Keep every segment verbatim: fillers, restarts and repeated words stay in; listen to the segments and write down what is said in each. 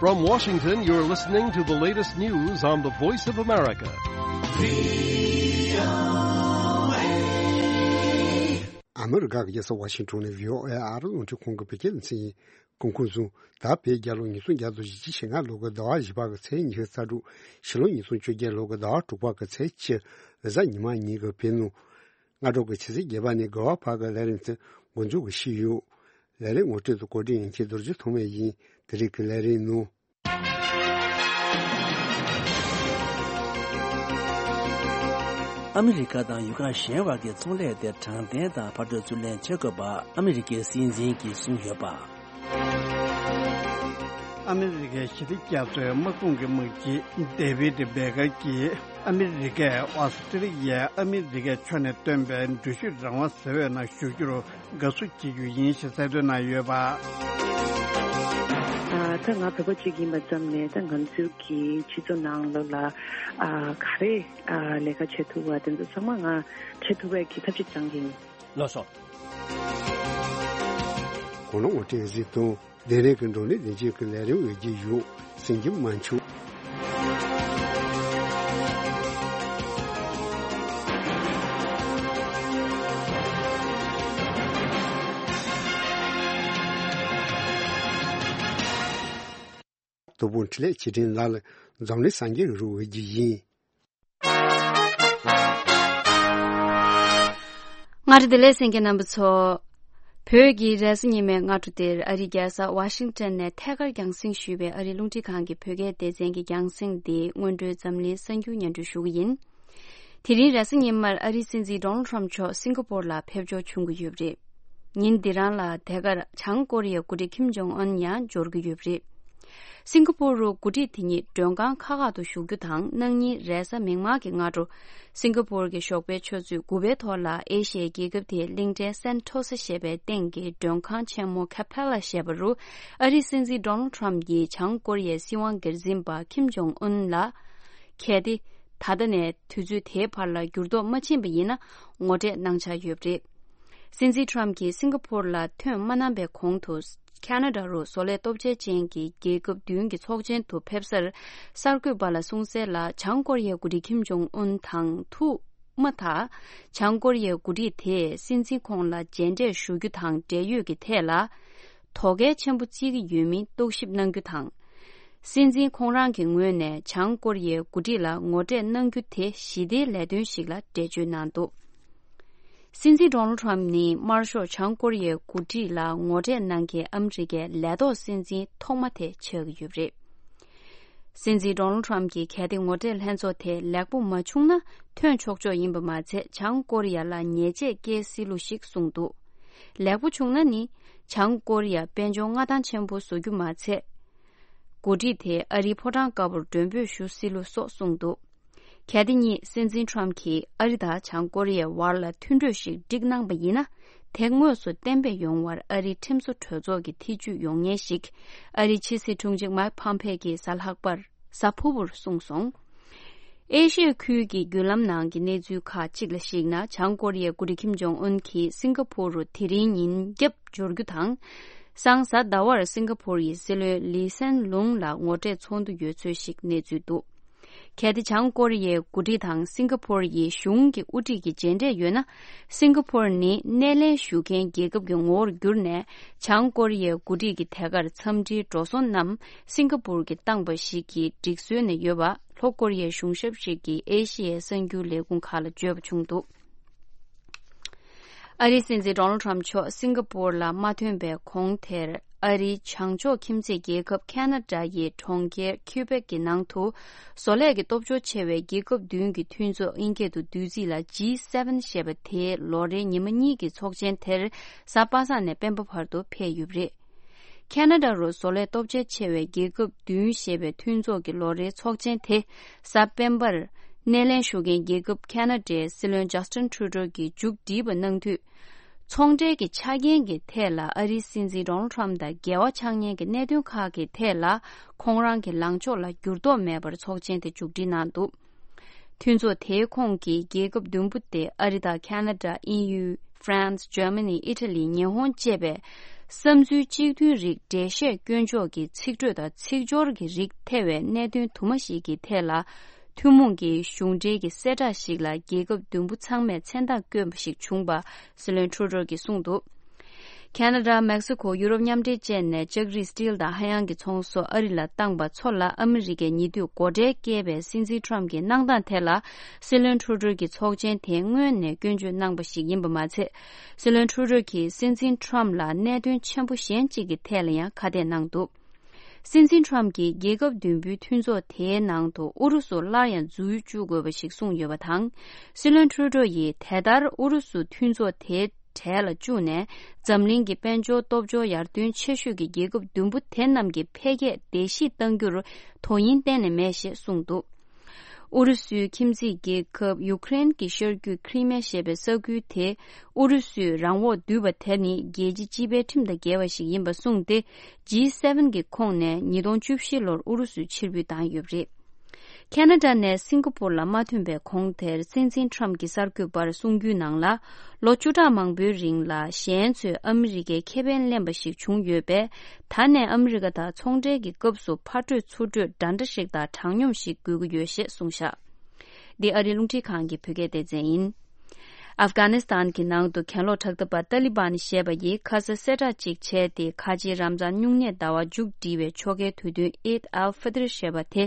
From Washington, you're listening to the latest news on the Voice of America. ཨ་མི་རི་ཀ་གི་རྒྱལ་ས་ཝ་ཤིང་ཊོན་ནས་ཝི་ཨོ་ཨེ་ཨ་རི་རླུང་འཕྲིན་ཁང་གི་བོད་སྐད་སྡེ་ཚན་ཡིན། གོང་གོང་བཟུང་། ད་བོད་རྒྱལ་ལོ་ཉིས་སྟོང་བརྒྱ་དང་བཞི་བཅུ་ཞེ་ལྔ་ལོ་གི་ཟླ་བ་བཞི་པ་གི་ཚེས་ཉི་ཤུ་རྩ་དྲུག་ཕྱི་ལོ་ཉིས་སྟོང་བཅོ་བརྒྱད་ལོ་གི་ཟླ་བ་དྲུག་པ་གི་ཚེས་བཅུ་གཟའ་ཉི་མ་ཉིན་གྱི་བོད་ནང་སྔ་དྲོ་གི་ཆུ་ཚོད་བརྒྱད་པ་ནས་དགའ་བ་བར་གྱི་ལས་རིམ་དེ་འགོ་འཛུགས་ཀྱི་ཞུས་ཡོད། ལས་རིམ་ངོ་སྤྲོད་དང་གོ་སྒྲིག་ཡིན་མཁན་རྡོ་རྗེ་ཐོགས་མེད་ཡིན། དེ་རིང་གི་ལས་རིམ་ནང་། ཨ་མི་རི་ཀ་དང་ཡུལ་ཁག་གཞན་བར་གྱི་ཚོང་ལས་དེ་དྲང་བདེན་དང་ཕར་འགྲོ་ཚུར་ལེན་བྱེད་དགོས་པ་ཨ་མི་རི་ཀའི་སྲིད་འཛིན་གྱིས་གསུངས་ཡོད་པ། ཨ་མི་རི་ཀའི་ཞི་བདེ་རྒྱ་མཚོའི་དམག་དཔུང་གི་དམག་སྤྱི་ཌེ་བིད་བྷེ་ཀར་གྱིས་ཨ་མི་རི་ཀས་ཨོ་སི་ཀྲི་ལི་ཡའི་ཨ་མི་རི་ཀའི་ཕྱོགས་ནས་བཏོན་པའི་འགྲུལ་བཞུད་རང་དབང་ཟེར་བའི་ནང་ཞུགས་རྒྱུར་དགའ་བསུ་བྱེད་རྒྱུ་ཡིན་ཞེས་གསལ་སྟོན་གནང་ཡོད་པ། ཨ། ད་ང་བོད་པ་གཅིག་ཡིན་པ་ཙམ་ལས་ད་ང་ཚོའི་གི་སྤྱི་ཚོགས་ནང་ལོགས་ལ་ཨ་ག་རེ་ཨ་ལས་ཀ་བྱེད་ཐུབ་པ་དེ་ཚོ་ཚང་མ་ང་བྱེད་ཐུབ་པའི་གི་ཐབས་ཤེས་བྱ་གི་ཡིན། ལགས་སོ། གོ་ནོར་ངོ་སྤྲོད་གཟིགས་དང་། དེ་རིང་གི་འགྲོ་ནས་བདེ་སྐྱིད་ཀྱི་ལས་རིམ་འོས་བརྒྱུད་ཡོད། སེང་གེ་དམར་མཆོག་དོ་དགོང་འཕྲིན་ལས་ཆེད་འཕྲིན་ལ་ལ་འཛམ་གླིང་སངས་རྒྱས་རུ་འོས་བརྒྱུད་ཡིན། ང་རེ་བདེ་ལེགས་གསན་མཁན་རྣམ་པ་ཚོ། བོད་ཀྱི་རེས་གཟའ་ཉི་མའི་སྔ་དྲོ་འདིར་ཨ་རིའི་རྒྱལ་ས་ཝ་ཤིང་ཊོན་ནས་ཐད་ཀར་རྒྱང་སྲིང་ཞུས་པའི་ཨ་རིའི་རླུང་འཕྲིན་ཁང་གི་བོད་སྐད་སྡེ་ཚན་གྱི་རྒྱང་སྲིང་འདི་སྔོན་འགྲོའི་འཛམ་གླིང་གསར་འགྱུར་སྙན་སྒྲོན་ཞུ་གི་ཡིན། དེ་རིང་རེས་གཟའ་ཉི་མར་ཨ་རིའི་སྲིད་འཛིན་ཌོ་ནལ་ཊམ་མཆོག་སིང་ག་པོར་ལ་ཕེབས་འབྱོར་བྱུང་གི་ཡོད་པ་རེད། ཉིན་འདི་རང་ལ་དེ་གར་བྱང་ཀོ་རི་ཡའི་འགོ་ཁྲིད་ཁིམ་ཇོང་ཨུན་ཡང་འབྱོར་གྱི་ཡོད་པ་རེད། སིང་ག་པོར་རུ་འགོ་ཁྲིད་དེ་ཉིད་མགྲོན་ཁང་ཁག་ཁག་ཏུ་བཞུགས་རྒྱུ་དང་། གནངས་ཉིན་རེས་གཟའ་མིག་དམར་གྱི་སྔ་དྲོ་སིང་ག་པོར་གྱི་ཞོགས་པའི་ཆུ་ཚོད་དགུ་པའི་ཐོག་ལ་ཨེ་ཤི་ཡའི་རྒྱལ་ཁབ་དེའི་གླིང་ཕྲན་སན་ཐོ་ས་ཞེས་པའི་སྟེང་གི་མགྲོན་ཁང་ཆེན་མོ་ཁ་པེ་ལ་ཞེས་པ་རུ་ཨ་རིའི་སྲིད་འཛིན་ཌོ་ནལ་ཊམ་གྱིས་བྱང་ཀོ་རི་ཡའི་སྲིད་དབང་སྒེར་འཛིན་པ་ཁིམ་ཇོང་ཨུན་ལ། གལ་ཏེ། ད་ལྟ་ནས་དུས་ཚོད་དེའི་བར་ལ་འགྱུར་ལྡོག་མ་ཕྱིན་པ་ཡིན་ན་ངོ་འཕྲད་གནང་འཆར་ཡོད་པ་རེད། སྲིད་འཛིན་ཊམ་གྱིས་སིང་ག་པོར་ལ་ཐོན་མ་གནང་པའི་གོང་དུ། ཁ་ན་ཌ་རུ་བཟོ་ལས་སྟོབས་ཆེན་ཅན་གྱི་རྒྱལ་ཁབ་བདུན་གྱི་ཚོགས་ཆེན་དུ་ཕེབས་སར། གསར་འགོད་པ་ལ་གསུངས་གསལ་ལ། བྱང་ཀོ་རི་ཡའི་འགོ་ཁྲིད་ཁིམ་ཇོང་ཨུན་དང་ཐུག་མ་ཐག་བྱང་ཀོ་རི་ཡའི་འགོ་ཁྲིད་དེས་སྲིད་འཛིན་ཁོང་ལ་མཇལ་འཕྲད་ཞུ་རྒྱུ་དང་འབྲེལ་ཡོད་ཀྱི་ཐད་ལ། དོ་གལ་ཆེན་པོ་བརྩི་གི་ཡོད་མིན་རྟོག་ཞིབ་གནང་རྒྱུ་དང་། སྲིད་འཛིན་ཁོང་རང་གི་ངོས་ནས་བྱང་ཀོ་རི་ཡའི་འགོ་ཁྲིད་ལ་ངོ་འཕྲད་གནང་རྒྱུ་དེ་ཞི་བདེའི་ལས་དོན་ཞིག་ལ་འགྲེལ་བརྗོད་གནང་འདུག། སྲིད་འཛིན་ཌོ་ནལ་ཊམ་ནི་དམར་ཤོག་བྱང་ཀོ་རི་ཡའི་འགོ་ཁྲིད་ལ་ངོ་འཕྲད་གནང་མཁན་ཨ་མི་རི་ཀའི་ལས་ཐོག་སྲིད་འཛིན་ཐོག་མ་དེ་ཆགས་ཀྱི་ཡོད་པ་རེད། སྲིད་འཛིན་ཌོ་ནལ་ཊམ་གྱིས་གལ་ཏེ་ངོ་འཕྲད་ལྷན་ཚོགས་དེ་ལེགས་པོ་མ་བྱུང་ན་ཐོན་ཆོག་ཆོག་ཡིན་པ་མ་ཚད། བྱང་ཀོ་རི་ཡ་ལ་ཉེས་ཆད་བཀལ་སྲིད་ལུགས་ཤིག་གསུངས་འདུག། ལེགས་པོ་བྱུང་ན་ནི། བྱང་ཀོ་རི་ཡ་དཔལ་འབྱོར་མངའ་ཐང་ཆེན་པོ་བཟོ་རྒྱུ་མ་ཚད། འགོ་ཁྲིད་དེ་ཨ་རིའི་ཕོ་བྲང་དཀར་པོར་མགྲོན་འབོད་ཞུ་སྲིད་ལུགས་སོགས་གསུངས་འདུག། གལ་ཏེ་ཉིད་སྲིད་འཛིན་ཊམ་གྱིས་ཨ་རི་དང་བྱང་ཀོ་རི་ཡའི་བར་ལ་མཐུན་གྲོས་ཤིག་བསྒྲིགས་གནང་པ་ཡིན་ན། དེ་དངོས་སུ་གཏན་འབེབས་ཡོང་བར་ཨ་རིའི་ཁྲིམས་བཟོ་གྲོས་ཚོགས་ཀྱི་ཐེ་ཇུས་ཡོང་ངེས་ཤིག་ཨ་རིའི་ཕྱི་སྲིད་དྲུང་ཆེ་མཱིག་ཕམ་ཕེ་གྱིས་གཟའ་ལྷག་པར་གཟའ་ཕུར་བུར་གསུངས་སོང་། ཨེ་ཤི་ཡ་ཁུལ་གྱི་བརྒྱུད་ལམ་ནང་གི་གནས་ཚུལ་ཁག་ཅིག་ལ་གཞིགས་ན། བྱང་ཀོ་རི་ཡའི་འགོ་ཁྲིད་ཁིམ་ཇོང་ཨུན་གྱིས་སིང་ག་པོར་རུ་དེ་རིང་ཉིན་རྒྱབ་འབྱོར་རྒྱུ་དང་། སང་གཟའ་ཟླ་བར་སིང་ག་པོར་ཡི་སྲིད་བློན་ལི་སན་ལུང་ལ་ངོ་འཕྲད་ཚོགས་འདུ་ཡོད་ཚོད་ཞིག་གནས་ཚུལ་འདུག། གལ་ཏེ་བྱང་ཀོ་རི་ཡའི་འགོ་ཁྲིད་དང་སིང་ག་པོར་ཡི་གཞུང་གི་དབུ་ཁྲིད་ཀྱི་མཇལ་འཕྲད་ཡོད་ན། སིང་ག་པོར་ནི་སྣེ་ལེན་ཞུ་མཁན་རྒྱལ་ཁབ་ཀྱི་ངོ་བོར་གྱུར་ནས། བྱང་ཀོ་རི་ཡའི་འགོ་ཁྲིད་ཀྱི་དེ་གར་འཚམས་འདྲིའི་འགྲོ་སོང་རྣམས་སིང་ག་པོར་གྱིས་བཏང་པ་ཞིག་གི་སྒྲིག་སྲོལ་ནས་ཡོད་པ། ལྷོ་ཀོ་རི་ཡའི་གཞུང་ཞབས་ཤིག་གིས་ཨེ་ཤི་ཡའི་གསར་འགྱུར་ལས་ཁུངས་ཁག་ལ་བརྗོད་པ་བྱུང་འདུག། ཨ་རིའི་སྲིད་འཛིན་ཌོ་ནལ་ཊམ་མཆོག་སིང་ག་པོར་ལ་མ་ཐོན་པའི་གོང་དེར། ཨ་རིའི་བྱང་ཕྱོགས་ཁྱིམ་མཚེས་རྒྱལ་ཁབ་ཁ་ན་ཌ་ཡི་གྲོང་ཁྱེར་ཁིའུ་བེག་གི་ནང་དུ། བཟོ་ལས་ཀྱི་སྟོབས་འབྱོར་ཆེ་བའི་རྒྱལ་ཁབ་བདུན་གྱི་མཐུན་ཚོགས་དབྱིན་སྐད་དུ་བསྡུས་ཚིག་ལ་ཇི་སེ་ཝེན་ཞེས་པ་དེའི་ལོ་རེའི་ཉི་མ་གཉིས་ཀྱི་ཚོགས་ཆེན་དེར་གཟའ་པ་སངས་ནས་སྤེན་པ་བར་དུ་འཕེལ་ཡོད་པ་རེད། ཁ་ན་ཌ་རུ་བཟོ་ལས་སྟོབས་ཆེ་ཆེ་བའི་རྒྱལ་ཁབ་བདུན་ཞེས་པའི་མཐུན་ཚོགས་ཀྱི་ལོ་རེའི་ཚོགས་ཆེན་དེ་གཟའ་སྤེན་པར་སྣེ་ལེན་ཞུ་མཁན་རྒྱལ་ཁབ་ཁ་ན་ཌའི་སྲིད་བློན་ཇཱ་སྟིན་ཁྲུ་ཌོ་གིས་མཇུག་བསྒྲིལ་བ་གནང་དུས། ཚོང་འབྲེལ་གྱི་ཆ་རྐྱེན་གྱི་ཐད་ལ་ཨ་རིའི་སྲིད་འཛིན་ཌོ་ནལ་ཊམ་དང་འགལ་བ་ཆགས་ཉེན་གྱི་གནད་དོན་ཁག་གི་ཐད་ལ་ཁོང་རང་གི་ལངས་ཕྱོགས་ལ་འགྱུར་ལྡོག་མེད་པར་ཚོགས་ཆེན་དེ་མཇུག་སྒྲིལ་གནང་འདུག། མཐུན་ཚོགས་དེའི་ཁོངས་ཀྱི་རྒྱལ་ཁབ་བདུན་པོ་སྟེ་ཨ་རི་དང་ཁ་ན་ཌ། དབྱིན་ཡུལ། ཧྥ་རན་སི། འཇར་མ་ནི། ཨི་ཊ་ལི། ཉི་ཧོང་བཅས་པའི་ བསམ་ཚུལ་གཅིག་མཐུན་རིགས་འགྲེལ་བཤད་སྐྱོན་ཕྱོགས་ཀྱི་ཚིག་འགྲོས་དང་ཚིག་སྦྱོར་གྱི་རིགས་ཐེ་བའི་གནད་དོན་དུ་མ་ཞིག་གི་ཐད་ལ། ཐུན་མོང་གི་གཞུང་འབྲེལ་གྱི་གསལ་བསྒྲགས་ཤིག་ལ་རྒྱལ་ཁབ་བདུན་པོ་ཚང་མས་མཚན་རྟགས་བསྐྱོན་པ་ཞིག་བྱུང་པ་སྲིད་བློན་ཁྲུ་ཌོ་གིས་གསུངས་འདུག་ཁེ་ན་ཌ། མེག་སི་ཁོ། ཡུ་རོབ་མཉམ་འབྲེལ་བཅས་ནས་ལྕགས་རིགས་སི་ཊིལ་དང་ཧ་ཡང་གི་ཚོང་སོགས་ཨ་རི་ལ་བཏང་པ་ཚོ་ལ་ཨ་མི་རི་ཀས་ཉེ་དུས་སྒོ་ཁྲལ་བཀལ་བའི་སྲིད་འཛིན་ཁྲོམ་གྱི་གནང་སྟངས་ཐད་ལ། སྲིད་བློན་ཁྲུ་ཌོ་གིས་ཚོགས་ཆེན་དེ་སྔོན་ནས་སྐྱོན་བརྗོད་གནང་པ་ཞིག་ཡིན་པ་མ་ཚད། སྲིད་བློན་ཁྲུ་ཌོ་གིས་སྲིད་འཛིན་ཁྲོམ་ལ་གནད་དོན་ཆེན་པོ་གཞན་གཅིག་གི་ཐད་ལ་ཡང་ཁ་གཏད་གནང་འདུག་སྲིད་འཛིན་ཁྲོམ་གྱིས་རྒྱལ་ཁབ་བདུན་པོའི་མཐུན་ཚོགས་དེའི་ནང་དུ་ཨུ་རུ་སུ་སླར་ཡང་འཛུལ་བཅུག་དགོས་པ་ཞིག་གསུངས་ཡོད་པ་དང་། སྲིད་བློན་ཁྲུ་ཌོ་ཡིས་དེ་ལྟར་ཨུ་རུ་སུ་མཐུན་ཚོགས་དེའི་གྲལ་ལ་བཅུག་ནས། འཛམ་གླིང་གི་དཔལ་འབྱོར་སྟོབས་འབྱོར་ཡར་ཐོན་ཆེ་ཤོས་ཀྱི་རྒྱལ་ཁབ་བདུན་པོ་དེ་རྣམས་ཀྱི་འཕེལ་རྒྱས་བརྡལ་བཤིག་གཏང་རྒྱུར་དོ་དབྱིངས་གཏན་ནས་མེད་ཞེས་གསུངས་འདུག་ཨུ་རུ་སུའི་ཁྱིམ་མཚེས་རྒྱལ་ཁབ་ཡུ་ཀེ་རེན་གྱི་ཤར་རྒྱུད་ཁི་རི་མེ་ཞེས་པའི་ས་ཁུལ་དེ་ཨུ་རུ་སུས་རང་དབང་བསྡུས་པ་དེ་ནི་རྒྱལ་སྤྱི་སྤྱི་པའི་ཁྲིམས་དང་འགལ་བ་ཞིག་ཡིན་པ་གསུངས་ཏེ། ཇི་སེ་ཝེན་གྱི་ཁོངས་ནས་ཉིས་སྟོང་བཅུ་བཞི་ལོར་ཨུ་རུ་སུ་ཕྱིར་འབུད་བཏང་ཡོད་པ་རེད། ཁེ་ན་ཌ་ནས་སིང་ག་པུར་ལ་མ་ཐོན་པའི་གོང་དེར་སྲིད་འཛིན་ཁྲོམ་གྱིས་གསར་འགོད་པར་གསུངས་རྒྱུའི་ནང་ལ། ལོ་བཅུ་ཕྲག་མང་པོའི་རིང་ལ་གཞན་ཚོས་ཨ་མི་རི་ཀའི་ཁེ་ཕན་ལེན་པ་ཞིག་བྱུང་ཡོད་པས། ད་ནས་ཨ་མི་རི་ཀ་དང་ཚོང་འབྲེལ་གྱི་སྐབས་སུ་ཕར་སྤྲོད་ཚུར་སྤྲོད་འདྲ་འདྲ་ཞིག་དང་དྲང་སྙོམས་ཤིག་དགོས་ཀྱི་ཡོད་ཞེས་གསུངས་བཞག་འདི་ཨ་རིའི་རླུང་འཕྲིན་ཁང་གི་བོད་སྐད་སྡེ་ཚན་ཡིན། ཨབ་གྷ་ནི་སི་ཐན་གྱི་ནང་དུ་གྱེན་ལོག་དྲག་འཐབ་པ་ཏཱ་ལི་བན་ཞེས་པ་ཡིས་ཁ་ས་གསལ་བསྒྲགས་ཅིག་བྱས་ཏེ། ཁ་ཆེའི་རམ་ཛཱན་སྨྱུང་གནས་ཟླ་བ་མཇུག་སྒྲིལ་བའི་ཆོ་གའི་དུས་སྟོན་ཨིད་ཨལ་ཧྥི་ཏིར་ཞེས་པ་དེ་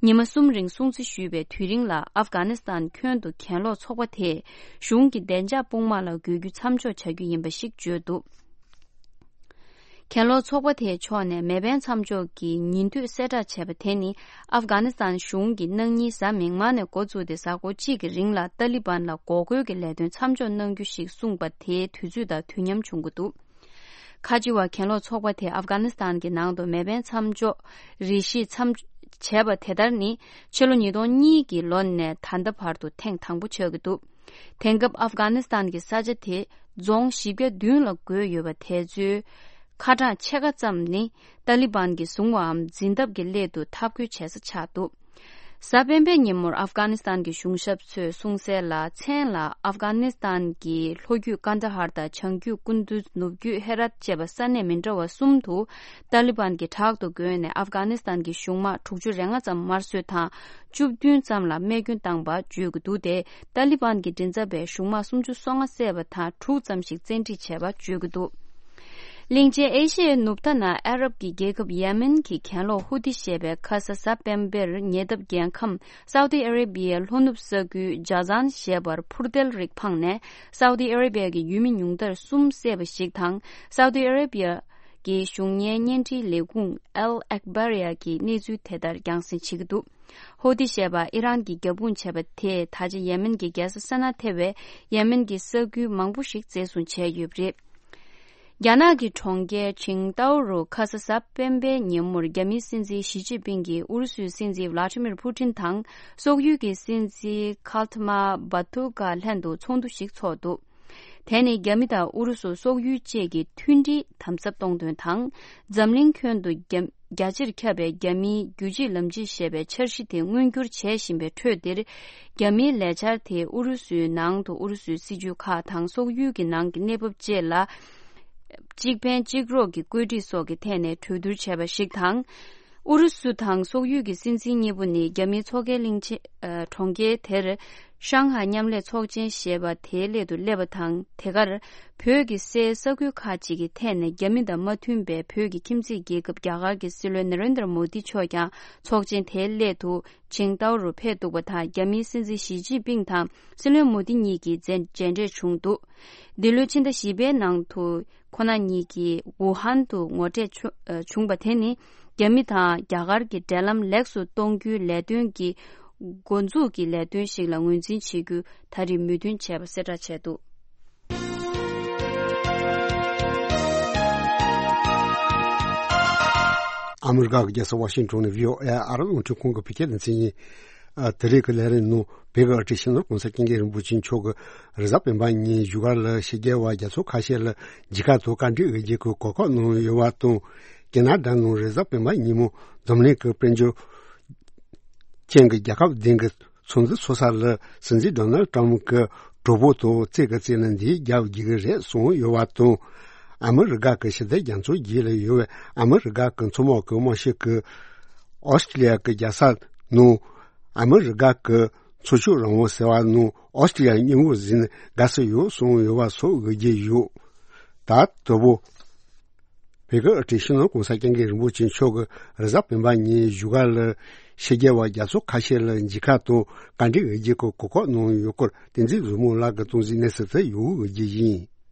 ཉི་མ་གསུམ་རིང་སྲུང་བརྩི་ཞུས་པའི་དུས་རིང་ལ། ཨབ་གྷ་ནི་སི་ཐན་ཁྱོན་དུ་གྱེན་ལོག་ཚོགས་པ་དེས་གཞུང་གི་བདེ་འཇགས་དཔུང་དམག་ལ་འགོས་རྒྱུ་མཚམས་འཇོག་བྱ་རྒྱུ་ཡིན་པ་ཞིག་བརྗོད་འདུག་གྱེན་ལོག་ཚོགས་པ་དེའི་ཕྱོགས་ནས་མེ་འཕེན་མཚམས་འཇོག་གི་ཉིན་དུས་གསལ་བསྒྲགས་བྱས་པ་དེ་ནི། ཨབ་གྷ་ནི་སི་ཐན་གཞུང་གིས་གནངས་ཉིན་གཟའ་མིག་དམར་ནས་འགོ་བཙུགས་ཏེ། གཟའ་འཁོར་གཅིག་གི་རིང་ལ་ཏཱ་ལི་བན་ལ་འགོག་རྒོལ་གྱི་ལས་དོན་མཚམས་འཇོག་གནང་རྒྱུ་ཞིག་གསུངས་པ་དེའི་དུས་ཚོད་དང་དུས་མཉམ་བྱུང་གི་འདུག་ཁ་ཆེ་བ་གྱེན་ལོག་ཚོགས་པ་དེས་ཨབ་གྷ་ནི་སི་ཐན་གྱི་ནང་དུ་མེ་འཕེན་མཚམས་འཇོག་རེ་ཞིག་མཚམས་བྱས་པ་དེ་ལྟར་ནི། ཕྱི་ལོ་ཉིས་སྟོང་གཉིས་ཀྱི་ལོ་ནས་ད་ལྟ་བར་དུ་ཐེངས་དང་པོ་ཆགས་ཀྱི་འདུག་དེང་སྐབས་ཨབ་གྷ་ནི་སི་ཐན་གྱི་ས་ཆ་དེ་རྫོང་བཞི་བརྒྱ་བདུན་ལ་བགོས་ཡོད་པ་དེ་ཚོའི་ཁ་གྲངས་ཕྱེད་ཀ་ཙམ་ནི་ཏཱ་ལི་བན་གྱིས་བཟུང་བའམ་འཛིན་ཐབས་ཀྱི་སླད་དུ་འཐབ་རྒོལ་བྱེད་ས་ཆགས་འདུག་གཟའ་སྤེན་པའི་ཉིན་མོར་ཨབ་གྷ་ནི་སི་ཐན་གྱི་གཞུང་ཞབས་ཚོས་གསུངས་གསལ་ལ། མཚན་ལ་ཨབ་གྷ་ནི་སི་ཐན་གྱི་ལྷོ་རྒྱུད་ཀན་ད་ཧར་དང་བྱང་རྒྱུད་ཀུན་དུ། ནུབ་རྒྱུད་ཧེ་རཱཏ་བཅས་པ་ས་གནས་མི་འདྲ་བ་གསུམ་དུ་ཏཱ་ལི་བན་གྱིས་དྲག་ཏུ་བརྒོས་ནས་ཨབ་གྷ་ནི་སི་ཐན་གྱི་གཞུང་དམག་དྲུག་ཅུ་རེ་ལྔ་ཙམ་དམར་གསོད་དང་བཅུ་བདུན་ཙམ་ལ་རྨས་སྐྱོན་བཏང་པ་བརྗོད་ཀྱི་འདུག་སྟེ། ཏཱ་ལི་བན་གྱི་མགྲིན་ཚབ་པས་གཞུང་དམག་སུམ་ཅུ་སོ་ལྔ་བསད་པ་དང་དྲུག་ཙམ་ཞིག་བཙན་ཁྲིད་བྱས་པ་བརྗོད་ཀྱི་འདུག་གླིང་ཆེན་ཨེ་ཤི་ཡའི་ནུབ་མཐའ་ན་ཨ་རབ་ཀྱི་རྒྱལ་ཁབ་ཡེ་མེན་གྱི་གྱེན་ལོག་ཧུ་ཏི་ཞེས་པས་ཁ་ས་གཟའ་སྤེན་པར་ཉེ་འདབས་རྒྱལ་ཁམས་སའུ་ཏི་ཨ་རེ་བི་ཡའི་ལྷོ་ནུབ་ས་ཁུལ་ཇ་ཛན་ཞེས་པར་འཕུར་མདེལ་རིགས་འཕངས་ནས། སའུ་ཏི་ཨ་རེ་བི་ཡ་གི་ཡུལ་མི་ཉུང་མཐར་གསུམ་བསད་པ་ཞིག་དང་། སའུ་ཏི་ཨ་རེ་བི་ཡ་གི་གཞུང་གཉེར་བརྙན་འཕྲིན་ལས་ཁུངས་ཨལ་ཨེག་བྷ་རི་ཡ་གིས་གནས་ཚུལ་དེ་ལྟར་རྒྱང་སྲིང་བྱེད་ཀྱི་འདུག་ཧོ་ཏི་ཞེས་པ་ཨི་རན་གྱིས་རྒྱབ་དཔུང་བྱས་པ་དེས་ད་ཆ་ཡེ་མེན་གྱི་རྒྱལ་ས་སེ་ན་ཐེ་བའི་ཡེ་མེན་གྱི་ས་ཁུལ་མང་པོ་ཞིག་བཙན་བཟུང་བྱས་ཡོད་པ་རེད། རྒྱ་ནག་གི་གྲོང་ཁྱེར་ཆིང་ཏའོ་རུ་ཁ་ས་གཟའ་སྤེན་པའི་ཉིན་མོར་རྒྱ་མིའི་སྲིད་འཛིན་ཞི་ཅིན་ཕིང་གིས་ཨུ་རུ་སུའི་སྲིད་འཛིན་ཝ་ལ་ཏི་མིར་ཕུ་ཏིན་དང་སོག་ཡུལ་གྱི་སྲིད་འཛིན་ཁལ་ཏི་མ་བྷ་ཐུ་ཀ་ལྷན་དུ་ཚོགས་འདུ་ཞིག་ཚོགས་འདུག་དེ་ནི་རྒྱ་མི་དང་ཨུ་རུ་སུ་སོག་ཡུལ་བཅས་ཀྱི་མཐུན་སྒྲིལ་དམ་ཟབ་གཏོང་དོན་དང་། འཛམ་གླིང་ཁྱོན་དུ་རྒྱ་རྒྱ་ཆེར་ཁྱབ་པའི་རྒྱ་མིའི་རྒྱུད་གཅིག་ལམ་གཅིག་ཞེས་པའི་འཆར་གཞི་དེ་མངོན་འགྱུར་བྱེད་བཞིན་པའི་ཁྲོད་འདིར། རྒྱ་མིའི་ལས་འཆར་དེས་ཨུ་རུ་སུའི་ནང་དུ་ཨུ་རུ་སུའི་སྲིད་ཇུས་ཁག་དང་སོག་ཡུལ་གྱི་ནང་གི་གནས་བབ་བཅས་ལ། གཅིག་ཕན་གཅིག་རོགས་ཀྱི་བཀོད་སྒྲིག་སོགས་ཀྱི་ཐད་ནས་གྲོས་བསྡུར་བྱས་པ་ཞིག་དང་། ཨུ་རུ་སུ་དང་སོག་ཡུལ་གྱི་སྲིད་འཛིན་གཉིས་པོ་ནི་རྒྱ་མིའི་མཚོ་ཁའི་གླིང་ཆེན། ཨ། གྲོང་ཁྱེར་དེར་ཧྲང་ཧའེ་མཉམ་ལས་ཚོགས་ཆེན་ཞེས་པ་དེའི་སླད་དུ་སླེབས་པ་དང་། དེ་གར་བོད་ཀྱི་སའི་ས་ཁུལ་ཁག་ཅིག་གི་ཐད་ནས་རྒྱ་མི་དང་མ་མཐུན་པའི་བོད་ཀྱི་ཁྱིམ་མཚེས་རྒྱལ་ཁབ་རྒྱ་གར་གྱི་སྲིད་བློན་ནེ་རེན་དྲ་མོ་དི་མཆོག་ཀྱང་ཚོགས་ཆེན་དེའི་སླད་དུ་ཆིང་ཏའོ་རུ་ཕེབས་འདུག་པ་དང་། རྒྱ་མིའི་སྲིད་འཛིན་ཞི་ཅིན་ཕིང་དང་སྲིད་བློན་མོ་དི་གཉིས་ཀྱིས་མཇལ་མཇལ་འཕྲད་བྱུང་འདུག་འདི་ལོའི་ཕྱི་ཟླ་བཞི་པའི་ནང་དུ། ཁོ་ན་གཉིས་ཀྱིས་ཝུ་ཧན་དུ་ངོ་འཕྲད་བྱུ- ཨ། བྱུང་བ་དེ་ནི་རྒྱ་མི་དང་རྒྱ་གར་གྱི་འབྲེལ་ལམ་ལེགས་སུ་གཏོང་རྒྱུའི་ལས་དོན་གྱི་འགོ་འཛུགས་ཀྱི་ལས་དོན་ཞིག་ལ་ངོས་འཛིན་བྱེད་རྒྱུ་ད་རེས་མོས་མཐུན་བྱས་པ་གསལ་བསྒྲགས་བྱས་འདུག་ཨ་མི་རི་ཀ་གི་རྒྱལ་ས་ཝ་ཤིང་ཊོན་ནས་བྷི་ཨོ་ཨེ་ཨ་རི་རླུང་འཕྲིན་ཁང་གི་བོད་སྐད་སྡེ་ཚན་ཡིན། ཨ། དེ་རིང་གི་ལས་རིམ་ནང་བོད་ཀྱི་ཨ་ཁྲིད་ཤིང་ནོར་གོང་ས་སྐྱབས་མགོན་རིན་པོ་ཆེ་མཆོག་གིས་རེས་གཟའ་སྤེན་པ་ཉིན་བཞུགས་སྒར་ལ་ཕྱི་རྒྱལ་བ་རྒྱ་མཚོ་ཁ་ཤས་ལ་མཇལ་ཁ་དང་བཀའ་འདྲི་འོས་འགན་གྱི་གོ་སྐབས་གནང་ཡོད་པ་དང་། ཁེ་ན་ཌ་ནང་རེས་གཟའ་སྤེན་པ་ཉིན་མོ་འཛམ་གླིང་གི་དཔལ་འབྱོར་ཅན་གྱི་རྒྱལ་ཁབ་བདུན་གྱི་ཚོགས་འདུ་ཚོགས་ས་ལ་སྲིད་འཛིན་ཌོ་ནལ་ཊམ་གྱི་གྲོགས་པོ་དང་རྩེད་ཀྱི་རྩེ་ན་འདིའི་རྒྱབ་རྒྱག་གི་རེད་གསུངས་ཡོད་པ་དང་། ཨ་མི་རི་ཀ་གི་ཞི་བདེ་རྒྱ་མཚོའི་རྒྱུད་ལ་ཡོད་པའི་ཨ་མི་རི་ཀ་གི་མཚོ་དམག་གི་དམག་ཤུགས་ཀྱིས་ཨོ་སི་ཀྲི་ལི་ཡ་གི་རྒྱལ་ས་ནང་ཨ་མི་རི་ཀ་གི་མཚོ་ཤུགས་རང་དབང་ཟེར་བ་ནང་ཨོ་སི་ཀྲི་ལི་ཡ་མཉམ་འོག་ཟིན་ནས་དགའ་བསུ་ཡོད་གསུངས་ཡོད་པ་སོགས་ཡོད་ཀྱི་ཡོད། ད་དོ་པོ། བོད་ཀྱི་དབུ་ཁྲིད་སྤྱི་ནོར་༸གོང་ས་༸སྐྱབས་མགོན་རིན་པོ་ཆེ་མཆོག་གིས་རེས་གཟའ་སྤེན་པ་ཉིན་བཞུགས་སྒར་ལ་ཕྱི་རྒྱལ་བ་རྒྱ་མཚོ་ཁ་ཤས་ལ་མཇལ་ཁ་དང་བཀའ་འདྲི་ཡོད་རྒྱུ་གི་གོ་སྐབས་གནང་ཡོད་སྐོར་བསྟན་འཛིན་བཟང་མོ་ལགས་ཀྱིས་གཏོང་ཟིན་གནས་ཚུལ་དེ་ཡོད་ཡོད་རྒྱུ་ཡིན།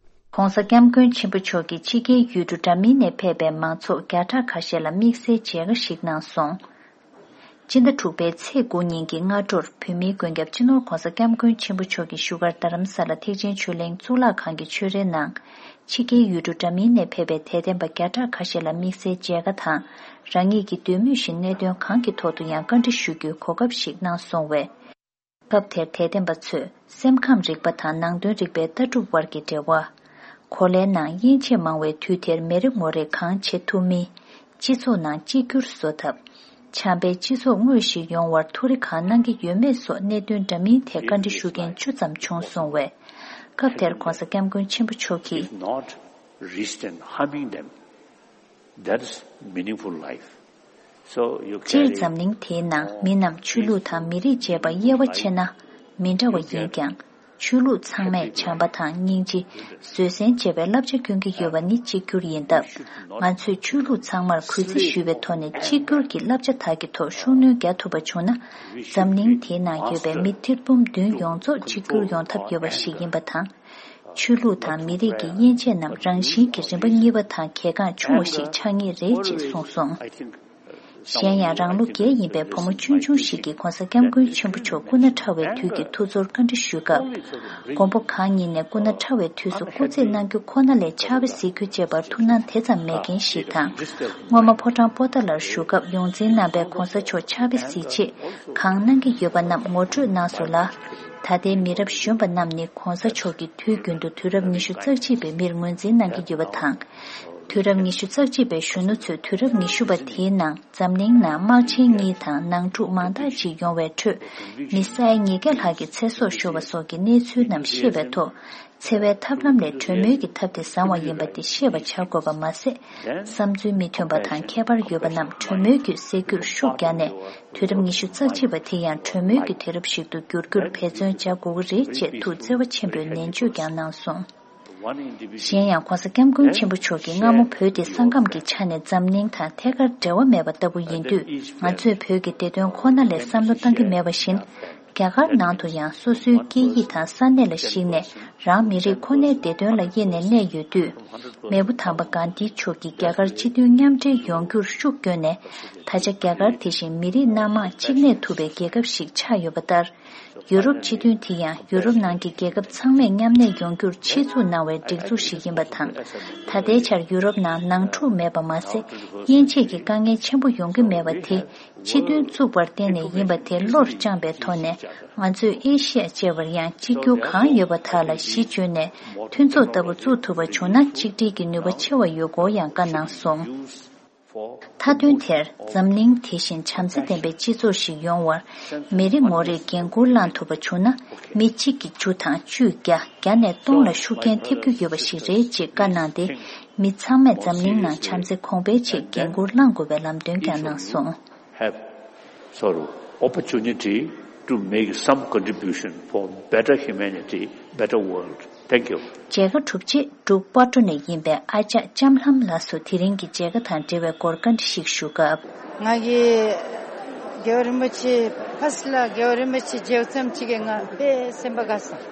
༸གོང་ས་༸སྐྱབས་མགོན་ཆེན་པོ་མཆོག་གིས་ཕྱི་རྒྱལ་ཡུལ་གྲུ་འདྲ་མིན་ནས་ཕེབས་པའི་མང་ཚོགས་བརྒྱ་ཕྲག་ཁ་ཤས་ལ་དམིགས་བསལ་མཇལ་ཁ་ཞིག་གནང་སོང་། སྤྱི་ཟླ་དྲུག་པའི་ཚེས་དགུ་ཉིན་གྱི་སྔ་དྲོར་བོད་མིའི་མགོན་སྐྱབས་སྤྱི་ནོར་༸གོང་ས་༸སྐྱབས་མགོན་ཆེན་པོ་མཆོག་གི་བཞུགས་སྒར་རྡ་རམ་ས་ལ་ཐེག་ཆེན་ཆོས་གླིང་གཙུག་ལག་ཁང་གི་ཆོས་རའི་ནང་། ཕྱི་རྒྱལ་ཡུལ་གྲུ་འདྲ་མིན་ནས་ཕེབས་པའི་དད་ལྡན་པ་བརྒྱ་ཕྲག་ཁ་ཤས་ལ་དམིགས་བསལ་མཇལ་ཁ་དང་རང་ཉིད་ཀྱི་འདོད་མོས་བཞིན་གནད་དོན་གང་གི་ཐོག་ཏུ་ཡང་བཀའ་འདྲི་ཞུ་རྒྱུའི་གོ་སྐབས་ཤིག་གནང་སོང་བས། སྐབས་དེར་དད་ལྡན་པ་ཚོས་སེམས་ཁམས་རིག་པ་དང་ནང་དོན་རིག་པའི་ལྟ་གྲུབ་དབར་གྱི་འབྲེལ་བ། གོ་ལའི་ནང་ཡན་ཆད་མང་བའི་དུས་དེར་མི་རེ་ངོ་རེས་གང་བྱེད་ཐུབ་མིན། སྤྱི་ཚོགས་ནང་གཅིག་གྱུར་བཟོ་ཐབས། བྱམས་པའི་སྤྱི་ཚོགས་དངོས་ཤིག་ཡོང་བར་ཐུགས་རེ་གང་གནང་གི་ཡོད་མེད་སོགས་གནད་དོན་འདྲ་མིན་ཐད་བཀའ་འདྲི་ཞུ་མཁན་བཅུ་ཙམ་བྱུང་སོང་བས། སྐབས་དེར་༸གོང་ས་༸སྐྱབས་མགོན་ཆེན་པོ་མཆོག་གིས། If not reached and harming them, that is meaningful life. So you སྤྱིར་carry འཛམ་གླིང་དེའི་ནང་མི་རྣམས་ཆོས་ལུགས་དང་མི་རིགས་བཅས་པ་དབྱེ་བ་ཕྱེ་ན་མི་འདྲ་བ་ཡིན་ཀྱང་། ཆོས་ལུགས་ཚང་མས་བྱམས་པ་དང་སྙིང་རྗེ། བཟོད་བསྲན་བཅས་པའི་བསླབ་བྱ་སྐྱོན་གྱི་ཡོད་པ་ནི་གཅིག་གྱུར་ཡིན་སྟབས། ང་ཚོས་ཆོས་ལུགས་ཚང་མར་གུས་བརྩི་ཞུས་པའི་ཐོག་ནས་གཅིག་གྱུར་གྱི་བསླབ་བྱ་དག་གི་ཐོག་ཤུགས་སྣོན་རྒྱག་ཐུབ་པ་བྱུང་ན། འཛམ་གླིང་དེའི་ནང་ཡོད་པའི་མི་ཐེར་འབུམ་བདུན་ཡོངས་རྫོགས་གཅིག་གྱུར་ཡོང་ཐབས་ཡོད་པ་ཞིག་ཡིན་པ་དང་། ཆོས་ལུགས་དང་མི་རིགས་ཀྱི་དབྱེ་འབྱེད་རྣམས་རང་བཞིན་གྱིས་རིམ་པ་གཉིས་པ་དང་གལ་འགངས་ཆུང་བ་ཞིག་ཆགས་ངེས་རེད་ཅེས་གསུངས་སོང་། གཞན་ཡང་རང་ལོ་བརྒྱད་ཡིན་པའི་བུ་མོ་ཆུང་ཆུང་ཞིག་གིས་༸གོང་ས་༸སྐྱབས་མགོན་ཆེན་པོ་མཆོག་སྐུ་ན་ཕྲ་བའི་དུས་ཀྱི་ཐུགས་ཚོར་བཀའ་འདྲི་ཞུས་སྐབས། མགོན་པོ་གང་ཉིད་ནས་སྐུ་ན་ཕྲ་བའི་དུས་སུ་སྐུ་རྩེད་གནང་རྒྱུ་ཁོ་ན་ལས་ཕྱག་དཔེ་གཟིགས་རྒྱུ་བཅས་པར་ཐུགས་སྣང་དེ་ཙམ་མེད་མཁན་ཞིག་དང་། སྔོན་མ་ཕོ་བྲང་པོ་ཏཱ་ལར་བཞུགས་སྐབས་ཡོངས་འཛིན་རྣམ་པས་༸གོང་ས་མཆོག་ཕྱག་དཔེ་གཟིགས་ཆེད་གང་གནང་གི་ཡོད་པ་རྣམས་ངོ་སྤྲོད་གནང་སོང་ལ། ད་ལྟའི་མི་རབས་གཞོན་པ་རྣམས་ནི་༸གོང་ས་མཆོག་གིས་དུས་རྒྱུན་དུ་དུས་རབས་ཉི་ཤུ་རྩ་གཅིག་པའི་མིར་ངོས་འཛིན་གནང་གི་ཡོད་པ་དང་། དུས་རབས་ཉི་ཤུ་རྩ་གཅིག་པའི་གཞོན་ནུ་ཚོས་དུས་རབས་ཉི་ཤུ་པ་དེའི་ནང་འཛམ་གླིང་ནང་དམག་ཆེན་གཉིས་དང་ནང་འཁྲུག་མང་དག་ཅིག་ཡོང་བའི་ཁྲོད། མི་ས་ཡ་ཉིས་བརྒྱ་ལྷག་གི་ཚེ་སྲོག་ཤོར་བ་སོགས་ཀྱི་གནས་ཚུལ་རྣམས་ཤེས་པའི་ཐོག་འཚེ་བའི་ཐབས་ལམ་ལས་གྲོས་མོལ་གྱི་ཐབས་དེ་བཟང་བ་ཡིན་པ་དེ་ཤེས་པ་བྱ་དགོས་པ་མ་ཟད། བསམ་ཚུལ་མི་མཐུན་པ་དང་ཁྱད་པར་ཡོད་པ་རྣམས་གྲོས་མོལ་བརྒྱུད་སེལ་རྒྱུར་ཤུགས་བརྒྱབ་ནས། དུས་རབས་ཉི་ཤུ་རྩ་གཅིག་པ་དེ་ཡང་གྲོས་མོལ་གྱི་དུས་རབས་ཤིག་ཏུ་འགྱུར་རྒྱུར་འབད་བརྩོན་བྱ་དགོས་ཀྱི་རེད་ཅེས་ཐུགས་བརྩེ་བ་ཆེན་པོས་ནན་བརྗོད་ཀྱང་གནང་སོང་། གཞན་ཡང་༸གོང་ས་༸སྐྱབས་མགོན་ཆེན་པོ་མཆོག་གིས་སྔ་མོ་བོད་དེ་ས་ཁམས་ཀྱི་ཆ་ནས་འཛམ་གླིང་དང་ཐད་ཀར་འབྲེལ་བ་མེད་པ་ལྟ་བུ་ཡིན་དུས། ང་ཚོས་བོད་ཀྱི་བདེ་དོན་ཁོ་ན་ལས་བསམ་བློ་བཏང་གི་མེད་པ་བཞིན། རྒྱ་གར་ནང་དུ་ཡང་སོ་སོའི་སྐད་ཡིག་དང་ས་གནས་ལ་གཞིགས་ནས་རང་མི་རིགས་ཁོ་ནའི་བདེ་དོན་ལ་དབྱེ་ནས་གནས་ཡོད་དུས། མེས་པོ་དམ་པ་གྷན་དྷི་མཆོག་གིས་རྒྱ་གར་སྤྱི་མཐུན་མཉམ་འབྲེལ་ཡོང་རྒྱུར་ཤུགས་བསྐྱོན་ནས། ད་ཆ་རྒྱ་གར་དེ་བཞིན་མི་རིགས་སྣ་མང་གཅིག་གནས་ཐུབ་པའི་རྒྱལ་ཁབ་ཞིག་ཆགས་ཡོད་པ་ལྟར། ཡུ་རོབ་སྤྱི་མཐུན་དེ་ཡང་ཡུ་རོབ་ནང་གི་རྒྱལ་ཁབ་ཚང་མས་མཉམ་གནས་ཡོང་རྒྱུར་ཆེད་འཛུགས་གནང་བའི་སྒྲིག་འཛུགས་ཤིག་ཡིན་པ་དང་། ད་ལྟའི་ཆར་ཡུ་རོབ་ནང་ནང་འཁྲུག་མེད་པ་མ་ཟད། དབྱེ་འབྱེད་ཀྱི་དཀའ་ངལ་ཆེན་པོ་ཡོང་གི་མེད་པ་དེ། སྤྱི་མཐུན་བཙུགས་པར་བརྟེན་ནས་ཡིན་པ་དེ་བློར་བཅངས་པའི་ཐོག་ནས། ང་ཚོས་ཨེ་ཤི་ཡ་བཅས་པར་ཡང་གཅིག་གྱུར་གང་ཡོད་པ་དག་ལ་གཞི་བཅོལ་ནས། མཐུན་ཚོགས་ལྟ་བུ་བཙུགས་ཐུབ་པ་བྱུང་ན། གཅིག་སྒྲིལ་གྱི་ནུས་པ་ཆེ་བ་ཡོད་སྐོར་ཡང་བཀའ་གནང་སོང་། མཐའ་དོན་དེར། འཛམ་གླིང་དེ་བཞིན་བྱམས་བརྩེ་ལྡན་པའི་སྤྱི་ཚོགས་ཤིག་ཡོང་བར། མི་རེ་ངོ་རེས་འགན་འཁུར་བླངས་ཐུབ་པ་བྱུང་ན། མི་གཅིག་གིས་བཅུ་དང་བཅུས་བརྒྱ། བརྒྱ་ནས་སྟོང་ལ་ཤུགས་རྐྱེན་ཐེབས་རྒྱུ་ཡོད་པ་ཞིག་རེད་ཅེས་བཀའ་གནང་སྟེ། མི་ཚང་མས་འཛམ་གླིང་ནང་བྱམས་བརྩེ་གོང་འཕེལ་ཆེད་འགན་འཁུར་བླངས་དགོས་པའི་ལམ་སྟོན་ཀྱང་གནང་སོང་། Have sort of opportunity to make some contribution for better humanity, better world. Thank you. མཇལ་ཁ་གྲུབ་རྗེས་འབྲུག་པར་འགྲོ་ནས་ཡིན་པའི་ཨ་ཅག་ལྕམ་ལྷམ་ལགས་སུ་དེ་རིང་གི་མཇལ་ཁ་དང་འབྲེལ་བའི་སྐོར་བཀའ་འདྲི་ཞིག་ཞུ་སྐབས། ང་གིས་རྒྱལ་བ་རིན་པོ་ཆེ་ཕར་ལ་རྒྱལ་བ་རིན་པོ་ཆེ་མཇལ་ཙམ་ཅིག་གིས་ང་དཔེ་སེམས་པ་དགའ་སོང་།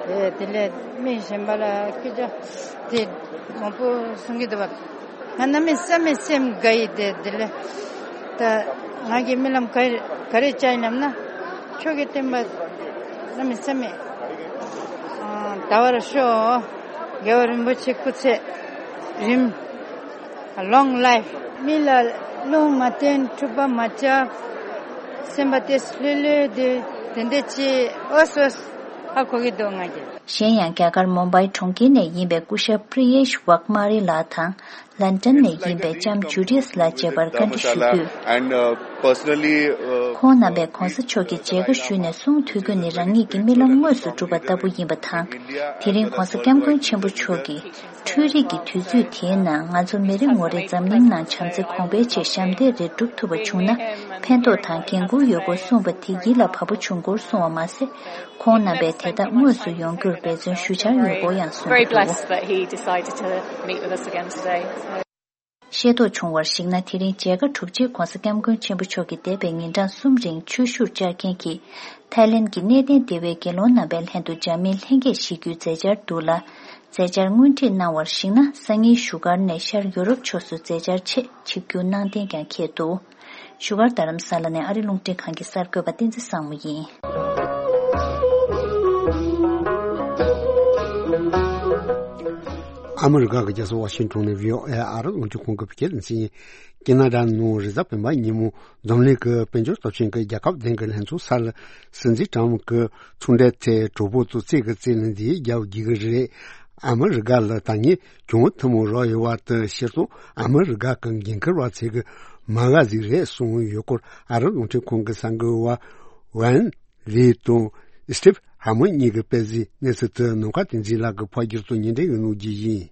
ཨེ་དེ་ལས་མི་གཞན་པ་ལ་སྐད་ཆ་དེ་མང་པོ་གསུང་གི་འདུག་པ། ང་གནམ་མེད་ས་མེད་སེམས་དགའ་ཡི་དེ་དེ་ལས་ད་ང་གིས་རྨི་ལམ་ག་ག་རེ་བྱ་ཡིན་ལབ་ན། ཁྱོད་ཀྱི་བསྟན་པ་གནམ་མེད་ས་མེད་ཨ་དར་བར་ཤོག་རྒྱལ་བ་རིན་པོ་ཆེ་སྐུ་ཚེ་རིང་། Long life. མི་ལ་བློ་མ་བརྟན་འཁྲུག་པ་མ་བྱ། སེམས་པ་དེ་ལྷོད་ལྷོད་དེ་དེ་འདྲ་ཅིག་ཨོ་སོ་ཧ་གོ་གི་འདུག་ང་གིས། གཞན་ཡང་རྒྱ་གར་མུམ་བྷའི་གྲོང་ཁྱེར་ནས་ཡིན་པའི་སྐུ་ཞབས་པྲི་ཡེཤ་ཝག་མ་རི་ལགས་དང་། ལན་ཀྲན་ནས་ཡིན་པའི་ལྕམ་ཇུ་ཌི་ཡས་ལགས་བཅས་པར་བཀའ་འདྲི་ཞུ་རྒྱུ། And, uh, personally, uh, ཁོང་རྣམ་པས་༧གོང་ས་མཆོག་གི་མཇལ་ཁ་ཞུས་ནས་གསུང་ཐོས་རྒྱུ་ནི་རང་ཉིད་ཀྱི་རྨི་ལམ་དངོས་སུ་འགྲུབ་པ་ལྟ་བུ་ཡིན་པ་དང་། དེ་རིང་༧གོང་ས་༧སྐྱབས་མགོན་ཆེན་པོ་མཆོག་གིས་འཕྲུལ་རིག་གི་དུས་ཚོད་དེའི་ནང་ང་ཚོ་མི་རེ་ངོ་རེ་འཛམ་གླིང་ནང་བྱམས་བརྩེ་གོང་འཕེལ་ཆེད་ཞབས་འདེགས་རེ་སྒྲུབ་ཐུབ་པ་བྱུང་ན་ཕན་ཐོགས་དང་འགན་ཁུར་ཡོད་སྐོར་གསུངས་པ་དེ་ཡིད་ལ་བབ་པོ་བྱུང་སྐོར་གསུངས་པ་མ་ཟད། ཁོང་རྣམ་པས་དེ་དག་དངོས་སུ་ཡོང་རྒྱུར་འབད་བརྩོན་ཞུ་འཆར་ཡོད་སྐོར་ཡང་གསུངས་འདུག། Very blessed that he decided to meet with us again today. ཤེས་རྟོགས་བྱུང་བར་གཞིགས་ན། དེ་རིང་མཇལ་ཁ་གྲུབ་རྗེས་༧གོང་ས་༧སྐྱབས་མགོན་ཆེན་པོ་མཆོག་གིས་འདས་པའི་ཉིན་གྲངས་གསུམ་རིང་ཆོས་ཞུར་བཅར་མཁན་གྱི་ཐའི་ལེན་གྱི་གནས་བརྟན་སྡེ་བའི་དགེ་སློང་རྣམ་པའི་ལྷན་དུ་འཇར་མན་ལྷན་རྒྱས་ཞིག་རྒྱུའི་མཛད་འཆར་འདུག་ལ། མཛད་འཆར་སྔོན་ཁྲིད་གནང་བར་གཞིགས་ན། སང་ཉིན་བཞུགས་སྒར་ནས་ཤར་ཡོ་རོབ་ཕྱོགས་སུ་མཛད་འཆར་ཆེད་ཆིབས་བསྒྱུར་གནང་གཏན་ཀྱང་འཁེལ་འདུག། བཞུགས་སྒར་རྡ་རམ་ས་ལ་ནས་ཨ་རི་རླུང་འཕྲིན་ཁང་གི་གསར་འགོད་པ་བསྟན་འཛིན་བཟང་མོ་ཡིན། ཨ་མི་རི་ཀ་གི་རྒྱལ་ས་ཝ་ཤིང་ཊོན་ནས་བྷི་ཨོ་ཨེ་ཨ་རི་རླུང་འཕྲིན་ཁང་གི་བོད་སྐད་སྡེ་ཚན་ཡིན། ཀེ་ན་ཌ་ནང་རེས་གཟའ་སྤེན་པ་ཉིན་མོ་འཛམ་གླིང་གི་དཔལ་འབྱོར་སྟོབས་ཆེན་གྱི་རྒྱལ་ཁབ་བདུན་གྱི་ལྷན་ཚོགས་སར་སྲིད་འཛིན་ཊམ་གྱི་ཚོང་འབྲེལ་ཐད་གྲོས་འབུལ་དུ་རྩིས་ཀྱི་རྩིས་ལེན་འདི་རྒྱབ་བགྱིད་ཀྱི་རེད། ཨ་མི་རི་ཀ་ལ་ད་ངས་གྱོང་ཐུན་མོང་རག་ཡོད་པ་དེ་ཕྱིར་ཚོང་ཨ་མི་རི་ཀ་གི་འགན་འཁུར་བ་ཚོས་ཀྱི་མ་དགའ་ཟིག་རེད་གསུངས་ཡོད་སྐོར་ཨ་རི་རླུང་འཕྲིན་ཁང་གི་གསར་འགོད་པ་ཝན་ལི་དང་སྟིབ་ཧ་མོན་གཉིས་ཀྱིས་སྤེལ་གཟིགས་གནས་ཚུལ་དེ་ནམ་མཁའ་བསྟན་འཛིན་ལགས་ཀྱིས་ཕབ་བསྒྱུར་དང་སྙན་སྒྲོན་ཡོད་ནོ་བརྒྱུད་ཡིན།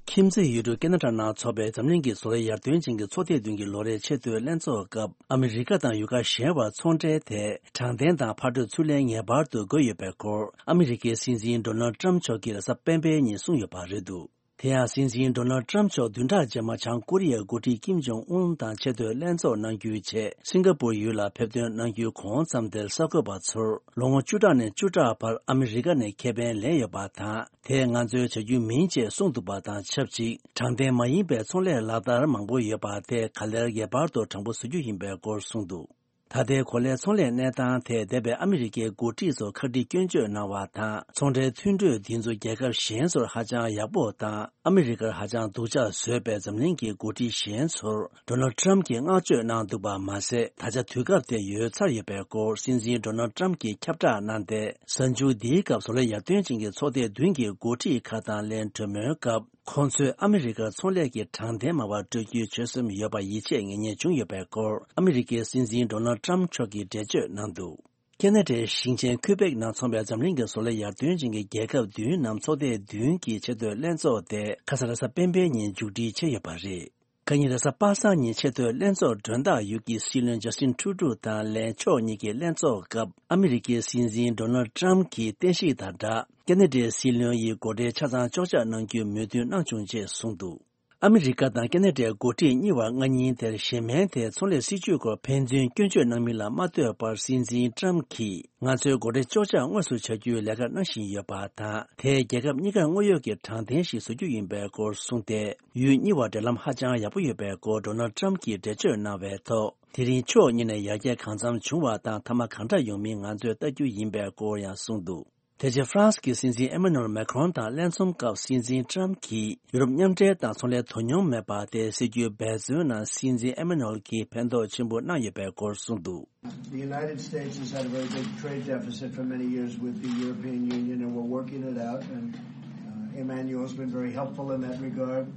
ཁྱིམ་མཚེས་ཡུལ་གྲུ་ཀེ་ན་ཌ་ནང་འཚོགས་པའི་འཛམ་གླིང་གི་བཟོ་ལས་ཡར་ཐོན་ཅན་གྱི་ཚོགས་སྡེ་བདུན་གྱི་ལོ་རེའི་ཆེས་མཐོའི་ལྷན་ཚོགས་སྐབས། ཨ་མི་རི་ཀ་དང་ཡུལ་ཁག་གཞན་བར་ཚོང་འབྲེལ་ཐད་དྲང་བདེན་དང་ཕར་གྲུ་ཚུར་ལེན་ངེས་པར་དུ་དགོས་ཡོད་པའི་སྐོར། ཨ་མི་རི་ཀའི་སྲིད་འཛིན་ཌོ་ནལ་ཊམ་མཆོག་གིས་རེས་གཟའ་སྤེན་པའི་ཉིན་གསུངས་ཡོད་པ་རེད་འདུག། དེ་ཡང་སྲིད་འཛིན་ཌོ་ནལ་ཊམ་མཆོག་བདུན་ཕྲག་རྗེས་མ་བྱང་ཀོ་རི་ཡའི་འགོ་ཁྲིད་ཀིམ་ཇོང་ཨུན་དང་ཆེས་མཐོའི་ལྷན་ཚོགས་གནང་རྒྱུའི་ཆེད་སིང་ག་པུར་ཡུལ་ལ་ཕེབས་ཐོན་གནང་རྒྱུའི་གོང་ཙམ་དེར་གསར་འགོད་པ་ཚོར་ལོ་ངོ་བཅུ་ཕྲག་ནས་བཅུ་ཕྲག་བར་ཨ་མི་རི་ཀ་ནས་ཁེ་ཕན་ལེན་ཡོད་པ་དང་། དེས་ང་ཚོའི་བྱ་རྒྱུ་མིན་ཅེས་གསུངས་འདུག་པ་དང་ཆབས་ཅིག། དྲང་བདེན་མ་ཡིན་པའི་ཚོང་ལས་ལག་བསྟར་མང་པོ་ཡོད་པ་དེ་ག་ལེར་ངེས་པར་དུ་དྲང་པོ་བཟོ་རྒྱུ་ཡིན་པའི་སྐོར་གསུངས་འདུག། ད་ལྟའི་གོ་ལའི་ཚོང་ལས་གནས་སྟངས་ཐད་འདས་པའི་ཨ་མི་རི་ཀའི་འགོ་ཁྲིད་ཚོ་ཁག་དཀྲི་སྐྱོན་བརྗོད་གནང་བ་དང་། ཚོང་འབྲེལ་མཐུན་གྲོས་འདི་ཚོ་རྒྱལ་ཁབ་གཞན་ཚོར་ཧ་ཅང་ཡག་པོ་དང་། ཨ་མི་རི་ཀར་ཧ་ཅང་སྡུག་ཅག་བཟོས་པའི་འཛམ་གླིང་གི་འགོ་ཁྲིད་གཞན་ཚོར་ཌོ་ནལ་ཊམ་གྱིས་བསྔགས་བརྗོད་གནང་འདུག་པ་མ་ཟད། ད་ཆ་དུས་སྐབས་དེ་ཡོལ་ཚར་ཡོད་པའི་སྐོར་སྲིད་འཛིན་ཌོ་ནལ་ཊམ་གྱིས་ཁྱབ་བསྒྲགས་གནང་སྟེ། གཟའ་མཇུག་འདིའི་སྐབས་བཟོ་ལས་ཡར་ཐོན་ཅན་གྱི་ཚོགས་སྡེ་བདུན་གྱི་འགོ་ཁྲིད་ཁག་དང་ལེན་གྲོས་མོལ་སྐབས། ཁོང་ཚོས་ཨ་མི་རི་ཀར་ཚོང་ལས་ཀྱི་དྲང་བདེན་མ་པ་སྤྲོད་རྒྱུའི་ཆོད་སེམས་ཡོད་པ་ཡིད་ཆེས་ངེས་རྙེད་བྱུང་ཡོད་པའི་སྐོར། ཨ་མི་རི་ཀའི་སྲིད་འཛིན་ཌོ་ནལ་ཊམ་མཆོག་གིས་འགྲེལ་བརྗོད་གནང་འདུག། ཁེ་ན་ཌའི་ཞིང་ཆེན་ཁུ་བེག་ནང་འཚོགས་པའི་འཛམ་གླིང་གི་བཟོ་ལས་ཡར་ཐོན་ཅན་གྱི་རྒྱལ་ཁབ་བདུན་ནམ་ཚོགས་སྡེ་བདུན་གྱི་ཆེས་མཐོའི་ལྷན་ཚོགས་དེ་ཁ་སང་རེས་གཟའ་སྤེན་པའི་ཉིན་མཇུག་སྒྲིལ་བྱས་ཡོད་པ་རེད། ཁ་ཉིན་རེས་གཟའ་པ་སངས་ཉིན་ཆེས་མཐོའི་ལྷན་ཚོགས་མགྲོན་བདག་ཡུལ་གྱི་སྲིད་བློན་ཇ་སི་ཊིན་ཊུ་རུ་ཌོ་དང་ལན་ཕྱོགས་གཉིས་ཀྱི་ལྷན་ཚོགས་སྐབས། ཨ་མི་རི་ཀའི་སྲིད་འཛིན་ཌོ་ནལ་ཊམ་གྱིས་བསྟན་བཤིག་དང་སྦྲགས། ཁེ་ན་ཌའི་སྲིད་བློན་ཡིས་སྒོ་ཁྲལ་ཆ་ཚང་གཅོག་ཆ་གནང་རྒྱུའི་མོས་མཐུན་གནང་བྱུང་ཅེས་གསུངས་འདུག། ཨ་མི་རི་ཀ་དང་ཁེ་ན་ཌའི་འགོ་ཁྲིད་གཉིས་བར་སྔ་ཉིན་དེར་གཞན་ཕན་ཐད་ཚོང་ལས་སྲིད་ཇུས་སྐོར་ཕན་ཚུན་སྐྱོན་བརྗོད་གནང་མིན་ལ་མ་ལྟོས་པར། སྲིད་འཛིན་ཊམ་གྱིས་ང་ཚོའི་སྒོ་ཁྲལ་གཅོག་ཆ་དངོས་སུ་བྱ་རྒྱུའི་ལས་ཀ་གནང་བཞིན་ཡོད་པ་དང་། དེས་རྒྱལ་ཁབ་གཉིས་ཀར་དངོས་ཡོད་ཀྱི་དྲང་བདེན་ཞིག་བཟོ་རྒྱུ་ཡིན་པའི་སྐོར་གསུངས་ཏེ། ཡུལ་གཉིས་བར་འབྲེལ་ལམ་ཧ་ཅང་ཡག་པོ་ཡོད་པའི་སྐོར་ཌོ་ནལ་ཊམ་གྱིས་འགྲེལ་བརྗོད་གནང་བའི་ཐོག། དེ་རིང་ཕྱོགས་གཉིས་ནས་ཡར་རྒྱས་གང་འཚམ་བྱུང་བ་དང་། མཐའ་མ་གང་འདྲ་ཡོང་མིན་ང་ཚོས་ལྟ་རྒྱུ་ཡིན་པའི་སྐོར་ཡང་གསུངས་འདུག། དེ་རྗེས་ཧྥ་རན་སི་གི་སྲིད་འཛིན་ཨེ་མ་ནུ་ཨེལ་མེ་ཁྲོན་དང་ལྷན་འཛོམས་སྐབས། སྲིད་འཛིན་ཊམ་གྱིས་ཡུ་རོབ་མཉམ་འབྲེལ་དང་ཚོང་ལས་དོ་སྙོམས་མེད་པ་དེ་སེལ་རྒྱུའི་འབད་བརྩོན་ནང་སྲིད་འཛིན་ཨེ་མ་ནུ་ཨེལ་གྱིས་ཕན་ཐོགས་ཆེན་པོ་གནང་ཡོད་པའི་སྐོར་གསུངས་འདུག། The United States has had a very big trade deficit for many years with the European Union, and we're working it out. And, uh, Emmanuel's been very helpful in that regard,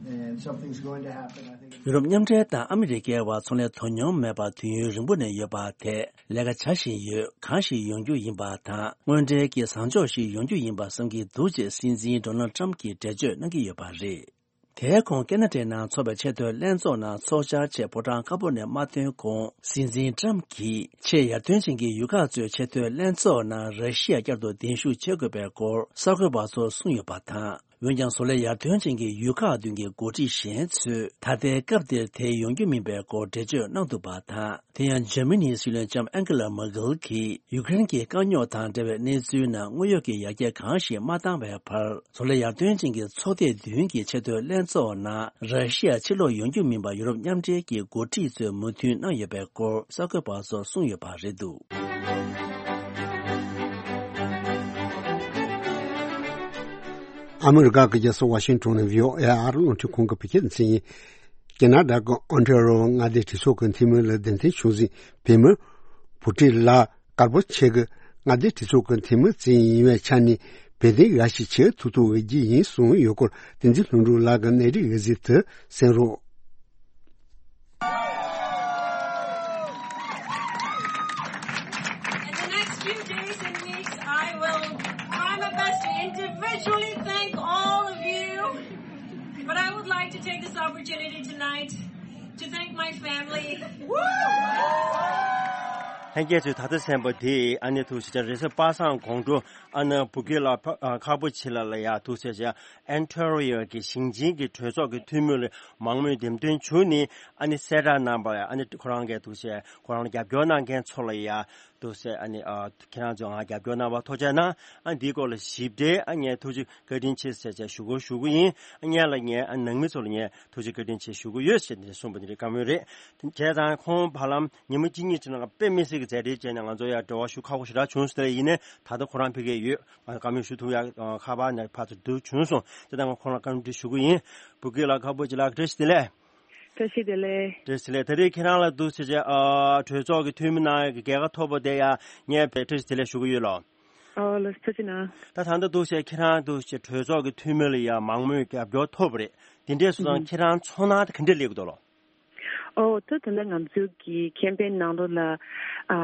and something's going to happen, I think. ཡུ་རོབ་མཉམ་འབྲེལ་དང་ཨ་མི་རི་ཀའི་བར་ཚོང་ལས་དོ་སྙོམས་མེད་པ་དུས་ཡུན་རིང་པོ་ནས་ཡོད་པ་དེ་ལས་ཀ་བྱ་བཞིན་ཡོད། གང་ཞིག་ཡོང་རྒྱུ་ཡིན་པ་དང་། དངོས་འབྲེལ་གྱི་བཟང་ཕྱོགས་ཤིག་ཡོང་རྒྱུ་ཡིན་པ་བསམ་གྱི་འདུག་ཅེས་སྲིད་འཛིན་ཌོ་ནལ་ཊམ་གྱིས་འགྲེལ་བརྗོད་གནང་གི་ཡོད་པ་རེད། དེའི་གོང་ཀེ་ན་ཌའི་ནང་འཚོགས་པའི་ཆེས་མཐོའི་ལྷན་ཚོགས་ནང་ཚོགས་བཅར་ཆེད་ཕོ་བྲང་དཀར་པོ་ནས་མ་ཐོན་གོང་། སྲིད་འཛིན་ཊམ་གྱིས་ཆེས་ཡར་ཐོན་ཅན་གྱི་ཡུལ་ཁག་ཚོའི་ཆེས་མཐོའི་ལྷན་ཚོགས་ནང་ར་ཤི་ཡ་བསྐྱར་དུ་གདན་ཞུ་བྱེད་དགོས་པའི་སྐོར་གསར་འགོད་པ་ཚོར་གསུངས་ཡོད་པ་དང་། འོན་ཀྱང་བཟོ་ལས་ཡར་ཐོན་ཅན་གྱི་ཡུལ་ཁག་བདུན་གྱི་འགོ་ཁྲིད་གཞན་ཚོས་ད་ལྟའི་སྐབས་འདིར་དེ་ཡོང་རྒྱུ་མིན་པའི་སྐོར་འགྲེལ་བརྗོད་གནང་འདུག་པ་དང་། དེ་ཡང་འཇར་མ་ནིའི་སྲིད་བློན་ལྕམ་ཨན་ཀེ་ལ་མར་ཀེལ་གྱིས་ཡུ་ཀེ་རེན་གྱི་དཀའ་རྙོག་དང་འབྲེལ་བའི་གནས་ཚུལ་ནང་དངོས་ཡོད་ཀྱི་ཡར་རྒྱས་གང་ཞིག་མ་བཏང་བའི་བར། བཟོ་ལས་ཡར་ཐོན་ཅན་གྱི་ཚོགས་སྡེ་བདུན་གྱི་ཆེས་མཐོའི་ལྷན་ཚོགས་ནང་ར་ཤི་ཡ་ཕྱིར་ལོག་ཡོང་རྒྱུ་མིན་པ་ཡུ་རོབ་མཉམ་འབྲེལ་གྱི་འགོ་ཁྲིད་ཚོས་མོས་མཐུན་གནང་ཡོད་པའི་སྐོར་གསར་འགོད་པ་ཚོར་གསུངས་ཡོད་པ་རེད་འདུག། ཨ་མི་རི་ཀ་གི་རྒྱལ་ས་ཝ་ཤིང་ཊོན་ནས་བྷི་ཨོ་ཨེ་ཨ་རི་རླུང་འཕྲིན་ཁང་གི་བོད་སྐད་སྡེ་ཚན་ཡིན། ཀེ་ན་ཌ་གི་ཨོན་ཊེ་རོ་མངའ་སྡེའི་གྲོས་ཚོགས་ཀྱི་འཐུས་མི་ལ་གདན་འཐེན་བྱུང་ཟིན་བོད་མི་བུ་ཁྲིད་ལགས་དཀར་པོ་ཆེ་གི་མངའ་སྡེའི་གྲོས་ཚོགས་ཀྱི་འཐུས་མི་ཅིག་ཡིན་པའི་ཆ་ནས་ བོད་དོན་འགའ་ཞིག་བྱེད་ཐུབ་ཐུབ་འོས་ཀྱི་ཡིན་གསུངས་ཡོད་སྐོར། བསྟན་འཛིན་ལྷུན་གྲུབ་ལགས་ཀྱི་གནས་རིགས་འོད་ཟེར་དུ་གསན་རོགས། In the next few days and weeks, I will try my best to individually thank all of you. But I would like to take this opportunity tonight to thank my family. ལྷན་རྒྱས་ཚོས་ད་ལྟ་གསན་པ་དེ་ཨ་ནི་ཐུགས་རྗེ་ཆེ། རེས་གཟའ་པ་སངས་དགོང་དྲོ་ཨ་ནི་བུ་སྐྱེས་ལགས་ཕ་ཨ་ཁག་པོ་ཆེ་ལགས་ལ་ཡ་ཐུགས་རྗེ་ཆེ། ཨན་ཊོ་རི་ཡོ་གི་ཞིང་ཆེན་གྱི་གྲོས་ཚོགས་ཀྱི་འཐུས་མི་ལ་མང་མོས་འདེམས་ཐོན་བྱུང་ནས་ཨ་ནི་གསལ་བསྒྲགས་གནང་པ་ཨ་ནི་ཁོ་རང་གིས་ཐུགས་རྗེ་ཆེ། ཁོ་རང་ལ་རྒྱབ་སྐྱོར་གནང་མཁན་ཚོ་ལ་ཡ། ཐུགས་རྗེ་ཆེ། ཨ་ནི་ཨ་ཁྱེད་རང་ཚོས་ང་རྒྱབ་སྐྱོར་གནང་བར་ཐུགས་རྗེ་གནང་། ཨ་འདིའི་སྐོར་ལ་ཞིབ་ཕྲའི་ཨ་ངས་ཐུགས་རྗེ་བཀའ་དྲིན་ཆེ་ཟེར་བྱས་ཞུ་སྒོ་ཞུ་གི་ཡིན། ཨ་སྔོན་ལ་ངས་ཨ་ནང་མི་ཚོ་ལ་ངས་ཐུགས་རྗེ་བཀའ་དྲིན་ཆེ་ཞུ་གི་ཡོད་ཟེར་ནས་གསུངས་པ་འདི་རེད། བཀའ་མོལ་རེད། བྱས་ཙང་ཁོང་བར་ལམ་ཉི་མ་གཅིག་གཉིས་ཅིག་ནང་ལ་དཔེ་མི་སྲིད་ཀྱི་མཛད་བྲེལ་བྱས་ནས་ང་ཚོ་ཡར་འབྲེལ་བ་ཞུ་ཁག་པོ་ཞེ་དྲག་བྱུང་སོང་། དེ་ཡིན་ནའི་ད་ལྟ་ཁོ་རང་ཕ་གིར་ཡོད། ང་བཀའ་མོལ་ཞུ་ཐུབ་ཡག་ཁ་པར་ནས་ཕར་ཚུར་བསྡུར་བྱུང་སོང་། དེ་ལྟར་ང་ཁོང་ལ་བཀའ་འདྲི་ཞུ་གི་ཡིན། བུ་སྐྱེས་ལགས་ཁག་པོ་ཅིག་ལགས་བཀྲ་ཤིས་བདེ་ལེགས། བཀྲ་ཤིས་བདེ་ལེགས། བཀྲ་ཤིས་བདེ་ལེགས། ད་རེས་ཁྱེད་རང་ལ་འདུག་ཟེར་བྱས་ཨ་གྲོས་ཚོགས་ཀྱི་འཐུས་མི་གནང་ཡག་གི་རྒྱལ་ཁ་ཐོབ་པ་དེ་ཡང་ངས་བཀྲ་ཤིས་བདེ་ལེགས་ཞུ་གི་ཡོད་ལགས། ཨོ་ལགས་སོ། ཐུགས་རྗེ་གནང་། ད་ད་ལྟ་འདུག་ཟེར་ཁྱེད་རང་འདུག་ཟེར་གྲོས་ཚོགས་ཀྱི་འཐུས་མི་ལ་ཡང་མང་མོས་རྒྱབ་སྐྱོར་ཐོབ་པ་རེད། དེ་འདྲས་སོང་ཙང་ཁྱེད་རང་ཚོར་སྣང་དེ་ག་འདྲས་སླེབས་ཀྱི་འདུག་ལགས། ཨོ་ད་ད་ལྟ་ང་ཚོའི་གི་ཁེམ་པེན་ནང་ལོགས་ལ་ཨ་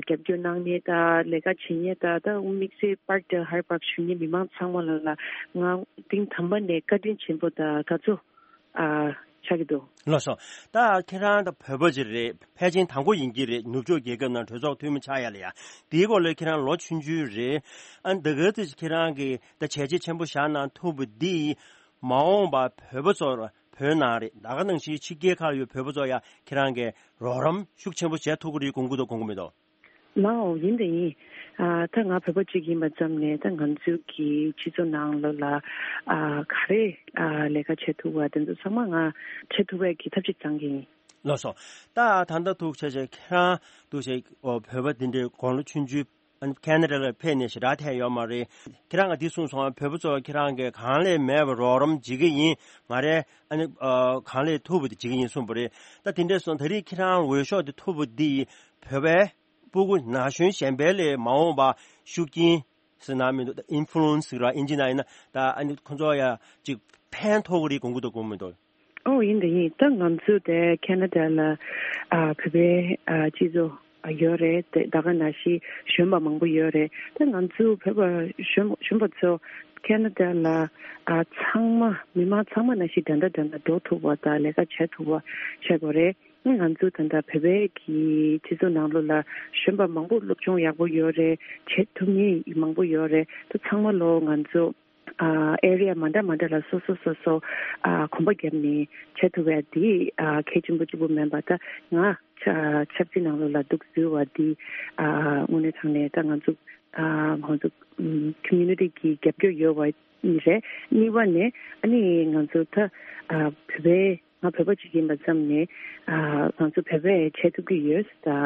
རྒྱབ་སྐྱོར་གནང་མཁན་དང་ལས་ཀ་བྱེད་མཁན་དང་ད་དམིགས་བསལ་པར་དང་ཧར་པར་ཞུ་མཁན་མི་མང་ཚང་མ་ལ་ལ་ང་གཏིང་དམ་པ་ནས་བཀའ་དྲིན་ཆེན་པོ་དང་དགའ་ཚོར་ཨ་ཆགས་ཀྱི་འདུག་ལགས་སོ། ད་ཁྱེད་རང་ད་བོད་པ་ཅིག་རེད། ཕལ་ཆེར་དང་པོ་ཡིན་གྱི་རེད། ནུབ་ཕྱོགས་རྒྱལ་ཁབ་ནང་གྲོས་ཚོགས་འཐུས་མི་ཆགས་ཡ་ལ་ཡ། དེའི་སྐོར་ལ་ཁྱེད་རང་ལོ་ཆུང་ཆུང་རེད། ཨ་ད་ག་ཚོད་ཁྱེད་རང་གིས་ད་བྱས་རྗེས་ཆེན་པོ་བཞག་གནང་ཐུབ་པ་འདི་མ་འོངས་པ་བོད་པ་ཚོར་བོད་ནང་རེད། ད་ག་ནང་བཞིན་ཕྱི་རྒྱལ་ཁག་ཡོད་བོད་པ་ཚོར་ཡ་ཁྱེད་རང་གིས་རོགས་རམ་ཤུགས་ཆེན་པོ་བྱས་ཐུབ་ཀྱི་རེད་དགོངས་ཀྱི་འདུག་དགོངས་ཀྱི་མི་འདུག་ལའོ་ཡིན་དེ་ཡིན། ཨ་ད་ང་བོད་པ་གཅིག་ཡིན་པ་ཙམ་ནས་ད་ང་ཚོའི་གི་སྤྱི་ཚོགས་ནང་ལོགས་ལ་ཨ་ག་རེ་ཨ་ལས་ཀ་བྱེད་ཐུབ་པ་དེ་ཚོ་ཚང་མ་ང་བྱེད་ཐུབ་པའི་གི་ཐབས་ཤེས་བཏང་གི་ཡིན། ལགས་སོ། ད་ད་ལྟ་ཐུགས་རྗེ་ཆེ་ཁྱེད་རང་ཐུགས་རྗེ་ཆེ་ཨོ་བོད་པ་འདི་འདྲའི་དགུང་ལོ་ཆུང་ཆུང་ཨ་ནི་ཁེ་ན་ཌ་ལ་ཕེབས་ནས་ཞེ་དྲག་ཐལ་ཡོད་མ་རེད། ཁྱེད་རང་གིས་འདི་གསུངས་སོང་། བོད་པ་ཚོ་ཁྱེད་རང་གིས་གང་ལས་མེད་པར་རོགས་རམ་བྱེད་ཀྱི་ཡིན། ང་རས་ཨ་ནི་ཨ་གང་ལས་ཐུབ་པ་དེ་བྱེད་ཀྱི་ཡིན་གསུངས་པ་རེད། ད་དེ་འདྲས་སོང་ད་རེས་ཁྱེད་རང་འོས་ཤོག་དེ་ཐོབ་པ་འདི་བོད་པའི་སྤུ་གུ་ན་གཞོན་གཞན་པའི་ལས་མ་འོངས་པ་ཤུགས་རྐྱེན་ཟེར་ན་མི་འདུག་ད་ཨིན་ཕུ་ལུ་ཨེན་སི་ཟེར་བ་ཨིན་ཇི་ནང་ཡིན་ན་ད་ཨ་ནི་ཁོ་ཚོ་ཡ་ཅིག་ཕན་ཐོགས་ཀྱི་རེད་དགོངས་ཀྱི་འདུག་དགོངས་མི་འདུག་ཨོ་ཡིན་དེ་ཡིན། ད་ང་ཚོ་དེ་ཁེ་ན་ཌ་ལ་ཨ་བོད་པའི་ཨ་སྤྱི་ཚོགས་ཨ་ཡོད་རེད། དེ་ད་ག་ནང་བཞིན་གཞོན་པ་མང་པོ་ཡོད་རེད། ད་ང་ཚོ་བོད་པ་གཞོན་གཞོན་པ་ཚོ་ཁེ་ན་ཌ་ལ་ཨ་ཚང་མ་མི་མང་ཚང་མ་ནང་བཞིན་འདྲ་འདྲ་འདྲ་འདྲ་འགྲོ་ཐུབ་པ་དང་ལས་ཀ་བྱེད་ཐུབ་པ་བྱེད་དགོས་རེད། ང་ཚོ་ད་ལྟ་བོད་པའི་གི་སྤྱི་ཚོགས་ནང་ལོགས་ལ་གཞོན་པ་མང་པོ་སློབ་སྦྱོང་ཡག་པོ་ཡོད་རེད། བྱེད་ཐུབ་མཁན་མང་པོ་ཡོད་རེད། ད་ཚང་མ་ལོ་ང་ཚོ་ཨ་ཨེ་རི་ཡ་མ་འདྲ་མ་འདྲ་ལ་སོ་སོ་སོ་སོ་ཨ་གོམ་པ་བརྒྱབ་ནས་བྱེད་ཐུབ་པ་དེ་ཨ་གལ་ཆེན་པོ་གཅིག་པུ་མིན་པ། ད་ང་ཆ་ཆབ་སྲིད་ནང་ལོགས་ལ་འདུག་ཟེར་བ་དེ་ཨ་དངོས་གནས་དྲང་གནས་ད་ང་ཚོ་ཨ་ང་ཚོ་ཨམ་ཁོ་མིའུ་ནི་ཊི་གི་རྒྱབ་སྐྱོར་ཡོད་པ་རེད། གཉིས་པ་ནས་ཨ་ནི་ང་ཚོ་ད་ཨ་བོད་པའི་ང་བོད་པ་གཅིག་ཡིན་པ་ཙམ་ནས་ཨ་ང་ཚོ་བོད་པས་བྱེད་ཐུབ་ཀྱི་ཡོད། ད་ཨ་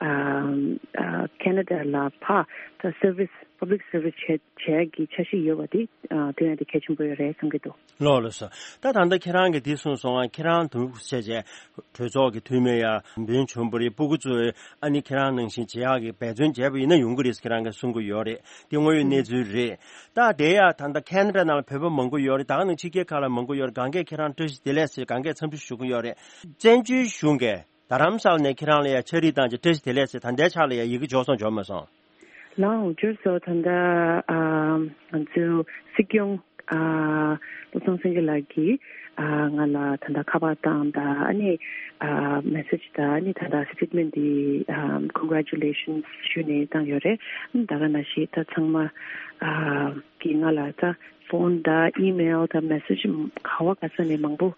ཨ་ཁེ་ན་ཌ་ལ་ཕར་ད་སར་བིས་པབ་ལིག་སར་བིས་བྱེད་བྱེད་ཀྱི་འཆར་གཞི་ཡོད་པ་དེ་ཨ་དེ་ཡང་དེ་གལ་ཆེན་པོ་ཡོད་རེད་བསམ་གྱི་འདུག་ལགས་ལགས་སོ། ད་ད་ལྟ་ཁྱེད་རང་གིས་འདི་གསུངས་སོང་ང་། ཁྱེད་རང་འདུག་བྱས་བྱས་གྲོས་ཚོགས་ཀྱི་འཐུས་མི་ཡང་འབུལ་བྱུང་བ་རེད། སྤུ་གུ་ཚོས་ཨ་ནི་ཁྱེད་རང་ནང་བཞིན་བྱེད་ཡག་གི་འབད་བརྩོན་བྱས་པ་ཡིན་ན་ཡོང་གི་རེད་ཟེར་ཁྱེད་རང་གིས་གསུང་གི་ཡོད་རེད། དེ་དངོས་ཡོད་གནས་ཚུལ་རེད། ད་དེ་ཡང་ད་ལྟ་ཁེ་ན་ཌ་ནང་ལ་བོད་པ་མང་པོ་ཡོད་རེད། ད་ག་ནང་ཕྱི་རྒྱལ་ཁག་ལ་མང་པོ་ཡོད་རེད། གང་གས་ཁྱེད་རང་བཀྲ་ཤིས་བདེ་ལེགས་ཟེར་གང་གས་འཚམས་འདྲི་ཞུ་གི་ཡོད་རེད། བཙན་བྱོལ་གཞུང་གིས་རྡ་རམ་ས་ལ་ནས་ཁྱེད་རང་ལ་ཡང་ཕྱག་བྲིས་བཏང་རྗེས་བཀྲ་ཤིས་བདེ་ལེགས་ཟེར་ད་ལྟའི་ཆ་ལ་ཡང་ཡི་གེ་འབྱོར་སོང་འབྱོར་མ་སོང་། ལགས་འོང་འབྱོར་སོང་། ད་ལྟ་ཨ་ང་ཚོའི་སྲིད་སྐྱོང་ཨ་བློ་བཟང་སེང་གེ་ལགས་ཀྱིས་ཨ་ང་ལ་ད་ལྟ་ཁ་པར་བཏང་དང་ཨ་ནི་ཨ་མེ་སེ་ཇི་དང་ཨ་ནི་ད་ལྟ་སི་ཊེཊ་མེན་ཊི་འདི་ཨ་ཀོན་གྷ་རེ་ཅུ་ལེ་ཤན་ཞུས་ནས་བཏང་ཡོད་རེད། ཨ་ནི་ད་ག་ནང་བཞིན་ད་ཚང་མ་ཨ་གིས་ང་ལ་ད་ཕོན་དང་ཨི་མེལ་དང་མེ་སེ་ཇི་ག་བ་ག་ས་ནས་མང་པོ་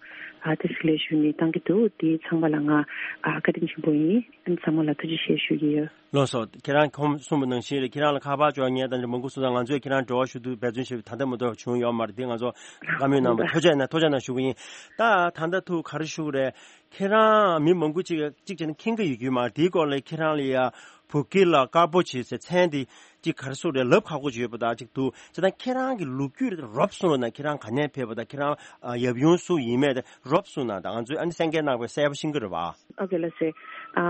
ཨ་དེ་སླེབས་ཞུས་ནས་བཏང་གི་འདུག་དེ་ཚང་མ་ལ་ང་ཨ་བཀའ་དྲིན་ཆེན་པོ་ཡིན། ཨ་ནི་ཚང་མ་ལ་ཐུགས་རྗེ་ཆེ་ཞུ་གི་ཡོད། ལགས་སོ། ཁྱེད་རང་ཁོང་གསུངས་པ་ནང་བཞིན་རེད། ཁྱེད་རང་ལ་ཁ་པར་འབྱོར་མཁན་དང་མང་པོ་སོང་ཙང་ང་ཚོས་ཁྱེད་རང་འབྲེལ་བ་ཞུ་དུས་འབད་བརྩོན་ཞུ་ད་ལྟ་མ་གཏོགས་བྱུང་ཡོད་མ་རེད། དེ་ང་ཚོ་བཀའ་མོལ་གནང་བ་ཐུགས་རྗེ་ཆེ་ན་ཐུགས་རྗེ་ཆེ་ན་ཞུ་གི་ཡིན། ད་ད་ལྟ་ཐུགས་ག་རེ་ཞུ་གི་རེད། ཁྱེད་རང་མི་མང་པོ་ཅིག་གཅིག་བྱས་ན་མཁྱེན་གྱི་ཡོད་རྒྱུ་མ་རེད། དེའི་སྐོར་ལ་ཁྱེད་རང་ལ་ཡ་བུ་སྐྱེས་ལ་དཀར་པོ་བྱེད་ཟེར་མཚན་དེ་གཅིག་ག་རེ་ཟེར་རེད། ལབ་ཁག་པོ་ཅིག་ཡོད་པ་དང་གཅིག་འདུག་བྱས་ཙང་ཁྱེད་རང་གི་ལོ་རྒྱུས་རོབ་གསུངས་རོགས་གནང་། ཁྱེད་རང་ག་ནས་ཕེབས་པ་དང་ཁྱེད་རང་ཡབ་ཡུམ་སུ་ཡིན་མིན་དེ་རོབ་གསུངས་གནང་དང་། ང་ཚོས་ཨ་ནི་གསན་མཁན་རྣམ་པས་གསལ་པོ་ཤེས་ཀྱི་རེད་པ། ཨོ་ཁེ་ལགས་སེ། ཨ་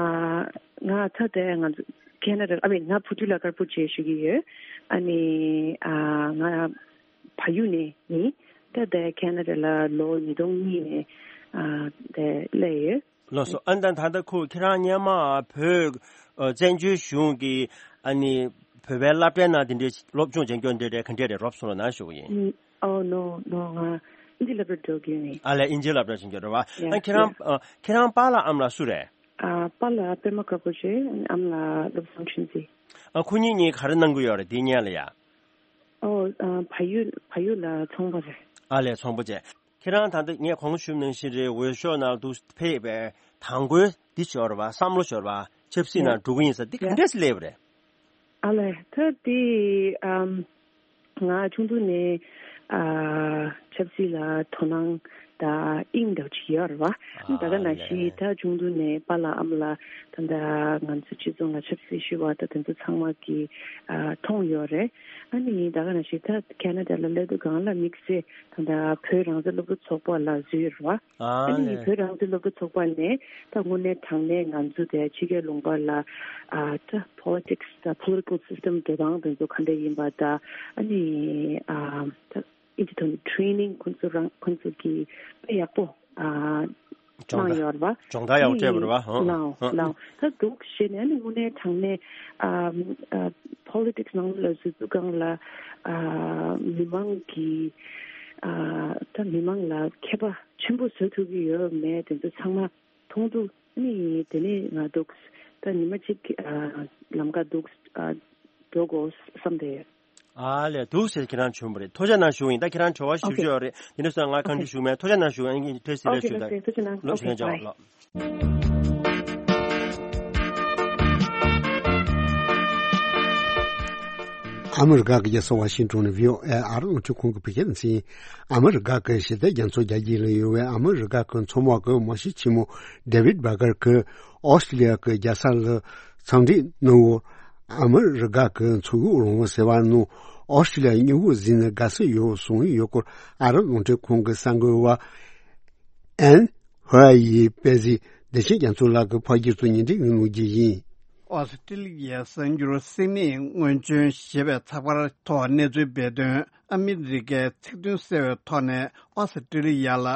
ང་ད་ལྟ་ང་ཚོ་ ཁེ་ན་ཌ། ཨ་མི་ང་བུ་ཕྲུག་ལ་དཀར་པོ་བྱས་ཞུ་གི་ཡོད། ཨ་ནི་ཨ་ང་བལ་ཡུལ་ནས་ཡིན། ད་ལྟ་ཁེ་ན་ཌ་ལ་ལོ་ཉིས་སྟོང་གཉིས་ནས་ཨ་ད་སླེབས་ཡོད། ལགས་སོ། ཨ་ནི་ད་ད་ལྟ་ཁོ་ཁྱེད་རང་སྔོན་མ་བོད་ཨ་བཙན་བྱོལ་གཞུང་གི་ཨ་ནི་བོད་པའི་སློབ་གྲྭའི་ནང་དེ་འདྲའི་སློབ་སྦྱོང་བྱེད་མཁན་འདི་འདྲའི་ག་འདྲས་རེད། རོབ་སོང་ལ་ན་ཞུ་གི་ཡིན། ཨོ་ནོ་ནོ། ང་ཨིན་ཇི་སློབ་གྲྭ་འགྲོ་གི་ཡིན། ཨ་ལས་ཨིན་ཇི་སློབ་གྲྭ་ཕྱིན་གྱི་རེད་བ། ཡ་ཨ་ཁྱེད་རང་ཡ། ཨ་ཁྱེད་རང་པཱ་ལགས་ཨ་མ་ལགས་སུ་རེད། ཨ་པཱ་ལགས་པད་མ་དཀར་པོ་ཆེ། ཨ་མ་ལགས་བློ་བཟང་ཁྲུན་ཚེ། ཨ་ཁོ་གཉིས་གཉིས་ག་རེ་གནང་གི་ཡོད་རེད་དེ་སྔོན་ལ་ཡ། ཨོ་ཨ་བལ་ཡུལ་བལ་ཡུལ་ལ་ཚོང་པ་རེད། ཨ་ལས་ཚོང་པ་བྱས། ཁྱེད་རང་ད་ལྟ་ངས་གོང་ཞུས་ནང་བཞིན་རེད། འོས་ཤོག་ནང་དུ་ཕེབས་པའི་དང་པོའི་འདི་ཞོར་བ་བསམ་བློ་ཞོར་བ་ཆབ་སྲིད་ཡ་ནང་འགྲོ་གི་ཡིན་ས་འདི་ག་ཡ་འདྲས་སླེབས་པ་རེད། ཨ་ལས་ད་དེ་ཨམ་ང་ཆུང་དུས་ནས་ཨ་ཆབ་སྲིད་ལ་དོ་སྣང་དང་དབྱིངས་འདྲ་བོ་ཅིག་ཡོད་རེད་བ། ཨ་ད་ག་ནང་བཞིན་ད་ཆུང་དུས་ནས་པཱ་ལགས་ཨ་མ་ལགས་ད་ལྟ་ང་ཚོ་སྤྱི་ཚོགས་ལ་ཆབ་སྲིད་ཞུ་བ་ད་དེ་ཚོ་ཚང་མ་གི་ཨ་མཐོང་ཡོད་རེད། ཨ་ནི་ད་ག་ནང་བཞིན་ད་ཁེ་ན་ཌ་ལ་སླེབས་དུས་སྒང་ལ་དམིགས་བསལ་ད་ལྟ་བོད་རང་བཙན་སློབ་ཕྲུག་ཚོགས་པ་ལ་འཛུལ་ཡོད་རེད་བ། ཨ་ཨ་ནི་ལས་བོད་རང་བཙན་སློབ་ཕྲུག་ཚོགས་པ་ནས་ད་དངོས་གནས་དྲང་གནས་ང་ཚོ་དེ་ཕྱི་རྒྱལ་ལུང་པ་ལ་ཨ་ད་politics་ད་political system འགྲོ་སྟངས་དེ་ཚོ་ག་འདྲ་ཡིན་པ་ད་ཨ་ནི་ཨ་ད་ཨིན་ཇི་ཐོག་ནས་training ཁོང་ཚོ་རང་ཁོང་ཚོ་གིས་དཔེ་ཡག་པོ་ཨ་སྦྱོང་བརྡར་གནང་ཡོད་རེད་བ། སྦྱོང་བརྡར་ཡག་པོ་སྤྲད་པ་རེད་བ། ཨ་ལའོ་ཨ་ལའོ་ད་འདུག་བྱས་ནས་ཨ་ནི་དངོས་གནས་དྲང་གནས་ཨ་ཨ་politics ནང་ལ་འཛུལ་དུས་སྒང་ལ་ཨ་མི་མང་གི་ཨ་ད་མི་མང་ལ་མཁས་པ་ཆེན་པོ་བཟོ་ཐུབ་ཀྱི་ཡོད་མེད་དེ་ཚོ་ཚང་མ་མཐོང་དུས་ནི་དེ་ནས་ང་འདུག་ད་ཉི་མ་གཅིག་ཨ་ལམ་ཁ་འདུག་ཨ་འགྲོ་དགོས་བསམ་བསྡད་ཡོད། ཨ་ལས་འདུག་ཟེར་ཁྱེད་རང་བྱུང་བ་རེད། ཐུགས་རྗེ་གནང་ཞུ་ཡིན། ད་ཁྱེད་རང་དྲི་བ་ཞིབ་ཞིབ་ཡོད་རེད། དེ་འདྲ་སོང་ང་གང་དྲི་ཞུ་མེད། ཐུགས་རྗེ་གནང་ཞུ་ཡིན། ཐུགས་རྗེ་ཆེ་ཞུ་ཡིན། ཐུགས་རྗེ་གནང་། ལོ་ཞུ་ཡིན། ལོ། ཨ་མི་རི་ཀ་གི་རྒྱལ་ས་ཝ་ཤིང་ཏོན་ནས་བྷི་ཨོ་ཨེ་ཨ་རི་རླུང་འཕྲིན་ཁང་གི་བོད་སྐད་སྡེ་ཚན། ཨ་མི་རི་ཀ་གི་ཞི་བདེ་རྒྱ་མཚོ་རྒྱ་དཀྱིལ་ལ་ཡོད་པའི་ཨ་མི་རི་ཀ་གི་མཚོ་དམག་གི་དམག་སྤྱི་ཆེན་མོ་ཌེ་ཝིད་བྷ་གར་གྱིས་ཨོ་སི་ཀྲི་ལི་ཡ་གི་རྒྱལ་ས་ལ་འཚམས་འདྲི་གནང་བར། ཨ་མི་རི་ཀ་གི་མཚོ་དབུགས་རིང་པོ་ཟེར་བ་ནང་ཨོ་སི་ཀྲི་ལི་ཡ་སྨྱུ་གུ་གཟིགས་ནས་དགའ་བསུ་ཡོད་གསུངས་ཡོད་སྐོར་ཨ་རི་རླུང་འཕྲིན་ཁང་གི་གསར་འགོད་པ་ཨན་ཧོ་ཡི་དཔེ་གཟིགས་བདེ་ཆེན་རྒྱ་མཚོ་ལགས་ཀྱིས་ཕ་གིར་དུ་ཉིན་འགྲིག་གི་གནང་རྒྱུ་ཡིན། ཨོ་སི་ཀྲི་ལི་ཡའི་གསར་འགྱུར་སིད་ནི་སྔོན་བྱོན་ཞེས་པའི་ཚགས་པར་ཐོག་གནས་ཚུལ་སྤེལ་དོན། ཨ་མི་རི་ཀས་ཚིག་དོན་གསལ་བའི་ཐོག་ནས་ཨོ་སི་ཀྲི་ལི་ཡ་ལ་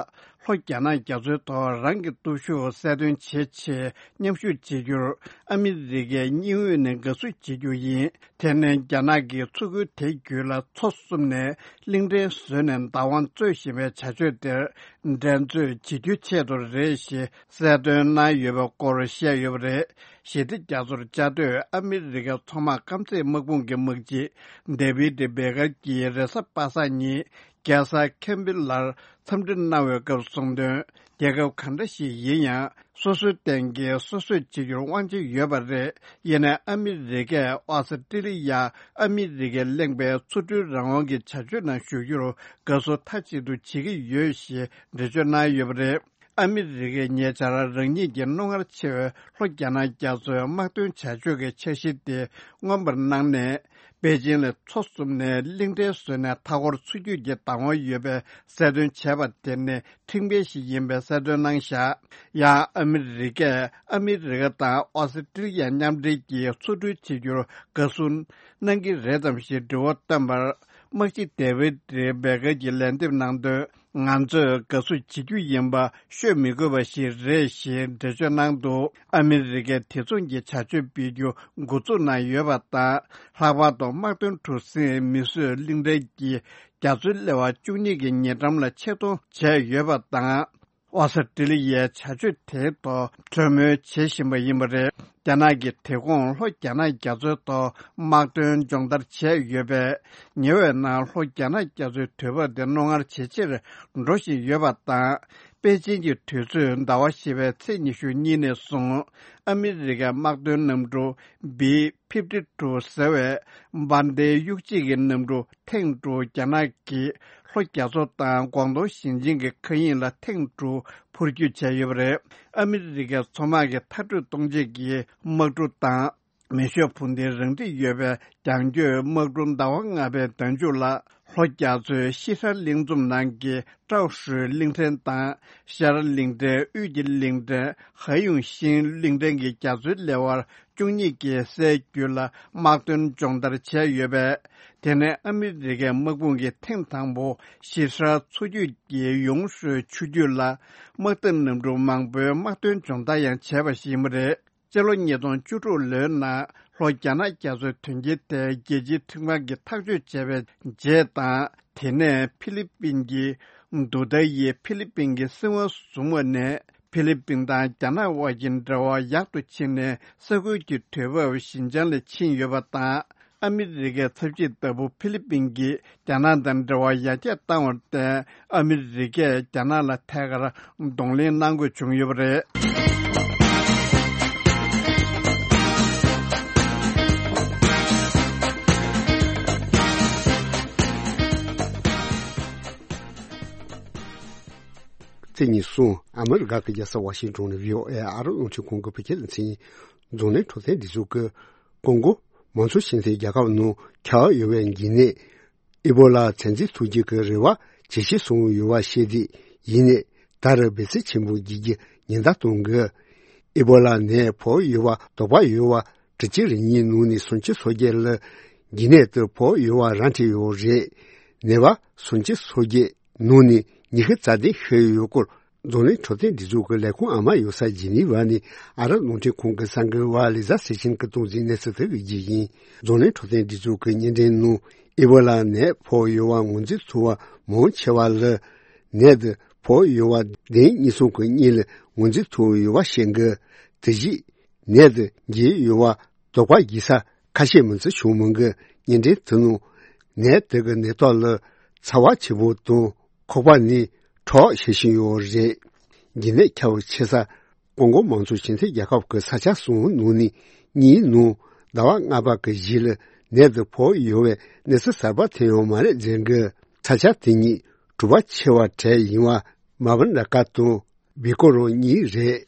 ལྷོ་རྒྱ་ནག་རྒྱ་མཚོའི་ཐོག་རང་གི་སྟོབས་ཤུགས་གསལ་སྟོན་བྱེད་ཆེད་མཉམ་ཞུགས་བྱེད་རྒྱུར་ཨ་མི་རི་ཀའི་སྙིང་དབུས་ནས་དགའ་བསུ་བྱེད་རྒྱུ་ཡིན། དེ་ནི་རྒྱ་ནག་གིས་མཚོ་ཁུལ་དེ་བརྒྱུད་ལ་མཚོ་གསུམ་ནས་གླིང་ཕྲན་བཟོས་ནས་བདག་དབང་རྩོད་བཞིན་པའི་བྱ་སྤྱོད་དེར་འགྲན་རྩོད་བྱེད་རྒྱུའི་ཆེད་དུ་རེད་ཞེས་གསལ་སྟོན་གནང་ཡོད་པའི་སྐོར་བཤད་ཡོད་པ་རེད། ཞི་བདེ་རྒྱ་མཚོར་བཅའ་སྡོད་ཨ་མི་རི་ཀའི་མཚོ་དམག་རྐང་རྩེད་དམག་དཔུང་གི་དམག་སྤྱི་ཌེ་བིད་བྷེ་ཀར་གྱིས་རེས་གཟའ་པ་སངས་ཉིན་རྒྱལ་ས་ཁེམ་བྷི་ལར་འཚམས་འདྲི་གནང་བའི་སྐབས་གསུངས་དོན། རྒྱལ་ཁབ་གང་འདྲ་ཞིག་ཡིན་ཡང་སོ་སོའི་སྟེང་གི་སོ་སོས་བྱེད་རྒྱུར་དབང་ཆ་ཡོད་པ་རེད། ཡིན་ནའི་ཨ་མི་རི་ཀས་ཨོ་སི་ཀྲི་ལི་ཡ་ཨ་མི་རི་ཀས་གླེང་པའི་མཚོ་གྲུའི་རང་དབང་གི་བྱ་སྤྱོད་ནང་ཞུགས་རྒྱུར་དགའ་བསུ་མཐའ་གཅིག་ཏུ་བྱེད་ཀྱི་ཡོད་ཞེས་འགྲེལ་བརྗོད་གནང་ཡོད་པ་རེད། ཨ་མི་རི་ཀས་ཉེ་ཆར་རང་ཉིད་ཀྱི་རྣོ་ངར་ཆེ་བའི་ལྷོ་རྒྱ་ནག་རྒྱ་མཚོའི་དམག་དོན་བྱ་སྤྱོད་ཀྱི་འཆར་གཞི་དེ་མངོན་པར་གནང་ནས། པེ་ཅིང་ལ་མཚོ་གསུམ་ནས་གླིང་ཕྲན་བཟོས་ནས་མཐའ་འཁོར་ཚུད་རྒྱུ་གྱི་བདག་དབང་ཡོད་པའི་གསལ་སྟོན་བྱས་པ་དེ་ནི་ཁྲིམས་འགལ་ཞིག་ཡིན་པའི་གསལ་སྟོན་གནང་བཞག་ཡང་ཨ་མི་རི་ཀས་ཨ་མི་རི་ཀ་དང་ཨོ་སི་ཀྲི་ལི་ཡ་མཉམ་འབྲེལ་གྱིས་མཚོ་གྲུ་བྱེད་རྒྱུར་དགའ་བསུ་གནང་གི་རེད་དམ་ཞེས་དྲི་བ་བཏོན་པར། དམག་སྤྱི་ཌེ་ཝིད་རེ་བྷེ་ཀར་གྱིས་ལན་འདེབས་གནང་དོན། ང་ཚོས་དགའ་བསུ་བྱེད་རྒྱུ་ཡིན་པ་ཤོད་མི་དགོས་པ་ཞིག་རེད་ཞེས་འགྲེལ་བརྗོད་གནང་འདུག་ཨ་མི་རི་ཀས་དེ་མཚུངས་ཀྱི་བྱ་སྤྱོད་སྤེལ་རྒྱུ་འགོ་འཛུགས་གནང་ཡོད་པ་དང་། ལྷག་པར་དུ་དམག་དོན་གྲུ་གཟིངས་མི་བཟོས་གླིང་ཕྲན་གྱི་རྒྱ་མཚོའི་སླེ་བ་བཅུ་གཉིས་ཀྱི་ཉེ་འགྲམ་ལ་ཆེད་གཏོང་བྱས་ཡོད་པ་དང་། ཨོ་སི་ཀྲི་ལི་ཡའི་བྱ་སྤྱོད་དེའི་ཐོག་གྲོས་མོལ་བྱེད་བཞིན་པ་ཡིན་པ་རེད། རྒྱ་ནག་གིས་དེ་གོང་ལྷོ་རྒྱ་ནག་རྒྱ་མཚོའི་ཐོག་དམག་དོན་སྦྱོང་བརྡར་བྱས་ཡོད་པས། ཉེ་བའི་ནང་ལྷོ་རྒྱ་ནག་རྒྱ་མཚོའི་དུས་བབ་དེ་རྣོ་ངར་ཇེ་ཆེར་འགྲོ་བཞིན་ཡོད་པ་དང་། པེ་ཅིན་གྱི་དུས་ཚོད་ཟླ་བ་བཞི་པའི་ཚེས་ཉི་ཤུ་གཉིས་ནས་བཟུང་ཨ་མི་རི་ཀའི་དམག་དོན་གནམ་གྲུ་བི་ཕིབ་ཊི་ཊུ་ཟེར་བའི་འབར་མདེལ་གཡུག་བྱེད་ཀྱི་གནམ་གྲུ་ཐེངས་དྲུག་རྒྱ་ནག་གིས་ལྷོ་རྒྱ་མཚོ་དང་ཀོང་ཏུང་ཞིང་ཆེན་གྱི་མཁའ་དབྱིངས་ལ་ཐེངས་དྲུག་འཕུར་སྐྱོད་བྱས་ཡོད་པ་རེད། ཨ་མི་རི་ཀའི་མཚོ་དམག་གི་མཐར་སྐྲོད་གཏོང་ཆེད་ཀྱི་དམག་གྲུ་དང་། མེ་ཤོག་འཕུར་མདེལ་རང་འགྲིག་ཡོད་པའི་རྒྱང་སྐྱོད་དམག་གྲུ་ཟླ་བ་ལྔ་པའི་ཟླ་མཇུག་ལ་ ལྷོ་རྒྱ་མཚོའི་ཤི་ཧྲ་གླིང་འཛོམས་ནང་གི་ཀྲའོ་ཧྲུའེ་གླིང་ཕྲན་དང་། ཤར་གླིང་ཕྲན་དབུས་ཀྱི་གླིང་ཕྲན་ཧ་ཡུང་ཤིན་གླིང་ཕྲན་གྱི་རྒྱ་མཚོའི་ལེ་དབར་བཅུ་གཉིས་ཀྱི་སའི་རྒྱུད་ལ་དམག་དོན་སྦྱོང་བརྡར་བྱས་ཡོད་པས། དེ་ནི་ཨ་མི་རི་ཀའི་དམག་དཔུང་གིས་ཐེངས་དང་པོ་ཤི་ཧྲ་མཚོ་རྒྱུད་ཀྱི་ཡུང་ཧྲུའེ་ཆུ་རྒྱུད་ལ་དམག་འཐབ་གནམ་གྲུ་མང་པོའི་དམག་དོན་སྦྱོང་བརྡར་ཡང་བྱས་པ་ཞིག་ཡིན་པ་རེད། སྤྱི་ལོ་ཉིས་སྟོང་བཅུ་དྲུག་ལོའི་ནང་ལྷོ་རྒྱ་ནག་རྒྱ་མཚོའི་དོན་རྐྱེན་དེ་རྒྱལ་སྤྱིའི་ཁྲིམས་ཁང་གིས་ཐག་གཅོད་བྱས་པའི་རྗེས་དང་། དེ་ནས་ཕི་ལི་པིན་གྱི་དུ་ཏཱ་ཡིས་ཕི་ལི་པིན་གྱི་སྲིད་དབང་བཟུང་བ་ནས། ཕི་ལི་པིན་དང་རྒྱ་ནག་དབར་གྱི་འབྲེལ་བ་ཡག་ཏུ་ཕྱིན་ནས། ས་ཁུལ་གྱི་དུས་བབ་ཞི་འཇམ་ལ་ཕྱིན་ཡོད་པ་དང་། ཨ་མི་རི་ཀའི་ཚབ་བྱེད་ལྟ་བུ་ཕི་ལི་པིན་གྱིས་རྒྱ་ནག་དང་འབྲེལ་བ་ཡར་རྒྱས་བཏང་བར་བརྟེན། ཨ་མི་རི་ཀས་རྒྱ་ནག་ལ་ཐད་ཀར་གདོང་ལེན་གནང་དགོས་བྱུང་ཡོད་པ་རེད། ཚེས་ཉི་ཤུ། ཨ་མི་རི་ཀ་གི་རྒྱལ་ས་ཝ་ཤིང་ཏོན་ནས་བྷི་ཨོ་ཨེ་ཨ་རོ་རླུང་འཕྲིན་ཁང་གི་བོད་སྐད་སྡེ་ཚན་ཡིན། རྫོང་ནས་འཕྲོད་བསྟེན་སྒྲིག་འཛུགས་ཀྱི་ཀོང་ཀོ་མང་གཙོ་ཞིང་ཆེན་རྒྱལ་ཁབ་ནང་ཁྱབ་ཡོད་པའི་འགོས་ནད་ཨི་བོ་ལ་ཚོད་འཛིན་ཐུབ་རྒྱུ་གི་རེ་བ་ཇེ་ཆེ་སོང་ཡོད་པ་ཤེས་བདེ་ཡིན་ནས། ད་རེས་འབད་བརྩོན་ཆེན་པོ་བགྱིད་རྒྱུ་ཉེན་བརྡ་གཏོང་དགོས། ཨི་བོ་ལ་ནད་ཕོག་ཡོད་པ་དོགས་པ་ཡོད་པ་དྲུག་ཅུ་རེ་གཉིས་ནང་ནས་སུམ་ཅུ་སོ་བརྒྱད་ལ་འགོས་ནད་དེ་ཕོག་ཡོད་པ་ར་འཕྲོད་ཡོད་རེད། ནད་པ་སུམ་ཅུ་སོ་བརྒྱད་ནང་ནས་ཉི་ཤུ་རྩ་བདུན་ཤི་ཡོད་སྐོར། རྫོང་ནས་འཕྲོད་བསྟེན་སྒྲིག་འཛུགས་ཀྱི་ལས་ཁུངས་ཨ་མ་ཡོད་ས་ཇི་ནི་ཝ་ནས་ཨ་རབ་རླུང་འཕྲིན་ཁང་གི་གསར་འགོད་པ་ལི་ཛ་སི་ཆིན་གྱིས་གཏོང་གཟིགས་གནས་ཚུལ་དེ་གི་རྒྱུ་ཡིན། རྫོང་ནས་འཕྲོད་བསྟེན་སྒྲིག་འཛུགས་ཀྱི་བརྙན་འཕྲིན་ནང་ཨི་བོ་ལ་ནད་ཕོག་ཡོད་པ་ངོས་འཛིན་ཐུབ་པ་མང་ཆེ་བ་ལ་ནད་དེ་ཕོག་ཡོད་པ་གདན་གཉིས་གསུམ་གྱི་གཉིས་ལ་ངོས་འཛིན་ཐུབ་ཡོད་པ་ཤེས་དགོས། དེ་བཞིན་ནད་དེ་འགོས་ཡོད་པ་དོགས་པ་བགྱིད་ས་ཁ་ཤས་མིན་ཚུལ་བྱུང་མི་འགའ་བརྙན་འཕྲིན་དེ་ནང་ནད་དེ་གི་ནད་ཐོག་ལ་ཚ་བ་ཆེན་པོ་དང་ཁོག་པ་ནས་ཁྲག་ཤོར་བཞིན་ཡོད་རེད། འགོས་ནད་ཁྱབ་ཆེ་ས་ཀོང་ཀོ་མང་གཙོ་ཞིང་ཆེན་རྒྱལ་ཁབ་ཀྱི་ས་ཆ་གསུམ་ནང་ནས་གཉིས་ནང་ཟླ་བ་ལྔ་པ་གི་གཞི་ལ་ནད་དེ་ཕོག་ཡོད་པའི་གནས་ཚུལ་གསར་པ་ཐོན་ཡོད་མ་རེད་ཟེར་གི། ས་ཆ་དེ་གཉིས་གྲུ་པ་ཆེ་བ་གྲས་ཡིན་པ་མ་བུན་ར་ཀ་དང་བི་ཀོ་རོ་གཉིས་རེད།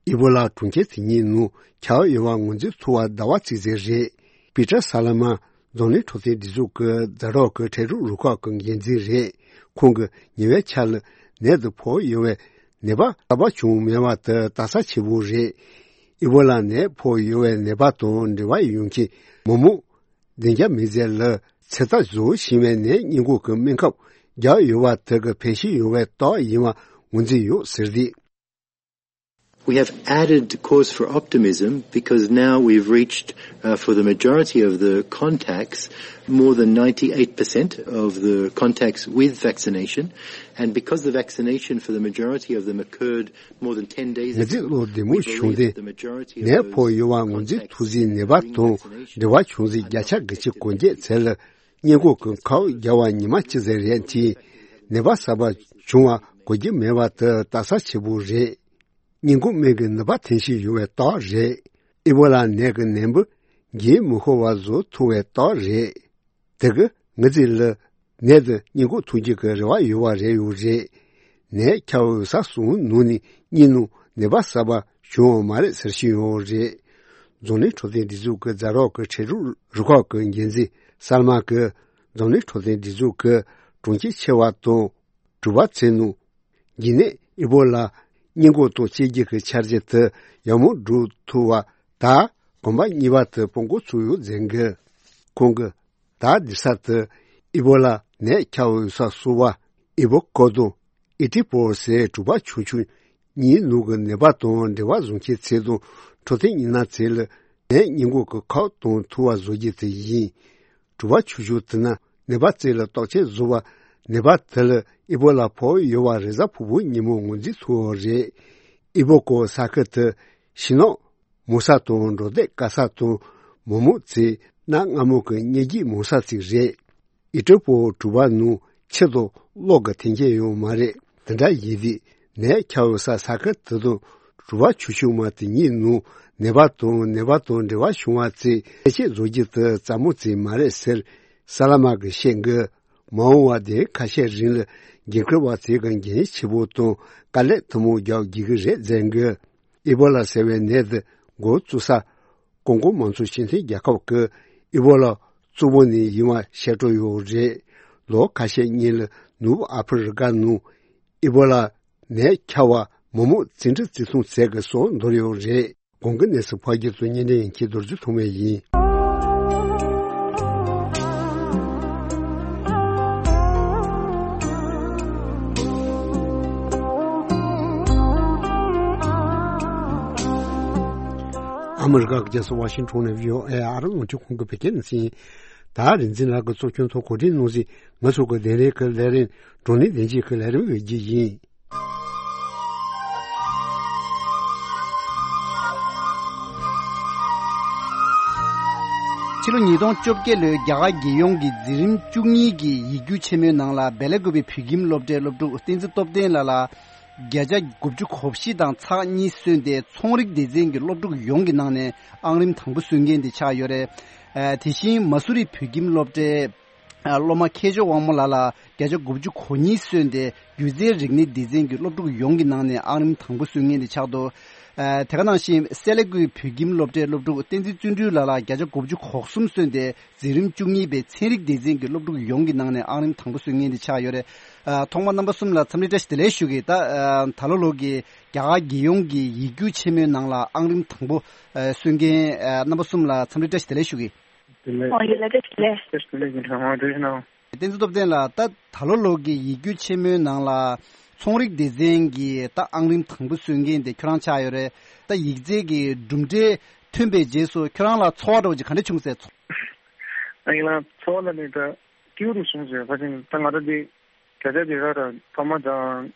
ཨི་བོ་ལ་གྲོང་ཁྱེར་དེ་གཉིས་ནང་ཁྱབ་ཡོད་པ་ངོས་འཛིན་ཐུབ་པ་ཟླ་བ་གཅིག་ཙམ་རེད། པི་ཏྲ་ས་ལ་མ་རྫོང་ནས་འཕྲོད་བསྟེན་སྒྲིག་འཛུགས་ཀྱི་ཛ་རོག་གི་འཕྲལ་སྒྲུབ་རུ་ཁག་གི་འགན་འཛིན་རེད། ཁོང་གིས་ཉེ་བའི་ཆར་ལ་ནད་དུ་ཕོག་ཡོད་པའི་ནད་པ་གསར་པ་བྱུང་མེད་པ་དེ་ལྟ་ས་ཆེ་བོ་རེད། ཨི་བོ་ལ་ནད་ཕོག་ཡོད་པའི་ནད་པ་དང་འབྲེལ་བ་ཡོད་མཁན་མི་མང་བདུན་བརྒྱ་མི་ཟེར་ལ་ཚེ་ཐག་རྫོགས་ཕྱིན་པའི་ནད་སྔོན་འགོག་གི་སྨན་ཁབ་བརྒྱབ་ཡོད་པ་དེ་གི་ཕན་ཞིག་ཡོད་པའི་རྟགས་ཡིན་པ་ངོས་འཛིན་ཡོད་ཟེར་ཏེ། We have added cause for optimism because now we've reached, uh, for the majority of the contacts, more than ninety-eight percent of the contacts with vaccination, and because the vaccination for the majority of them occurred more than ten days ago, ང་ཚོས་བློ་བདེ་མོ་བྱུང་སྟེ། ནད་ཕོག་ཡོད་པ་ངོས་འཛིན་ཐུབ་ཚེ་ནད་པ་དང་འབྲེལ་བ་བྱུང་ཚེ་བརྒྱ་ཆ་དགུ་བཅུ་གོ་བརྒྱད་ཚད་ལ་སྔོན་འགོག་གི་ཁབ་བརྒྱབ་པ་ཉི་མ་གཅིག་ཙམ་རེད་དེ། ནད་པ་གསར་པ་བྱུང་བ་གོ་རྒྱུ་མེད་པ་དེ་ལྟ་ས་ཆེ་བོ་རེད། སྔོན་འགོག་སྨན་གྱི་ནུས་པ་ཐོན་ཞིག་ཡོད་པའི་རྟགས་རེད། ཨི་བོ་ལ་ནད་ཀྱི་ནད་འབུ་རྒྱུན་མི་ཤོར་བ་བཟོ་ཐུབ་པའི་རྟགས་རེད། དེ་གི་ང་ཚོ་ལ་ནད་དེ་སྔོན་འགོག་ཐུབ་རྒྱུ་གི་རེ་བ་ཡོད་པ་རེད་ཡོད་རེད། ནད་ཁྱབ་ཡོད་ས་གསུམ་ནང་ནས་གཉིས་ནང་ནད་པ་གསར་པ་བྱུང་བ་མ་རེད་ཟེར་བཞིན་ཡོད་རེད། རྫོང་ནས་འཕྲོད་བསྟེན་སྒྲིག་འཛུགས་ཀྱི་ཛ་རོག་གི་འཕྲལ་སྒྲུབ་རུ་ཁག་གི་འགན་འཛིན་སལ་མ་གིས་རྫོང་ནས་འཕྲོད་བསྟེན་སྒྲིག་འཛུགས་ཀྱི་གྲོང་ཁྱེར་ཆེ་བ་དང་གྲུ་པ་ཚོའི་ནང་འགོས་ནད་ཨི་བོ་ལ་སྔོན་འགོག་དང་དཔྱད་བསྡུར་གྱི་འཆར་གཞི་དེ་ཡག་མོ་སྒྲུབ་ཐུབ་པ་དང་གོམ་པ་གཉིས་པ་དེ་སྤོ་འགོ་ཚུགས་ཡོད་ཟེར་གི། ཁོང་གིས་ད་སྡོད་ས་དེ་ཨི་བོ་ལ་ནད་ཁྱབ་ཡོད་ས་སུ་བ་ཨི་བོ་ཀོ་དང་ཨི་ཏི་པོ་ཟེར་གྲུ་པ་ཆུང་ཆུང་གཉིས་ནང་གི་ནད་པ་དང་འབྲེལ་བ་བཟུང་མཁན་ཚོ་དང་འཕྲོད་བསྟེན་གཉེར་ན་ཚོ་ལ་ནད་སྔོན་འགོག་གི་ཁབ་གཏོང་ཐུབ་པ་བཟོ་རྒྱུ་དེ་ཡིན། གྲུ་པ་ཆུང་ཆུང་དེ་ན་ནད་པ་ཚོ་ལ་བརྟག་དཔྱད་བཟོ་བ་ནད་པ་དེ་ལ་ཨི་བོ་ལ་ཕོག་ཡོད་པ་རེས་གཟའ་ཕུར་བུ་ཉིན་མོ་ངོས་འཛིན་ཐུབ་པ་རེད། ཨི་བོ་ཀོ་ས་ཁུལ་དེ་ཕྱི་ནང་མང་ས་དང་འབྲོག་སྡེ་དཀར་ས་དང་མི་མང་ཚོས་གནའ་སྔ་མོ་གི་གཉེན་སྒྲིག་མང་ས་ཅིག་རེད། ཨི་ཏྲི་པོ་གྲུ་པ་ནང་ཆུ་དང་གློག་གི་མཐུན་རྐྱེན་ཡོད་མ་རེད། དེ་འདྲ་ཡིན་དུས་ནད་ཁྱབ་ཡོད་ས་ས་ཁུལ་དེ་དང་གྲུ་པ་ཆུང་ཆུང་མ་དེ་གཉིས་ནང་ནད་པ་དང་ནད་པ་དང་འབྲེལ་བ་བྱུང་བ་ཚོས་ཐེ་ཆེ་བཟོ་རྒྱུ་དེ་རྩ་མོ་ཅིག་མ་རེད་ཟེར་སལ་མ་གིས་བཤད་གི། མ་འོངས་པ་དེ་ཁ་ཤས་རིང་ལ་འགན་འཁུར་བ་ཚོས་གི་འགན་ཆེ་པོ་དང་དཀའ་ལས་ཐུན་མོང་རྒྱག་དགོས་ཀྱི་རེད་ཟེར་གི། ཨི་བོ་ལ་ཟེར་བའི་ནད་དེ་འགོ་བཙུགས་ས་ཀོང་ཀོ་མང་གཙོ་སྤྱི་མཐུན་རྒྱལ་ཁབ་ཀྱི་ཨི་བོ་ལ་གཙོ་བོ་ནས་ཡིན་པ་བཤད་སྲོལ་ཡོད་རེད། ལོ་ཁ་ཤས་སྔོན་ལ་ནུབ་ཨ་ཕི་རི་ཀ་ནང་ཨི་བོ་ལ་ནད་ཁྱབ་པ་མང་མང་འཛིང་རེས་འཛིན་བཟུང་བྱས་ཀྱི་སོགས་འདོར་ཡོད་རེད། གོང་གི་གནས་ཚུལ་ཕལ་སྐྱེས་ཚོ་སྙན་འདྲེན་ཡན་ཁྱེད་རྡོ་རྗེ་ཐོགས་མེད་ཡིན། ཨ་མི་རི་ཀ་གི་རྒྱལ་ས་ཝ་ཤིང་ཊོན་ནས་བྷི་ཨོ་ཨེ་ཨ་རི་རླུང་འཕྲིན་ཁང་གི་བོད་སྐད་སྡེ་ཚན་ཡིན། ད་རིག་འཛིན་ལགས་ཀྱི་གཙོ་སྐྱོང་ཐོག་གོ་སྒྲིག་གནང་ཞིང་ང་ཚོ་གི་གདན་རིམ་གྱི་ལས་རིམ་བགྲོ་གླེང་བདེ་སྐྱིད་ཀྱི་ལས་རིམ་ཡོད་རྒྱུ་ཡིན། ཕྱི་ལོ་ཉིས་སྟོང་བཅོ་བརྒྱད་ལོའི་རྒྱ་གར་རྒྱལ་ཡོངས་ཀྱི་འཛིན་རིམ་བཅུ་གཉིས་ཀྱི་ཡིག་རྒྱུགས་ཆེན་མོའི་ནང་ལ་བེ་ལ་ཀུ་པེ་བོད་ཁྱིམ་སློབ་གྲྭའི་སློབ་ཕྲུག་བསྟན་འཛིན་སྟོབས་ལྡན་ལགས་ལ་བརྒྱ་ཆ་དགུ་བཅུ་གོ་བཞི་དང་ཚེག་གཉིས་སོན་ཏེ་ཚོང་རིག་སྡེ་ཚན་གྱི་སློབ་ཕྲུག་ཡོངས་ཀྱི་ནང་ནས་ཨང་རིམ་དང་པོ་སོན་མཁན་དེ་ཆགས་ཡོད་རེད། ཨ་དེ་བཞིན་མ་སུ་རི་བོད་ཁྱིམ་སློབ་གྲྭའི་ཨ་སློབ་མ་མཁས་མཆོག་དབང་མོ་ལགས་ལ་བརྒྱ་ཆ་དགུ་བཅུ་གོ་གཉིས་སོན་ཏེ་སྒྱུ་རྩལ་རིག་གནས་སྡེ་ཚན་གྱི་སློབ་ཕྲུག་ཡོངས་ཀྱི་ནང་ནས་ཨང་རིམ་དང་པོ་སོན་མཁན་དེ་ཆགས་འདུག་ཨ་དེ་ག་ནང་བཞིན་སེ་ལ་ཀུའི་བོད་ཁྱིམ་སློབ་གྲྭའི་སློབ་ཕྲུག་བསྟན་འཛིན་བརྩོན་འགྲུས་ལགས་ལ་བརྒྱ་ཆ་དགུ་བཅུ་གོ་གསུམ་སོན་ཏེ་འཛིན་རིམ་བཅུ་གཉིས་པའི་ཚན་རིག་སྡེ་ཚན་གྱི་སློབ་ཕྲུག་ཡོངས་ཀྱི་ནང་ནས་ཨང་རིམ་དང་པོ་སོན་མཁན་དེ་ཆགས་ཡོད་རེད། ཨ་ཐོག་མར་རྣམ་པ་གསུམ་ལ་འཚམས་འདྲི་བཀྲ་ཤིས་བདེ་ལེགས་ཞུ་གི། ད་ཨ་ད་ལོ་ལོ་གི་རྒྱ་གར་རྒྱལ་ཡོངས་ཀྱི་ཡིག་རྒྱུགས་ཆེན་མོའི་ནང་ལ་ཨང་རིམ་དང་པོ་ཨ་སོན་མཁན་ཨ་རྣམ་པ་གསུམ་ལ་འཚམས་འདྲི་བཀྲ་ཤིས་བདེ་ལེགས་ཞུ་གི། བདེ་ལེགས། ཨོ་ཡོད་ལ་བཀྲ་ཤིས་བདེ་ལེགས། བཀྲ་ཤིས་བདེ་ལེགས་ཡིན་ཁྲང་ཨང་བཀྲ་ཤིས་གནང་། བསྟན་འཛིན་སྟོབས་ལྡན་ལགས། ད་ད་ལོ་ལོ་གི་ཡིག་རྒྱུགས་ཆེན་མོའི་ནང་ལ་ཚོང་རིག་སྡེ་ཚན་གྱི་ད་ཨང་རིམ་དང་པོ་སོན་མཁན་དེ་ཁྱོད་རང་ཆགས་ཡོད་རེད། ད་ཡིག་རྩལ་གྱི་གྲུབ་འབྲས་ཐོན་པའི་རྗེས་སུ་ཁྱོད་རང་ལ་ཚོར་བ་འདྲ་བོ་ཅིག་ག་འདྲ་བྱུང་ཟེར། ཨ་ཡིན་ལ་ཚོར་བ་ལ་ནི་ད་སྐྱིད་པོ་རུ་བྱུང་ཟེར། ཕ་ཆེན་ད་ང་རང་འདི་བརྒྱ་ཆ་དེ་ག་ར་ཕ་མ་དང་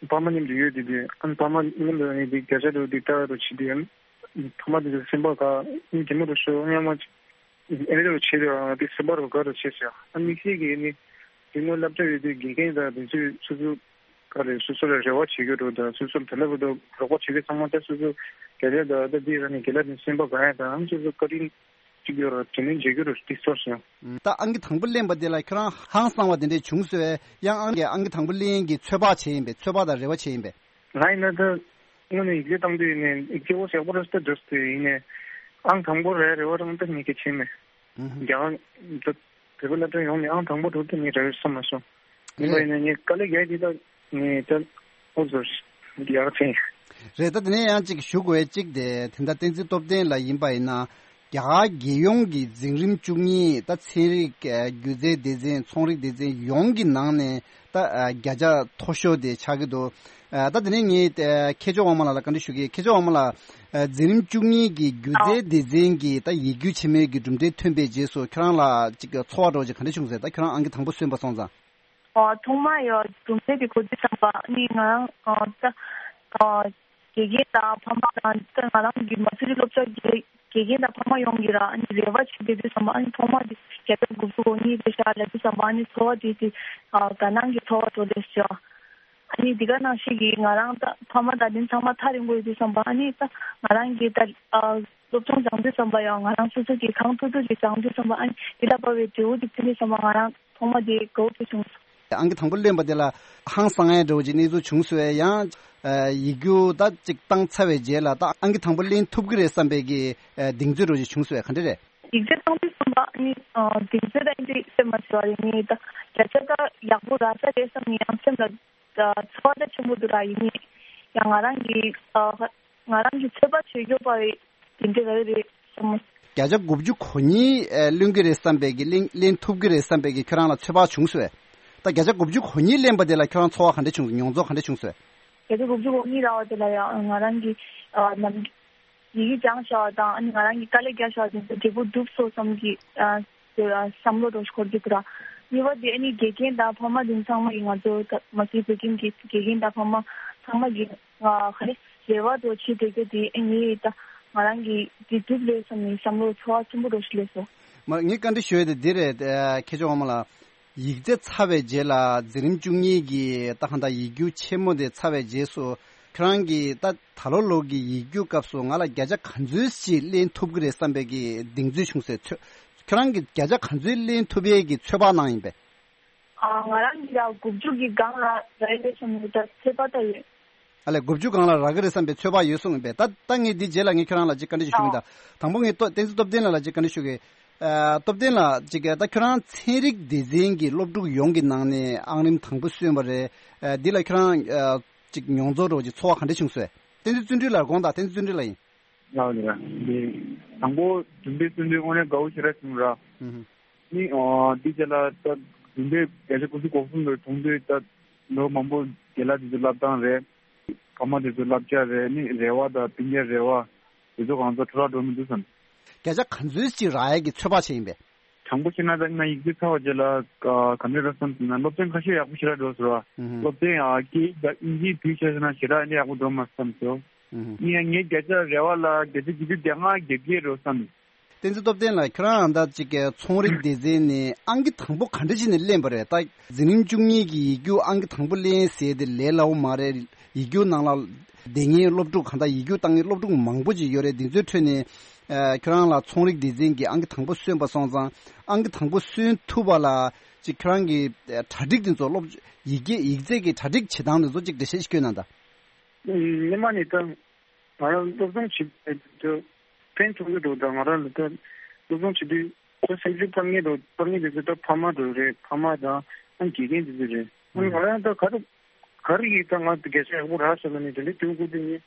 ཕ་མ་མཉམ་དུ་ཡོད་དེ་དུས་ཨ་ནི་ཕ་མ་མཉམ་དུ་ཡོད་དེ་བརྒྱ་ཆ་དེ་དེ་ལྟ་རུ་བྱེད་དུས་ཨ་ནི་ཕ་མ་དེ་ཚོ་སེམས་པ་དགའ། ཨ་ནི་གད་མོ་རུ་ཤོར། སྔོན་མ་ཨེ་རེ་རུ་བྱེད་དུས་ཨ་དེ་སེམས་པ་རུ་དགའ་རུ་བྱེད་ཟེར། ཨ་དམིགས་བསལ་གྱི་ཨ་ནི་དེ་སྔོན་སློབ་གྲྭ་ཡོད་དུས་དགེ་རྒན་དང་དེ་ཚོས་སོ་སོ་ག་རེ་སོ་སོ་ལ་རེ་བ་བྱེད་རྒྱུ་འདྲ་བོ་དང་སོ་སོར་དེ་ལ་བུ་དང་རོགས་པ་བྱེད་མཁན་ཚང་མ་ད་སོ་སོ་དགེ་ལས་དང་ད་དེ་ར་ནི་དགེ་ལས་དེ་སེམས་པ་དགའ་ཡ་དང་ཨ་ནི་སོ་སོ་བཀའ་དྲིན་གཅིག་ཡོད་ར་དྲིན་ལན་འཇལ་རྒྱུ་ར་དེ་ཚོར་སོང་། ད་ཨང་ཀི་དང་པོ་ལེན་པ་དེ་ལ་ཁྱོད་རང་ཧང་སང་བ་དེ་འདྲས་བྱུང་སོང་ངས། ཡང་ཨང་ཀི་ཨང་ཀི་དང་པོ་ལེན་གྱི་ཚོད་དཔག་བྱས་ཡིན་པས། ཚོད་དཔག་དང་རེ་བ་བྱས་ཡིན་པས། ང་ཡིན་ན་ད་དངོས་གནས་ཡིག་ཆ་བཏང་དུས་ཡིན་ནའི་ཡིག་ཆ་འོ་ཞག་པོ་རེ་སྟེ་འགྲོ་སྟེ་ཡིན་ནའི་ཨང་དང་པོ་རེ་རེ་བ་རང་ད་ངས་གལ་ཆེ་མེད། ཨུ་ཧུ། རྒྱ་གར་ད་བོད་པ་སློབ་གྲྭ་ཡོངས་ནས་ཨང་དང་པོ་འགྲོ་དུས་ངས་རེ་བ་བསམ་མ་སོང་། ཡིན་པ་རེད། ཡིན་ན་ངས་དཀའ་ལས་རྒྱག་དེ་ད་ངས་ད་འོ་ཚོར་ཡག་ཕན། རེད། ད་དེ་ནས་ཡང་གཅིག་ཞུ་དགོས་གཅིག་དེ་དེ་འདྲ་བསྟན་འཛིན་སྟོབས་ལྡན་ལགས་ཡིན་པ་ཡིན་ན། རྒྱ་གར་རྒྱལ་ཡོངས་ཀྱི་འཛིན་རིམ་བཅུ་གཉིས་ད་ཚན་རིག་ཨ་སྒྱུ་རྩལ་སྡེ་ཚན་ཚོང་རིག་སྡེ་ཚན་ཡོངས་ཀྱི་ནང་ནས་ད་ཨ་བརྒྱ་ཆ་མཐོ་ཤོས་དེ་ཆགས་ཀྱི་འདུག་ཨ་ད་དེ་ནས་ངས་ཨ་མཁས་མཆོག་དབང་མོ་ལགས་ལ་བཀའ་འདྲི་ཞུ་གི། མཁས་མཆོག་དབང་མོ་ལགས། ཨ་འཛིན་རིམ་བཅུ་གཉིས་ཀྱི་སྒྱུ་རྩལ་སྡེ་ཚན་གྱི་ད་ཡིག་རྒྱུགས་ཆེན་མོའི་གི་གྲུབ་འབྲས་ཐོན་པའི་རྗེས་སུ་ཁྱོད་རང་ལ་ཅིག་ཚོར་བ་འདྲ་བོ་ཅིག་ག་འདྲ་བྱུང་ཟེར། ད་ཁྱོད་རང་ཨང་ཀི་དང་པོ་སོན་པ་སོང་ཙང་། ཨོ་ཐོག་མ་ཡོད་གྲུབ་འབྲས་དེ་གོ་དུས་ཙམ་པ་ནི་ང་རང་ཨ་ད་ཨ་དགེ་རྒན་དང་ཕ་མ་དང་ད་ང་རང་གི་མ་སུ་རི་སློབ་གྲྭ་གི་དགེ་རྒན་དང་ཕ་མ་ཡོངས་ཀྱིས་ར་ཨ་ནི་རེ་བ་བྱེད་བསྡད་དུས་ཙམ་པ་ཨ་ནི་ཐོག་མ་དེ་བརྒྱ་ཆ་དགུ་བཅུ་གོ་གཉིས་རེད་ཤག་ལབ་དུས་ཙམ་པ་ཨ་ནི་ཚོར་བ་དེ་དེ་ཨ་དགའ་སྣང་གི་ཚོར་བ་འདྲ་བོ་ལས་བྱུང་། ཨ་ནི་འདི་ག་ནང་བཞིན་གྱི་ང་རང་ད་ཕ་མ་དང་དེ་ཚང་མ་ཐག་རིང་པོ་ཡོད་དུས་ཙམ་པ་ཨ་ནི་ད་ང་རང་གི་ད་ཨ་སློབ་སྦྱོང་སྦྱང་དུས་ཙམ་པ་ཡང་ང་རང་སོ་སོ་གི་གང་ཐུབ་ཐུབ་ཀྱིས་སྦྱང་དུས་ཙམ་པ་ཨ་ནི་འདི་ལ་དཔའ་བའི་འབྲས་བུ་དེ་ཐོན་དུས་ཙམ་པ་ང་རང་ཐོག་མ་དེ་དགའ་བོ་དེ་བྱུང་སོང་། ཨང་ཀི་དང་པོ་ལེན་པ་དེ་ལ་ཧང་སང་ཡ་འདྲ་བོ་ཅིག་གནས་ཚུལ་བྱུང་སོང་ངས། ཡང་ཨ་ཡིག་རྒྱུགས་ད་ཅིག་བཏང་ཚར་བའི་རྗེས་ལ་ད་ཨང་ཀི་དང་པོ་ལེན་ཐུབ་ཀྱི་རེད་བསམ་པའི་གི་ཨ་གདེང་ཚོད་འདྲ་བོ་ཅིག་བྱུང་སོང་ངས། ག་འདྲ་རེད། ཡིག་ཆ་བཏང་དུས་ཙམ་པ་ནི་ཨ་གདེང་ཚོད་ད་ཡིན་དུས་སེམས་མ་བྱེད་པ་རེད། ངས་ད་བརྒྱ་ཆ་ད་ཡག་པོ་རག་ས་རེད་བསམ་ནས་ཡང་སེམས་ལ་ད་ཚོར་བ་ད་ཆེན་པོ་འདུག་ར། ཡིན་ནའི་ཡང་ང་རང་གི་ཨ་ང་རང་གི་ཚོད་དཔག་བྱེད་དགོས་པ་རེད། དེ་འདྲ་རེད་རེད་བསམ་མོ། བརྒྱ་ཆ་དགུ་བཅུ་གོ་གཉིས་ལོན་གྱི་རེད་བསམ་པའི་གི་ལེན་ལེན་ཐུབ་ཀྱི་རེད་བསམ་པའི་གི་ཁྱོད་རང་ལ་ཚོད་དཔག་བྱུང་སོང་ངས། ད་བརྒྱ་ཆ་དགུ་བཅུ་གོ་གཉིས་ལེན་པ་དེ་ལ་ཁྱོད་རང་ཚོར་བ་ག་འདྲ་བྱུང་སོང་། མྱོང་ཚོར་ག་འདྲ་བྱུང་སོང་ངས། བརྒྱ་ཆ་དགུ་བཅུ་གོ་གཉིས་རག་པ་དེ་ལ་ཡང་ང་རང་གི་ཨ་ནམ་ཡི་གེ་སྦྱངས་བཞག་པ་དང་ཨ་ནི་ང་རང་གི་དཀའ་ལས་རྒྱག་བཞག་པ་དེ་ཚོ་འབྲས་བུ་འགྲུབ་སོང་བསམ་གྱི་ཨ་བསམ་བློ་འདྲ་བོ་ཞིག་འཁོར་གྱི་འདུག་ར། གཉིས་པ་དེ་ཨ་ནི་དགེ་རྒན་དང་ཕ་མ་དེ་ཚང་མ་གིས་ང་ཚོ་ད་མ་སུའི་བོད་ཁྱིམ་གྱི་དགེ་རྒན་དང་ཕ་མ་ཚང་མ་གིས་ང་ག་རེ་རེ་བ་འདྲ་བོ་བྱེད་བསྡད་རྒྱུ་དེ་ཨ་ནི་ད་ང་རང་གི་འདི་འགྲུབ་ལེ་བསམ་ནས་བསམ་བློ་ཚོར་བ་ཆེན་པོ་འདྲ་བོ་ཞིག་སླེབས་སོང་། མ་ངས་བཀའ་འདྲི་ཞུ་ཡ་དེ་འདི་རེད། ཨ་མཁས་མཆོག་དབང་མོ་ལགས། ཡིག་ཚད་ཚར་བའི་རྗེས་ལ་འཛིན་རིམ་བཅུ་གཉིས་ཀྱི་ད་གང་ལྟར་ཡིག་རྒྱུགས་ཆེན་མོ་དེ་ཚར་བའི་རྗེས་སུ་ཁྱོད་རང་གིས་ད་ད་ལོ་ལོ་གི་ཡིག་རྒྱུགས་སྐབས་སུ་ང་ལ་བརྒྱ་ཆ་ག་ཚོད་ཞིག་ལེན་ཐུབ་ཀྱི་རེད་བསམ་པའི་གི་གདེང་ཚོད་བྱུང་སོང་ངས། ཚོད་ཁྱོད་རང་གིས་བརྒྱ་ཆ་ག་ཚོད་ལེན་ཐུབ་པའི་གི་ཚོད་དཔག་གནང་ཡིན་པས། ཨ་ང་རང་གིས་ཡ་དགུ་བཅུ་གི་སྒང་ལ་རེད་བསམ་ནས་ད་ཚོད་དཔག་ད་ཡོད། ཨ་ལས་དགུ་བཅུ་སྒང་ལ་རག་གི་རེད་བསམ་པའི་ཚོད་དཔག་ཡོད་གསུངས་ཡིན་པས། ད་ད་ངས་འདི་རྗེས་ལ་ངས་ཁྱོད་རང་ལ་ཅིག་བཀའ་འདྲི་ཞུ་གི་ཡིན། ད་དང་པོ་ངས་ཏོ་བསྟན་འཛིན་སྟོབས་ལྡན་ལགས་ལ་ཅིག་བཀའ་འདྲི་ཞུ་གི། ཨ། སྟོབས་ལྡན་ལགས། ཅིག་ད་ཁྱོད་རང་ཚན་རིག་སྡེ་ཚན་གྱི་སློབ་ཕྲུག་ཡོངས་ཀྱི་ནང་ནས་ཨང་རིམ་དང་པོ་སོན་པ་རེད། ཨ། འདི་ལ་ཁྱོད་རང་ཨ། ཅིག་མྱོང་ཚོར་རོ་ཅིག་ཚོར་བ་ག་འདྲ་བྱུང་སོང་། བསྟན་འཛིན་བརྩོན་འགྲུས་ལགས་དགོངས་དག་བསྟན་འཛིན་བརྩོན་འགྲུས་ལགས་ཡིན། ལགས་ལགས། འདི་དང་པོ་བདུན་པའི་སོན་དུས་དངོས་གནས་དགའ་བོ་ཞེ་དྲག་བྱུང་ར། ཨུ་ཧུ། ནི་ཨ། འདི་རྗེས་ལ་ད་བདུན་པའི་བརྒྱ་ཆ་དགུ་བཅུ་གོ་གསུམ་ལོ་བྱུང་དུས་ད་ལོ་མང་པོ་རྒན་ལགས་དེ་ཚོ་བསླབ་སྟངས་རེད། ཕ་མ་དེ་ཚོ་བསླབ་བྱ་རེད། ནི་རེ་བ་དང་སྤུན་ཀྱག་རེ་བ་དེ་ཚོ་གང་ཚ་འཕྲོ་བརླག་འགྲོ་མི་འདུག་བསམ། བརྒྱ་ཆ་ག་ཚོད་ཅིག་རག་ཡས་ཀྱི་ཚོད་དཔག་བྱས་ཡིན་པས། དྲང་པོ་བཤད་ན་ད་ང་ཡིག་ཚད་ཚར་བ་རྗེས་ལ་ག་ག་འདྲ་རེད་བསམ་ཟེར་ན་སློབ་ཚན་ཁ་ཤས་ཡག་པོ་ཞེ་དྲག་འགྲོ་ཟེར་བ། ཨུ་ཧུ། སློབ་ཚན་ཨ་སྐད་ཡིག་དང་དབྱིན་ཇིའི་དུས་ཆ་བཞག་ན་ཞེ་དྲག་ནི་ཡག་པོ་འགྲོ་མ་བསམ་སོ། ཨུ་ཧུ། ཡིན་ཡང་ངའི་བརྒྱ་ཆ་རེ་བ་ལ་བརྒྱ་ཆ་བརྒྱད་ཅུ་གྱ་ལྔ་བརྒྱད་བརྒྱད་རེད་བསམ། བསྟན་འཛིན་སྟོབས་ལྡན་ལགས། ཁྱོད་རང་ད་ཅིག་ཚོང་རིག་སྡེ་ཚན་ནས་ཨང་ཀི་དང་པོ་ག་འདྲ་བྱས་ནས་ལེན་པ་རེད། ད་འཛིན་རིམ་བཅུ་གཉིས་ཀྱི་ཡིག་རྒྱུགས་ཨང་ཀི་དང་པོ་ལེན་ཟེར་དེ་ལས་སླ་བོ་མ་རེད། ཡིག་རྒྱུགས་ནང་ལ་བསྡད་མཁན་སློབ་ཕྲུག་གང་ལྟར་ཡིག་རྒྱུགས་བཏང་མཁན་སློབ་ཕྲུག་མང་པོ་ཅིག་ཡོད་རེད། འདི་ཚོའི་ཁྲོད་ནས་ཨ། ཁྱོད་རང་ལ་ཚོང་རིག་སྡེ་ཚན་གྱི་ཨང་ཀི་དང་པོ་སོན་པ་སོང་ཙང་ཨང་ཀི་དང་པོ་སོན་ཐུབ་པ་ལ་ཅིག་ཁྱོད་རང་གི་གྲ་སྒྲིག་དེ་ཚོ་སློབ་ཡིག་སྐད་ཡིག་ཚད་ཀྱི་གྲ་སྒྲིག་བྱེད་སྟངས་དེ་ཚོ་ཅིག་འགྲེལ་བཤད་ཞིག་སྐྱོན་གནང་དང་། སྔོན་མ་ནས་ད་ང་རང་སློབ་སྦྱོང་བྱེད་དུས་ཕན་ཐོགས་ཀྱི་འདུག་ད་ང་རང་ལ་ད་སློབ་སྦྱོང་བྱེད་དུས་ད་སེམས་ཤུགས་འཕར་མཁན་འདུག་འཕར་མཁན་དེ་ཚོ་ད་ཕ་མ་འདྲ་རེད། ཕ་མ་དང་ཨ་དགེ་རྒན་དེ་ཚོ་རེད། ཨ་ང་རང་ད་ག་རེ་ག་རེ་ཡིན་ད་ང་ད་སྐད་ཆ་ཡག་པོ་རག་ཤག་ལབ་ནས་དེ་འདྲ་དུས་འགོ་དུས་ངས་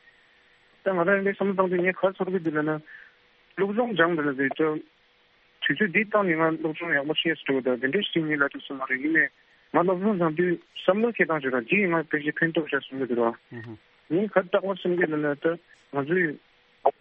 ད་ང་རང་ལས་བསམ་བློ་བཏང་དུས་ངས་ག་རེ་ཚོར་གི་འདུག་ལབ་ན། སློབ་སྦྱོང་སྦྱངས་འདུག་ལབ་དུས་ད། དུས་ཚོད་འདི་བཏང་ནས་ང་སློབ་སྦྱོང་ཡག་པོ་བྱས་སོང་ད་དེ་འདྲ་ཞིག་ངས་ལབ་ཐུབ་སོང་མ་རེད། ཡིན་ནའི་ང་སློབ་སྦྱོང་སྦྱང་དུས་བསམ་བློ་འཁྱེར་སྟངས་ཅིག་ར་འདིས་ང་ཕལ་ཆེར་ཕན་ཐོགས་ཤག་བསམ་གྱི་འདུག་ར། ངས་ག་རེ་རྟག་པར་བསམ་གྱི་ལབ་ན་ད་ང་ཚོས་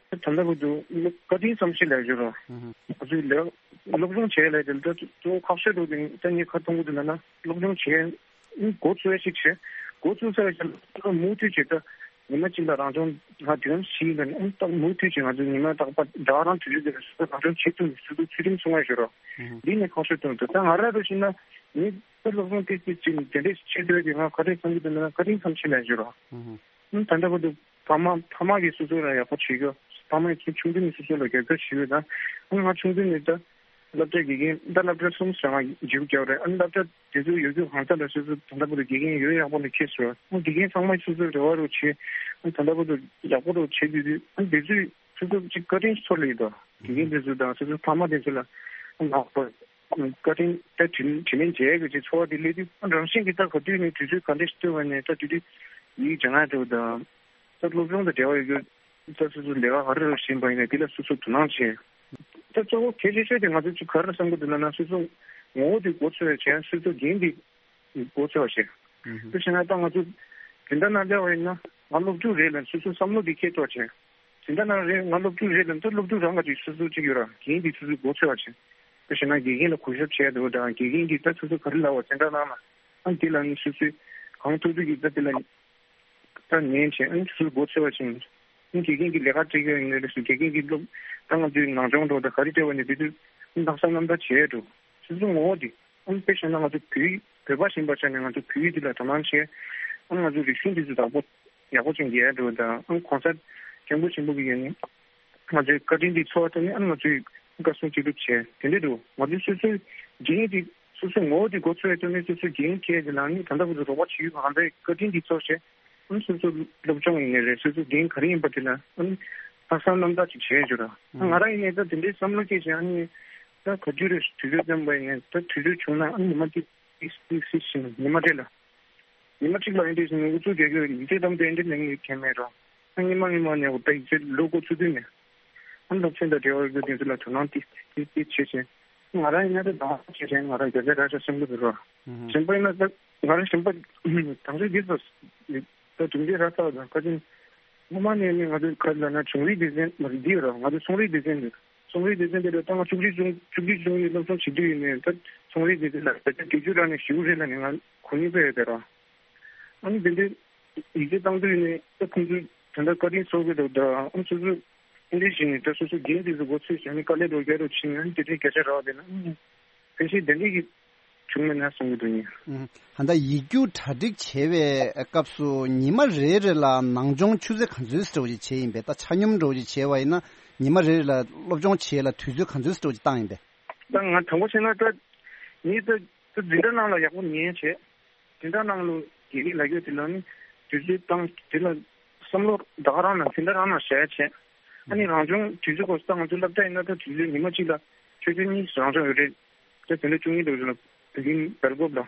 ད་ལྟ་བར་དུ་བཀའ་དྲིན་བསམ་ཤེས་ལབ་རྒྱུ་ར། ང་ཚོས་ལས་སློབ་སྦྱོང་བྱས་ལབ་དེ་ད་གཙོ་བོ་ཁག་ཤོས་འགྲོ་དེ་ད་ངས་ག་རེ་མཐོང་གི་འདུག་ལབ་ན་སློབ་སྦྱོང་བྱས། འགོ་ཚུགས་ཡ་ཞིག་བྱས། འགོ་ཚུགས་ཚར་བའི་རྗེས་ལ་མུ་མཐུད་བྱས་ད་ཉི་མ་གཅིག་ལ་རང་སྦྱོང་ང་དུས་ཡུན་བཞི་ཡིན་པ་ནི་ཨང་རྟག་མུ་མཐུད་བྱས་ང་ཚོ་ཉི་མ་རྟག་པར་ཟླ་བ་རང་དུས་ཚོད་དེ་རང་སྦྱོང་བྱེད་ཐུབ་ནས་སོ་སོ་ཚུལ་ཁྲིམས་སྲུང་བ་ཞུ་རོགས། འདི་ནས་ཁག་ཤོས་དོན་དུ་ད་ང་ར་རུ་ཞིག་ན་ངས་ད་སློབ་སྦྱོང་ཏིག་ཏིག་ཅིག་དེ་འདྲས་བྱེད་འདོད་དེ་ང་ག་རེ་བསམ་གྱི་འདུག་ན་བཀའ་དྲིན་བསམ་ཤེས་ལ་ཞུ་རོགས། ད་ལྟ་བར་དུ་ཕ་མ་ཕ་མ་གིས་སོ་སོ་ལ་ཡག་པོ་བྱེད་རྒྱུ། ཕ་མ་ཡིས་ཆུང་དུས་ནས་སོ་སོ་ལ་རྒྱབ་སྐྱོར་བྱེད་ཡོད་ད། ང་ཆུང་དུས་ནས་ད། སློབ་གྲྭའི་དགེ་རྒན་ད་སློབ་གྲྭ་གསུམ་ཞེ་ལྔ་བརྗེ་པོ་རྒྱག་རེད། ཨ་ནི་སློབ་གྲྭ་དེ་ཚོ་ཡོད་རྒྱུ་གང་ས་ལ་སོ་སོ་ད་ལྟ་བར་དུ་དགེ་རྒན་ཡོད་ཡག་པོ་ལ་ཁེལ་སོང་། ཨ་དགེ་རྒན་ཚང་མ་སོ་སོའི་རེ་བ་རུ་བྱེད། ཨ་ད་ལྟ་བར་དུ་ཡག་པོ་རུ་བྱེད་དུས་དུས་ཨ་དེ་ཚོས་སོ་སོ་ཅིག་བཀའ་དྲིན་ཚོར་ལེ་ཡོད་དོ། དགེ་རྒན་དེ་ཚོ་དང་སོ་སོའི་ཕ་མ་དེ་ཚོ་ལ་ཨ་ནག་པོ་བཀའ་དྲིན་ད་དྲིན་དྲིན་ལན་འཇལ་དགོས་ཀྱི་ཚོར་བ་དེ་སླེབས་དུས་ཨ་རང་བཞིན་གྱིས་ད་ག་དུས་ནས་དུས་ཚོད་ག་འདྲས་ཤིག་བཏོན་པ་ནས་ད་དུས་དུས་ཡིག་སྦྱང་ཡག་འགྲོ་དང་། ད་སློབ་སྦྱོང་དང་འབྲེལ་བ་ཡོད་རྒྱུ། ད་སོ་སོ་ལས་ཀ་ག་རེ་རེ་བཞིན་པ་ཡིན་ན་དེ་ལ་སོ་སོ་དོ་སྣང་བྱེད། ད་གཙོ་བོ་གལ་ཆེ་ཤོས་དེ་ང་ཚོ་ཅིག་ག་རེ་བསམ་གྱི་འདུག་ལབ་ན་སོ་སོ་ངོ་བོ་དེ་མགོ་ཚོས་བྱས་སོ་སོ་འགན་དེ་མགོ་ཚོས་བྱས། དེ་བྱས་ན་ད་ང་ཚོ་དེ་འདྲ་ན་སླེབས་པ་ཡིན་ན་ང་སློབ་ཕྲུག་རེད་ལབ་སོ་སོ་བསམ་བློ་དེ་ཁྱེར་ཐུབ་བྱས། དེ་འདྲ་ན་རེད་ང་སློབ་ཕྲུག་རེད་ལབ་ད་སློབ་ཕྲུག་རང་ག་ཅིག་སོ་སོ་ཅིག་ཡོད་ར་འགན་དེ་སོ་སོ་མགོ་ཚོས་བྱས། དེ་བྱས་ན་དགེ་རྒན་ལ་གུས་ཞབས་བྱས་འདུག་དང་དགེ་རྒན་གྱིས་ད་སོ་སོ་ག་རེ་ལབ་པ་དེ་འདྲ་གནང་ན་ཨ་དེ་ལ་ནི་སོ་སོས་གང་ཐུབ་ཐུབ་ཀྱིས་ད་དེ་ལ། ད་ཉན་བྱས་ཨ་ནི་ཚུར་མགོ་ཚོས་པ་བྱས། ཨ་ནི་དགེ་རྒན་གྱིས་ལས་ཀ་སྤྲད་ཀྱི་ཡོད་ནི་རེད་ཟེར་དགེ་རྒན་གྱིས་སློབ་ད་ང་ཚོའི་ནང་སྦྱོང་འགྲོ་ད་ག་རེ་སྤྲད་པ་ནི་དེ་དུས་ཨ་ནི་ལྷག་བསམ་རྣམ་དག་བྱས་འགྲོ། སོ་སོ་ངོ་བོ་དེ་ཨ་ནི་དཔེ་བཞག་ན་ང་ཚོ་བོད་བོད་པ་ཡིན་པ་ཆ་ནས་ང་ཚོ་བོད་ཡིག་འདི་ལ་དོ་སྣང་བྱས། ཨ་ནི་ང་ཚོའི་རིག་གཞུང་འདི་ཚོ་བདག་པོ་ཡག་པོ་ཅིག་རྒྱག་འགྲོ་དང་ཨ་ནི་གོང་ས་སྐྱབས་མགོན་ཆེན་པོ་གི་ཡོད་ནི། ང་ཚོའི་བཀའ་དྲིན་འདི་ཚོར་བ་ཐོག་ནས་ཨ་ནི་ང་ཚོས་བཀའ་གསུང་ཅི་སྒྲུབ་བྱས་དེ་འདྲ་འདུག་ང་ཚོས་སོ་སོའི་འགན་འདི་སོ་སོའི་ངོ་བོ་འདི་མགོ་ཚོས་ཐོག་ནས་སོ་སོའི་འགན་འཁྱེར་ཏེ་ལངས་ནས་ད་ལྟ་བར་དུ་རོགས་པ་བྱེད་ཡུལ་གང་འདྲའི་བཀའ་དྲིན་འདི་ཚོར་བྱས་ཨ་ནི་སོ་སོ་སློབ་སྦྱོང་ཡིན་ནའི་རེད་སོ་སོའི་འགན་ག་རེ་ཡིན་པ་དེ་ལ་ཨ་ནི་ལྷག་བསམ་རྣམ་དག་ཅིག་བྱས་བྱུང་ར། ང་རང་ཡིན་ནའི་ད་དེ་འདྲའི་བསམ་བློ་སྐྱེས་བྱས་ཨ་ནི་ད་ག་དུས་རེད་དུས་ཚོད་བཏོན་པ་ཡིན་ནའི་ད་དུས་ཚོད་བྱུང་ན་ཨ་ནི་ཉི་མ་གཅིག་ཏིག་ཏིག་སི་ཤིང་ཉི་མ་རེ་ལ། ཉི་མ་གཅིག་ལ་ཨེ་འདྲས་ཟེར་ནས་ཨུ་ཚུགས་རྒྱག་གི་ཡོད་ཡིན་དེ་དམ་དུ་ཨེ་འདྲས་ལེན་གི་མཁན་མེད་རོ། ཨ་ཉི་མ་ཉི་མ་ནས་འོ་ད་ཡིག་ཚད་ལོ་འགོ་ཚུགས་དུས་ནས། ཨ་སློབ་ཚན་དང་འབྲེལ་བ་ཡོད་པའི་དེ་ཚོ་ལ་དོ་སྣང་ཏིག་ཏིག་ཏིག་བྱེད་བྱེད། ང་རང་ཡིན་ན་ད་དང་བ་བྱེད་བྱེད་ང་རང་རྒྱ་ཆ་ར་ཆ་སེམས་ལ་འདུག་རོ། གཞན་པ་ཡིན་ན་ད་ང་རང་གཞན་པ་དང་ཆ་འདི་ཚོ་ད་དུང་འདི་ར་ཚ་བ་དང་ཁ་ཅིན། སྔོན་མ་ནས་ནི་ང་ཚོའི་ཁ་ལ་ན་ཆུང་རིགས་སྡེ་ཚན་མ་རེད་འདི་ཡོད་རོ། ང་ཚོ་ཚོང་རིགས་སྡེ་ཚན་འདི། ཚོང་རིགས་སྡེ་ཚན་འདི་ལ་ད་ང་བཅུ་གཅིག་ཆུང་བཅུ་གཅིག་ཆུང་རིགས་སློབ་སྦྱོང་བྱེད་དུས་ཡིན་ནའི་ད་ཚོང་རིགས་སྡེ་ཚན་ལ་ད་ཆ་བརྒྱད་ཅུ་རང་ནས་ཞེ་པོ་རེད་ལ་ནི་ང་གོ་སྙིང་པོ་ཡོད་དེ་ར། ཨ་ནི་དེ་འདྲའི་ཡིག་ཆ་བཏང་དུས་ནི་ད་ཁོང་ཚོས་ད་ལྟ་བཀའ་དྲིན་གསོ་གི་འདུག་ད་ཨ་ནི་སོ་སོ་ཨེ་འདྲའི་ཞིག་ནས་ད་སོ་སོ་འགན་དེ་ཚོ་མགོ་ཚོས་བྱས་ནས་དཀའ་ལས་རོགས་རྒྱག་རོགས་བྱས་ནས་ཨ་ནི་དེ་འདྲའི་སྐད་ཆ་རག་བསྡད་ན་ཨ་ནི་ཕལ་ཆེར་དེ་འདྲའི་གི་བྱུང་མེད་ན་གསུང་གི་འདུག་ཉིན། ཨུམ། ད་ལྟ་ཡིག་རྒྱུགས་གྲ་སྒྲིག་བྱེད་པའི་སྐབས་སུ་ཉི་མ་རེ་རེ་ལ་ནང་སྦྱོང་ཆུ་ཚོད་ག་ཚོད་འདྲ་བོ་ཞིག་བྱས་ཡིན་པས། ད་ཆ་སྙོམས་འདྲ་བོ་ཞིག་བྱས་པ་ཡིན་ན་ཉི་མ་རེ་རེ་ལ་སློབ་སྦྱོང་བྱེད་ཡས་ལ་དུས་ཚོད་ག་ཚོད་འདྲ་བོ་ཞིག་བཏང་ཡིན་པས། ད་ང་དྲང་པོ་བཤད་ན་ད་ངས་ད་ད་འཛིན་གྲྭ་ནང་ལ་ཡག་པོ་ཉན་བྱས། འཛིན་གྲྭ་ནང་ལ་དགེ་རྒན་ལབ་རྒྱུ་དེ་ལ་ནི་དུས་ཚོད་བཏང་དེ་ལ་བསམ་བློ་ད་ག་རང་ན་འཛིན་གྲྭ་རང་ན་བྱས་བྱས། ཨ་ནི་རང་སྦྱོང་དུས་ཚོད་སྐོར་ད་ང་ཚོ་སློབ་གྲྭ་ཡིན་ན་ད་དུས་ཚོད་ཉི་མ་གཅིག་ལ། ཆོས་ཆོས་གཉིས་རང་སྦྱོང་ཡོད་རེད། དེ་དེ་འདྲ་བཅུ་གཉིས་འདུག་ཟེར་ན་དེ་རིང་སྦེལ་ཀོབ་ལ།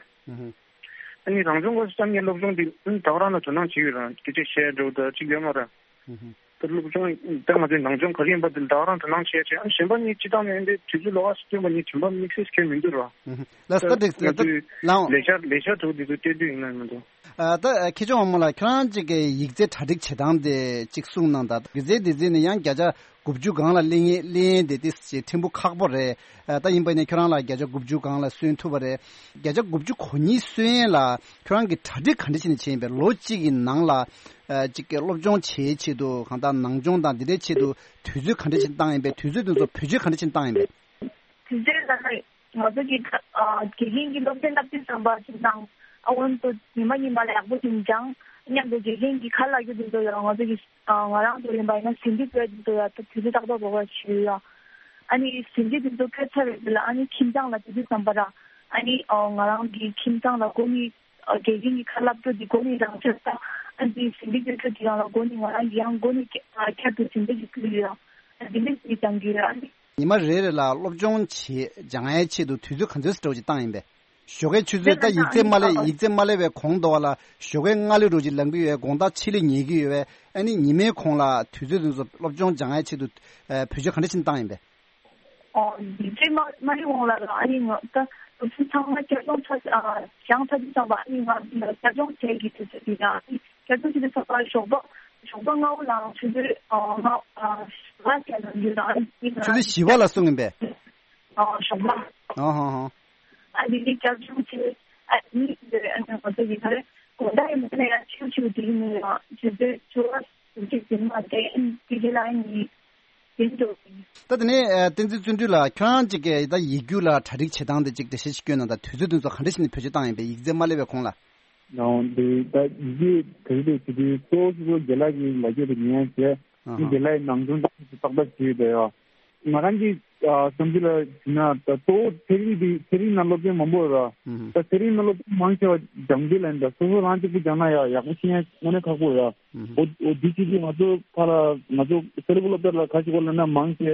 ཨ་ནི་རང་སྦྱོང་སྐབས་སུ་ཙམ་ངས་སློབ་སྦྱོང་འདི་ཨ་ནི་ད་ག་རང་ལ་དོ་སྣང་བྱེད་ཡོད་ར། སྐད་ཆ་བཤད་འགྲོ་ད་ཅིག་ཡོད་མ་ར། ད་སློབ་སྦྱོང་ད་ང་ཚོའི་ནང་སྦྱོང་ག་རེ་ཡིན་པ་དེ་ད་ག་རང་དོ་སྣང་བྱེད་བྱེད། ཨ་ནི་གཞན་པ་ནི་སྤྱི་བཏང་ནས་འདི་དུས་ཚོད་ལོགས་ཀ་སུ་སྟོན་པ་ནི་གཞན་པ་དམིགས་བསལ་གང་མི་འདུག་ར། ལགས་སོ། ད་འགྲིག་ད་ལའང་ལས་བྱ་ལས་བྱ་དྲུག་འདི་ཚོ་སྤྲད་དུས་ཡིན་ན་མི་འདུག་ཨ་ད་མཁས་མཆོག་དབང་མོ་ལགས། ཁྱོད་རང་ཅིག་གི་ཡིག་ཚད་གྲ་སྒྲིག་བྱེད་སྟངས་དེ་ཅིག་གསུངས་གནང་དང་། ཡིག་ཚད་དེ་ཚོ་ནི་ཡང་བརྒྱ་ཆ་དགུ་བཅུ་སྒང་ལ་སླེབས་ཡས་སླེབས་ཡས་དེ་ཏོག་ཙམ་ཕྲན་བུ་ཁག་པོ་རེད། ཨ་ད་ཡིན་པ་ནི་ཁྱོད་རང་ལ་བརྒྱ་ཆ་དགུ་བཅུ་སྒང་ལ་སོན་ཐུབ་པ་རེད། བརྒྱ་ཆ་དགུ་བཅུ་གོ་གཉིས་སོན་ཡས་ལ་ཁྱོད་རང་གིས་གྲ་སྒྲིག་ག་འདྲ་བྱས་ནས་བྱས་ཡིན་པས། ལོ་གཅིག་གི་ནང་ལ་ཨ་ཅིག་གི་སློབ་སྦྱོང་བྱེད་ཡས་ཆེད་དུ་གང་ལྟར་ནང་སྦྱོང་དང་འདི་འདྲའི་ཆེད་དུ་དུས་ཚོད་ག་འདྲ་བྱས་བཏང་ཡིན་པས། དུས་ཚོད་དེ་ཚོ་བེད་སྤྱོད་ག་འདྲ་བྱས་བཏང་ཡིན་པས། དེ་ཚོའི་ནང་ནས་ང་ཚོ་གི་ཨ་དགེ་རྒན་གྱི་སློབ་ཚན་བསླབ་དུས་ཙམ་པ་ཞིག་དང་། ཨ་འོན་ཏེ་ཉི་མ་ཉི་མ་ལ་ཡག་པོ་ཞིག་སྦྱང་། མཉམ་དུ་དགེ་རྒན་གྱིས་ག་རེ་ལབ་རྒྱུ་དེ་ཚོ་ཡང་ང་ཚོ་གི་ཨ་ང་རང་ཚོ་ཡིན་པ་ཡིན་ན་ཟིན་བྲིས་བཀོད་དེ་ཚོ་ཡང་ད་དུས་ཚོད་ཏག་ཏག་འགོར་བ་ཞིག་ཡོད། ཨ་ནི་ཟིན་བྲིས་དེ་ཚོ་བཀོད་ཚར་བའི་རྗེས་ལ་ཨ་ནི་ཁྱིམ་ཚང་ལ་དུས་ཚོད་ཙམ་པ་ར། ཨ་ནི་ཨ་ང་རང་གི་ཁྱིམ་ཚང་ལ་འགོ་ནས་ཨ་དགེ་རྒན་གྱིས་ག་རེ་ལབ་རྒྱུ་དེ་འགོ་ནས་རང་ཆས་ད། ཨ་ནི་ཟིན་བྲིས་བཀོད་ཚར་དེ་རང་ལ་འགོ་ནས་ང་རང་གིས་ཡང་འགོ་ནས་ཨ་བསྐྱར་དུ་ཟིན་བྲིས་ཞིག་བཀོད་ཡོད། ཨ་ནི་འདི་འདྲ་ཞིག་སྦྱང་གི་ཡོད། ཨ་ནི། ཉི་མ་རེ་རེ་ལ་སློབ་སྦྱོང་བྱེད་སྦྱང་ཡའི་ཆེད་དུ་དུས་ཚོད་ག་ཚོད་ཙམ་འདྲ་བོ་ཅིག་བཏང་ཡིན་པས། ཞོགས་ཀའི་ཆུ་ཚོད་ད་ཡིག་ཚད་མ་སླེབས་ཡིག་ཚད་མ་སླེབས་པའི་གོང་དུ་བ་ལ་ཞོགས་ཀའི་སྔ་ལོའི་འདྲ་བོ་ཅིག་ལངས་ཀྱི་ཡོད་པས། དགོང་དག་ཕྱི་ལོགས་ཉལ་གྱི་ཡོད་པས། ཨ་ནི་ཉི་མའི་གོང་ལ་དུས་ཚོད་དེ་ཚོ་སློབ་སྦྱོང་སྦྱང་ཡའི་ཆེད་དུ་ཨ་བེད་སྤྱོད་ག་འདྲ་ཅིག་བཏང་ཡིན་པས། ཨོ་ཡིག་ཚད་མ་མ་སླེབས་གོང་ལ་ར། ཨ་ནི་ང་ད་སློབ་ཚན་ཚང་མ་བསྐྱར་སྦྱོང་ཚར་ཨ་སྦྱང་ཚར་དུས་ཙམ་པ་ཨ་ནི་ང་བསྐྱར་སྦྱོང་བྱེད་ཀྱི་དུས་ཚོད་དེ་ར། ཨ་ནི་བསྐྱར་སྦྱོང་བྱེད་དུས་ཙམ་པ་ཞོགས་པ་ཞོགས་པ་སྔ་པོ་ལངས། ཆུ་ཚོད་ཨ་ལྔ་ཨ་ལྔ་བརྒྱད་ལ་ཡོད་ར། ཨ་ནི་ང་ཆུ་ཚོད་བཞི་པ་ལ་སོང་ཡིན་པས། ཨ་ཞོགས་པ། ཨ་ཧ་ཧ། ཨ་དེ་ནས་བསྐྱར་སྦྱོང་བྱས། ཨ་ནི་དེ་ཨ་ནི་ང་ཚོ་གི་ག་རེ་དགོང་དག་ཡིན་པ་ན་ཡང་ཆུ་ཆུ་དེ་ཡིན་ན་ཡང་ཆུ་ཚོད་བཅུ་པ་ཟུར་གཅིག་ཟིན་མ་བསྡད། ཨ་ནི་དེ་རྗེས་ལ་ཨ་ནི་ཡིན་འགྲོ། ད་དེ་ནས་ཨ་བསྟན་འཛིན་བརྩོན་འགྲུས་ལགས། ཁྱོད་རང་ཅིག་གིས་ད་ཡིག་རྒྱུགས་ལ་གྲ་སྒྲིག་བྱེད་སྟངས་དེ་ཅིག་འགྲེལ་བཤད་ཅིག་སྐྱོན་གནང་དང་། དུས་ཚོད་དེ་ཚོ་ག་འདྲ་ཞིག་ནས་བེད་སྤྱོད་བཏང་ཡིན་པས་ཡིག་ཚད་མ་སླེབས་པའི་གོང་ལ། ནའོ་འདི་ད་ཡི་གེ་ག་རེ་རེད་ཟེར་དུས་གཙོ་བོ་གཙོ་བོ་རྒན་ལགས་ཀྱིས་ལབ་རྒྱུ་དེ་ཉན་བྱས། ཨ་ཧ། རྒན་ལགས་ཀྱི་ནང་དོན་དེ་ཏག་ཏག་བྱས་ཡོད་ཡ། ང་རང་གི་ཨ་བསམ་ཚུལ་ལ་ཞུས་ན་ད་གཙོ་བོ་ཚན་རིག་འདི་ཚན་རིག་ནང་སློབ་ཚན་མང་པོ་ཡོད་ར། ཨུ་ཧུ། ད་ཚན་རིག་ནང་སློབ་ཚན་མང་ཆེ་བ་སྦྱང་རྒྱུ་ལ་ཡིན་ད་སོ་སོ་རང་གཅིག་པུ་སྦྱང་ན་ཡ་ཡག་པོ་ཤེས་ཡ་དངོས་གནས་ཁག་པོ་ཡོད་ཡ། ཨུ་ཧུ། འོ་འོ་འདི་ཅིག་གིས་ང་ཚོ་ཁ་ལ་ང་ཚོ་ས་རུ་བུ་སློབ་གྲྭ་ལ་ག་ཞིག་གོ་ལབ་ན་མང་ཆེ་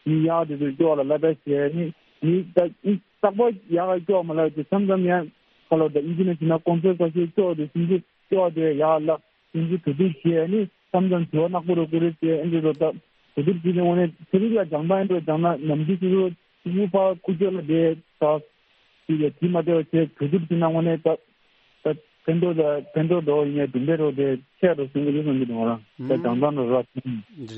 མི་གཡག་དེ་ཚོ་སྐྱོ་བ་ལ་བསླབ་པ་བྱས་ནི་མི་ད་ཨི་རྟག་པར་ཡག་ག་སྐྱོ་བ་མ་ལབ་དེ་མཚམས་མཚམས་ཡང་ཁ་ལ་ད་ཨིན་ཇི་ནས་བྱས་ན་གོང་ཚད་ཁ་ཤས་སྐྱོ་བ་དེ་སུན་ཚོད་སྐྱོ་བ་དེ་ཡག་ལབ། དེ་ཚོ་གྲོས་བསྡུར་བྱས་ནས་མཚམས་མཚམས་དྲི་བ་ནག་པོ་རུ་བཀོད་རེས་བྱས། ཨེ་འདྲ་རུ་ད་གྲོས་བསྡུར་བྱས་ནས་དངོས་གནས་ཚན་རིག་ལ་སྦྱང་སྟངས་ཨེ་འདྲ་སྦྱང་ན་ནམ་རྒྱུན་སོ་སོ་ཕྲུ་གུ་ཕར་ཁུ་ཚོ་ལ་བསྡད་ད་དེ་ལ་དེ་མ་བསྡད་པ་བྱས་གྲོས་བསྡུར་བྱས་ན་དངོས་གནས་ད་ད་ཕན་ཐོགས་ད་ཕན་ཐོགས་འགྲོ་ཡིན་ནའི་གྲུབ་འབྲས་རོ་དེ་ཆེ་རུ་སོང་གི་རེད་བསམ་གྱི་འདུག་ང་རང་ད་སྦྱང་སྟངས་རོ་ར།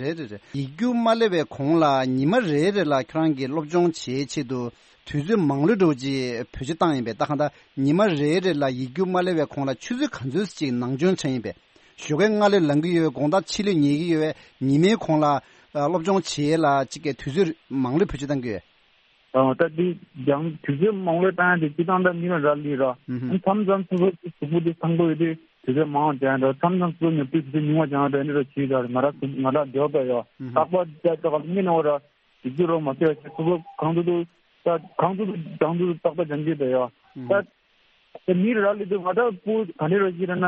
རེད་རེད་རེད། ཡིག་རྒྱུགས་མ་སླེབས་པའི་གོང་ལ་ཉི་མ་རེ་རེ་ལ་ཁྱོད་རང་གིས་སློབ་སྦྱོང་བྱེད་ཆེད་དུ་དུས་ཚོད་མང་ལོས་འགྲོ་ཅིག་བེད་སྤྱོད་བཏང་ཡིན་པས། ད་གང་ལྟར་ཉི་མ་རེ་རེ་ལ་ཡིག་རྒྱུགས་མ་སླེབས་པའི་གོང་ལ་ཆུ་ཚོད་ག་ཚོད་ཅིག་ནང་སྦྱོང་བྱས་ཡིན་པས། ཞོགས་ཀའི་སྔ་ལོས་ལངས་ཀྱི་ཡོད་པས། དགོང་དག་ཕྱི་ལོས་ཉལ་གྱི་ཡོད་པས། ཉི་མའི་གོང་ལ་ཨ་སློབ་སྦྱོང་བྱེད་ཡས་ལ་ཅིག་གི་དུས་ཚོད་མང་ལོས་བེད་སྤྱོད་བཏང་གི་ཡོད། ཨ་ད་འདི་སྦྱང་དུས་ཚོད་མང་ལོས་བཏང་ཡས་དེ་སྤྱི་བཏང་ད་མི་ལ་རག་ལས་ར། ཨུ་ཧུ། མཚམས་མཚམས་སོ་སོ་གཟུགས་པོ་དེ་ཐང་པོ་ཡོད་དུས་དུས་ཚོད་མང་བ་སྦྱང་ཡས་ར། མཚམས་མཚམས་སོ་སོ་ཉོབ་དུས་དུས་ཚོད་ཉུང་བ་སྦྱང་ཡས་ར། ཨེ་འདྲ་ར་བྱེད་ཡས་ར། ང་ར་ང་ར་འདོད་པ་ཡོད། ཨུ་ཧུ། རྟག་པར་རྒྱ་ཆ་ག་ལ་མི་ནོར་ར། དེ་ཚོ་རོ་མ་ཐེ་བ་ཆེ་སོ་སོ་གང་དུ་དུ་ད་གང་དུ་དུ་སྦྱང་དུ་རྟག་པར་སྦྱང་གི་ད་ཡོད། ད་དེ་མི་ར་ལི་དུ་ང་ད་པུ་ག་ནས་ར་ཞིག་ར་ན་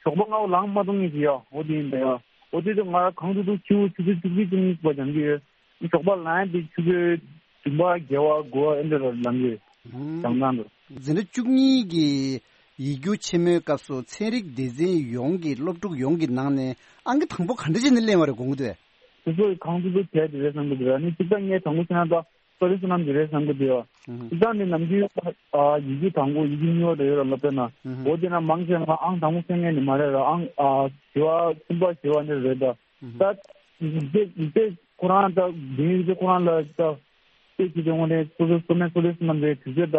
ཞོགས་པ་སྔ་པོ་ལངས་མ་ཐུབ་ངེས་ཀྱི་ཡོད། འོ་དེ་ཡིན་ད་ཡོད། འོ་དེ་དུ་ང་ར་གང་དུ་དུ་ཆུ་བོ་ཆུ་ཚོད་བཅུ་གཅིག་བཅུ་གཉིས་པ་སྦྱང་གི་ཡོད། ཞོགས་པ་ལངས་དེ་ཆུ་ཚོད་བདུན་པ་བརྒྱད་པ་དགུ་པ་ཨེ་འདྲ་ར་ལངས་གི་ཡོད། སྦྱང་སྟངས་དུ། འཛིན་གྲྭ་བཅུ་གཉིས་ཀྱི་ཡིག་རྒྱུགས་ཆེན་མོའི་སྐབས་སུ་ཚན་རིག་སྡེ་ཚན་ཡོངས་ཀྱི་སློབ་ཕྲུག་ཡོངས་ཀྱི་ནང་ནས་ཨང་ཀི་དང་པོ་ག་འདྲ་བྱས་ནས་ལེན་པ་རེད་དགོངས་ཀྱི་འདུག་གས། སོ་སོ་གང་དུ་དུ་བྱས་དེ་རེད་བསམ་གི་འདུག་ར། ནི་གཅིག་པ་ངས་དང་པོ་བྱས་ན་ད། ཀོ་ལེ་སོ་ནམ་དེ་རེད་བསམ་གི་འདུག་ཡ། ཨུ་ཧུ། ད་ནི་ནམ་རྒྱུན་ཨ་ཡི་གེ་དང་པོ་ཡི་གེ་གཉིས་པ་དེ་ཡོད་ར་སློབ་གྲྭ་ན། ཨུ་ཧུ། འོ་དེ་ན་མང་ཆེ་ང་ཨང་དང་པོ་སེང་ངེ་ནི་མ་རེད་ར། ཨང་ཨ་བཞི་པ་གསུམ་པ་བཞི་པ་ནི་རེད་ད། ཨུ་ཧུ། ད་ཡིག་ཚད་ཡིག་ཚད་ཁོ་རང་ད་དེ་ཡིག་ཚད་ཁོ་རང་ལ་ད་ལྟོས་བྱེད་དེ་འོང་ནས་སོ་སོ་སོ་ནས་ཀོ་ལེ་སོ་ནམ་རེད། དུས་ཚོད་ད་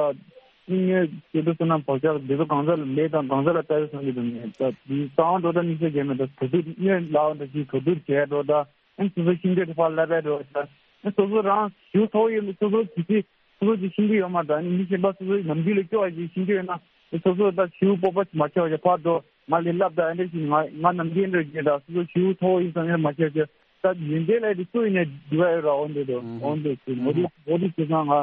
སྙིང་ངེ་སོ་སོ་སོ་ནམ་བག་ཆགས་དེ་ཚོ་གང་ཟག་ལ་ལས་དང་གང་ཟག་ལ་ལྟ་བའི་བསམ་གི་འདུག་ནས་ད་དེ་གསང་བ་འགྲོ་ད་དམིགས་བསལ་གྱི་མེད། ད་གྲོས་བསྡུར་སྙོན་ལག་འདྲ་ཞིག་གྲོས་བསྡུར་བྱས་འགྲོ་ད། ཨ་ནི་སོ་སོའི་ཤེས་འདོད་དེ་ཕར་བསླབ་པའི་འགྲོ་བྱ། ཨ་ནི་སོ་སོ་རང་ཞིའུ་ཐོག་ཡིན་སོ་སོ་གི་ཅི་སོ་སོ་ཅི་ཤེས་ཀྱི་ཡོད་མ་རེད། ཨ་ནི་མི་གཞན་པ་སོ་སོའི་ནམ་རྒྱུན་ལས་སྐྱོ་བ་ཅིག་ཤེས་ཀྱི་ཡོད་ན་ཨ་ནི་སོ་སོ་ད་ཞིའུ་སྤོབས་པ་ཅིག་མ་ཆེ་བ་ཅིག་ཕར་འགྲོ་ང་ལས་བསླབ་ད་ཨ་འདྲ་ཞིག་ང་ང་ནམ་རྒྱུན་འདྲ་བྱེད་ད་སོ་སོ་ཞིའུ་ཐོག་ཡིན་སོང་ཡང་མ་ཆེ་བ་ཅིག་ད་ཡོན་ཏན་ལས་དེ་སུ་ཡིན་ནས་འདི་བ་ཡོད་ར། འོ་འདྲ་འདུག་འོ་འདྲ་ཞིག་འོ་དེ་འོ་དེ་བྱེད་སོང་ང་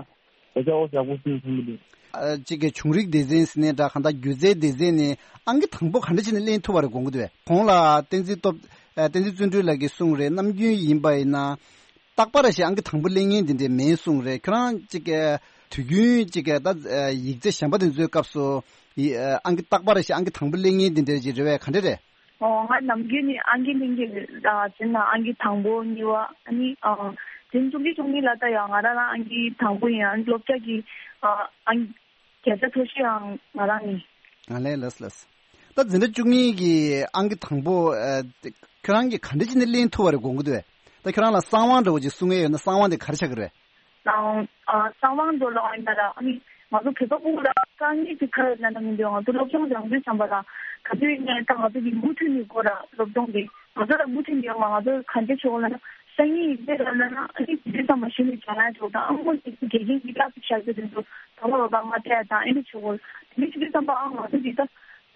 ད་ཆ་འོ་ཞག་པོ་སུ་ཡིན་སོང་གི་འདུག་ཨ་གཅིག་གི་བྱུང་རིག་སྡེ་ཚན་ཟེར་ནས་འདྲ་གང་ལྟར་སྒྱུ་རྩལ་སྡེ་ཚན་ནས་ཨང་ཀི་དང་པོ་ག་འདྲ་བྱས་ནས་ལེན་ཐུབ་པ་རེད་དགོངས་ཀྱི་འདུག་གས། གོང་ལ་བསྟན་འཛིན་སྟོབས་ཨ་བསྟན་འཛིན་བརྩོན་འགྲུས་ལགས་ཀྱིས་གསུངས་རེད། ནམ་རྒྱུན་ཡིན་པ་ཡིན་ན། རྟག་པར་ཞིག་ཨང་ཀི་དང་པོ་སླེབས་མཁན་དེ་འདྲ་མེད་གསུངས་རེད། ཁྱོད་རང་ཅིག་གི་དུས་རྒྱུན་ཅིག་གི་ད་ཡིག་ཚད་གཞན་པ་དེ་ཚོའི་སྐབས་སུ་ཡི་ཨང་ཀི་རྟག་པར་ཞིག་ཨང་ཀི་དང་པོ་སླེབས་མཁན་དེ་འདྲ་ཅིག་རེད་བས། ག་འདྲ་རེད། ཨོ། ང་ནམ་རྒྱུན་ནས་ཨང་ཀི་ལེན་གྱི་རེད། ཨ་དེ་ན་ཨང་ཀི་དང་པོ་གཉིས་པ་ཨ་ནི་ཨ་དེ་བཙུགས་ཀྱི་བཙུགས་ནི་ལ་ད་ཡང་ང་རང་རང་ཨང་ཀི་དང་པོ་ཡིན། ཨ་ནི་སློབ་གྲྭ་གི་ཨ་ཨང་བརྒྱ་ཆ་མཐོ་ཤོས་ཡང་ང་རང་ཡིན། ཨ་ལས་ལགས་ལགས། ད་འཛིན་གྲྭ་བཅུ་གཉིས་ཀྱི་ཨང་ཀི་དང་པོ་ཨ་ཁྱོད་རང་གིས་ག་འདྲ་བྱས་ནས་ལེན་ཐུབ་པ་རེད་དགོངས་ཀྱི་འདུག་བས། ད་ཁྱོད་རང་ལ་གསང་བ་འདྲ་བོ་ཅིག་གསུང་ཡས་ཡོད་ན་གསང་བ་དེ་ག་རེ་ཆགས་ཀྱི་རེད། དང་ཨ་གསང་བ་འདྲ་ལ་ཨ་ཡིན་ན་ར་ཨ་ནི་ང་ཚོ་བོད་པ་ཕྲུ་གུ་ལ་དཀའ་ངལ་ཅིག་ག་རེ་ཡོད་ན་ན་མི་འདུག་ང་ཚོ་སློབ་སྦྱོང་སྦྱང་དུས་ཙམ་པ་ལ་ག་དུས་ཡིན་ནའི་ད་ང་ཚོ་གི་མུ་མཐུད་ནས་དགོས་ར་སློབ་སྦྱོང་དེ་ང་ཚོ་ལ་མུ་མཐུད་ནས་ཡོད་མ། ང་ཚོ་ག་འདྲ་ཆོག་ལ་ན་སང་ཉིན་ཡིན་ནའི་ར་ལ་ན་ཨ་ནི་དུས་ཙམ་པ་གཞི་ནས་སྦྱང་ཡ་ཆོག་དང་ཨ་མོ་ནི་དགེ་རྒན་གྱི་བསླབ་བྱ་བྱ་རྒྱུ་དེ་ཚོ་ད་བ་བ་ང་སྤྲད་ཡ་དང་ཨེ་འདྲ་ཆོག་གོ། དེ་འདྲ་བྱེད་དུས་ཙམ་པ་ཨ་ང་ཚོ་གི་ད།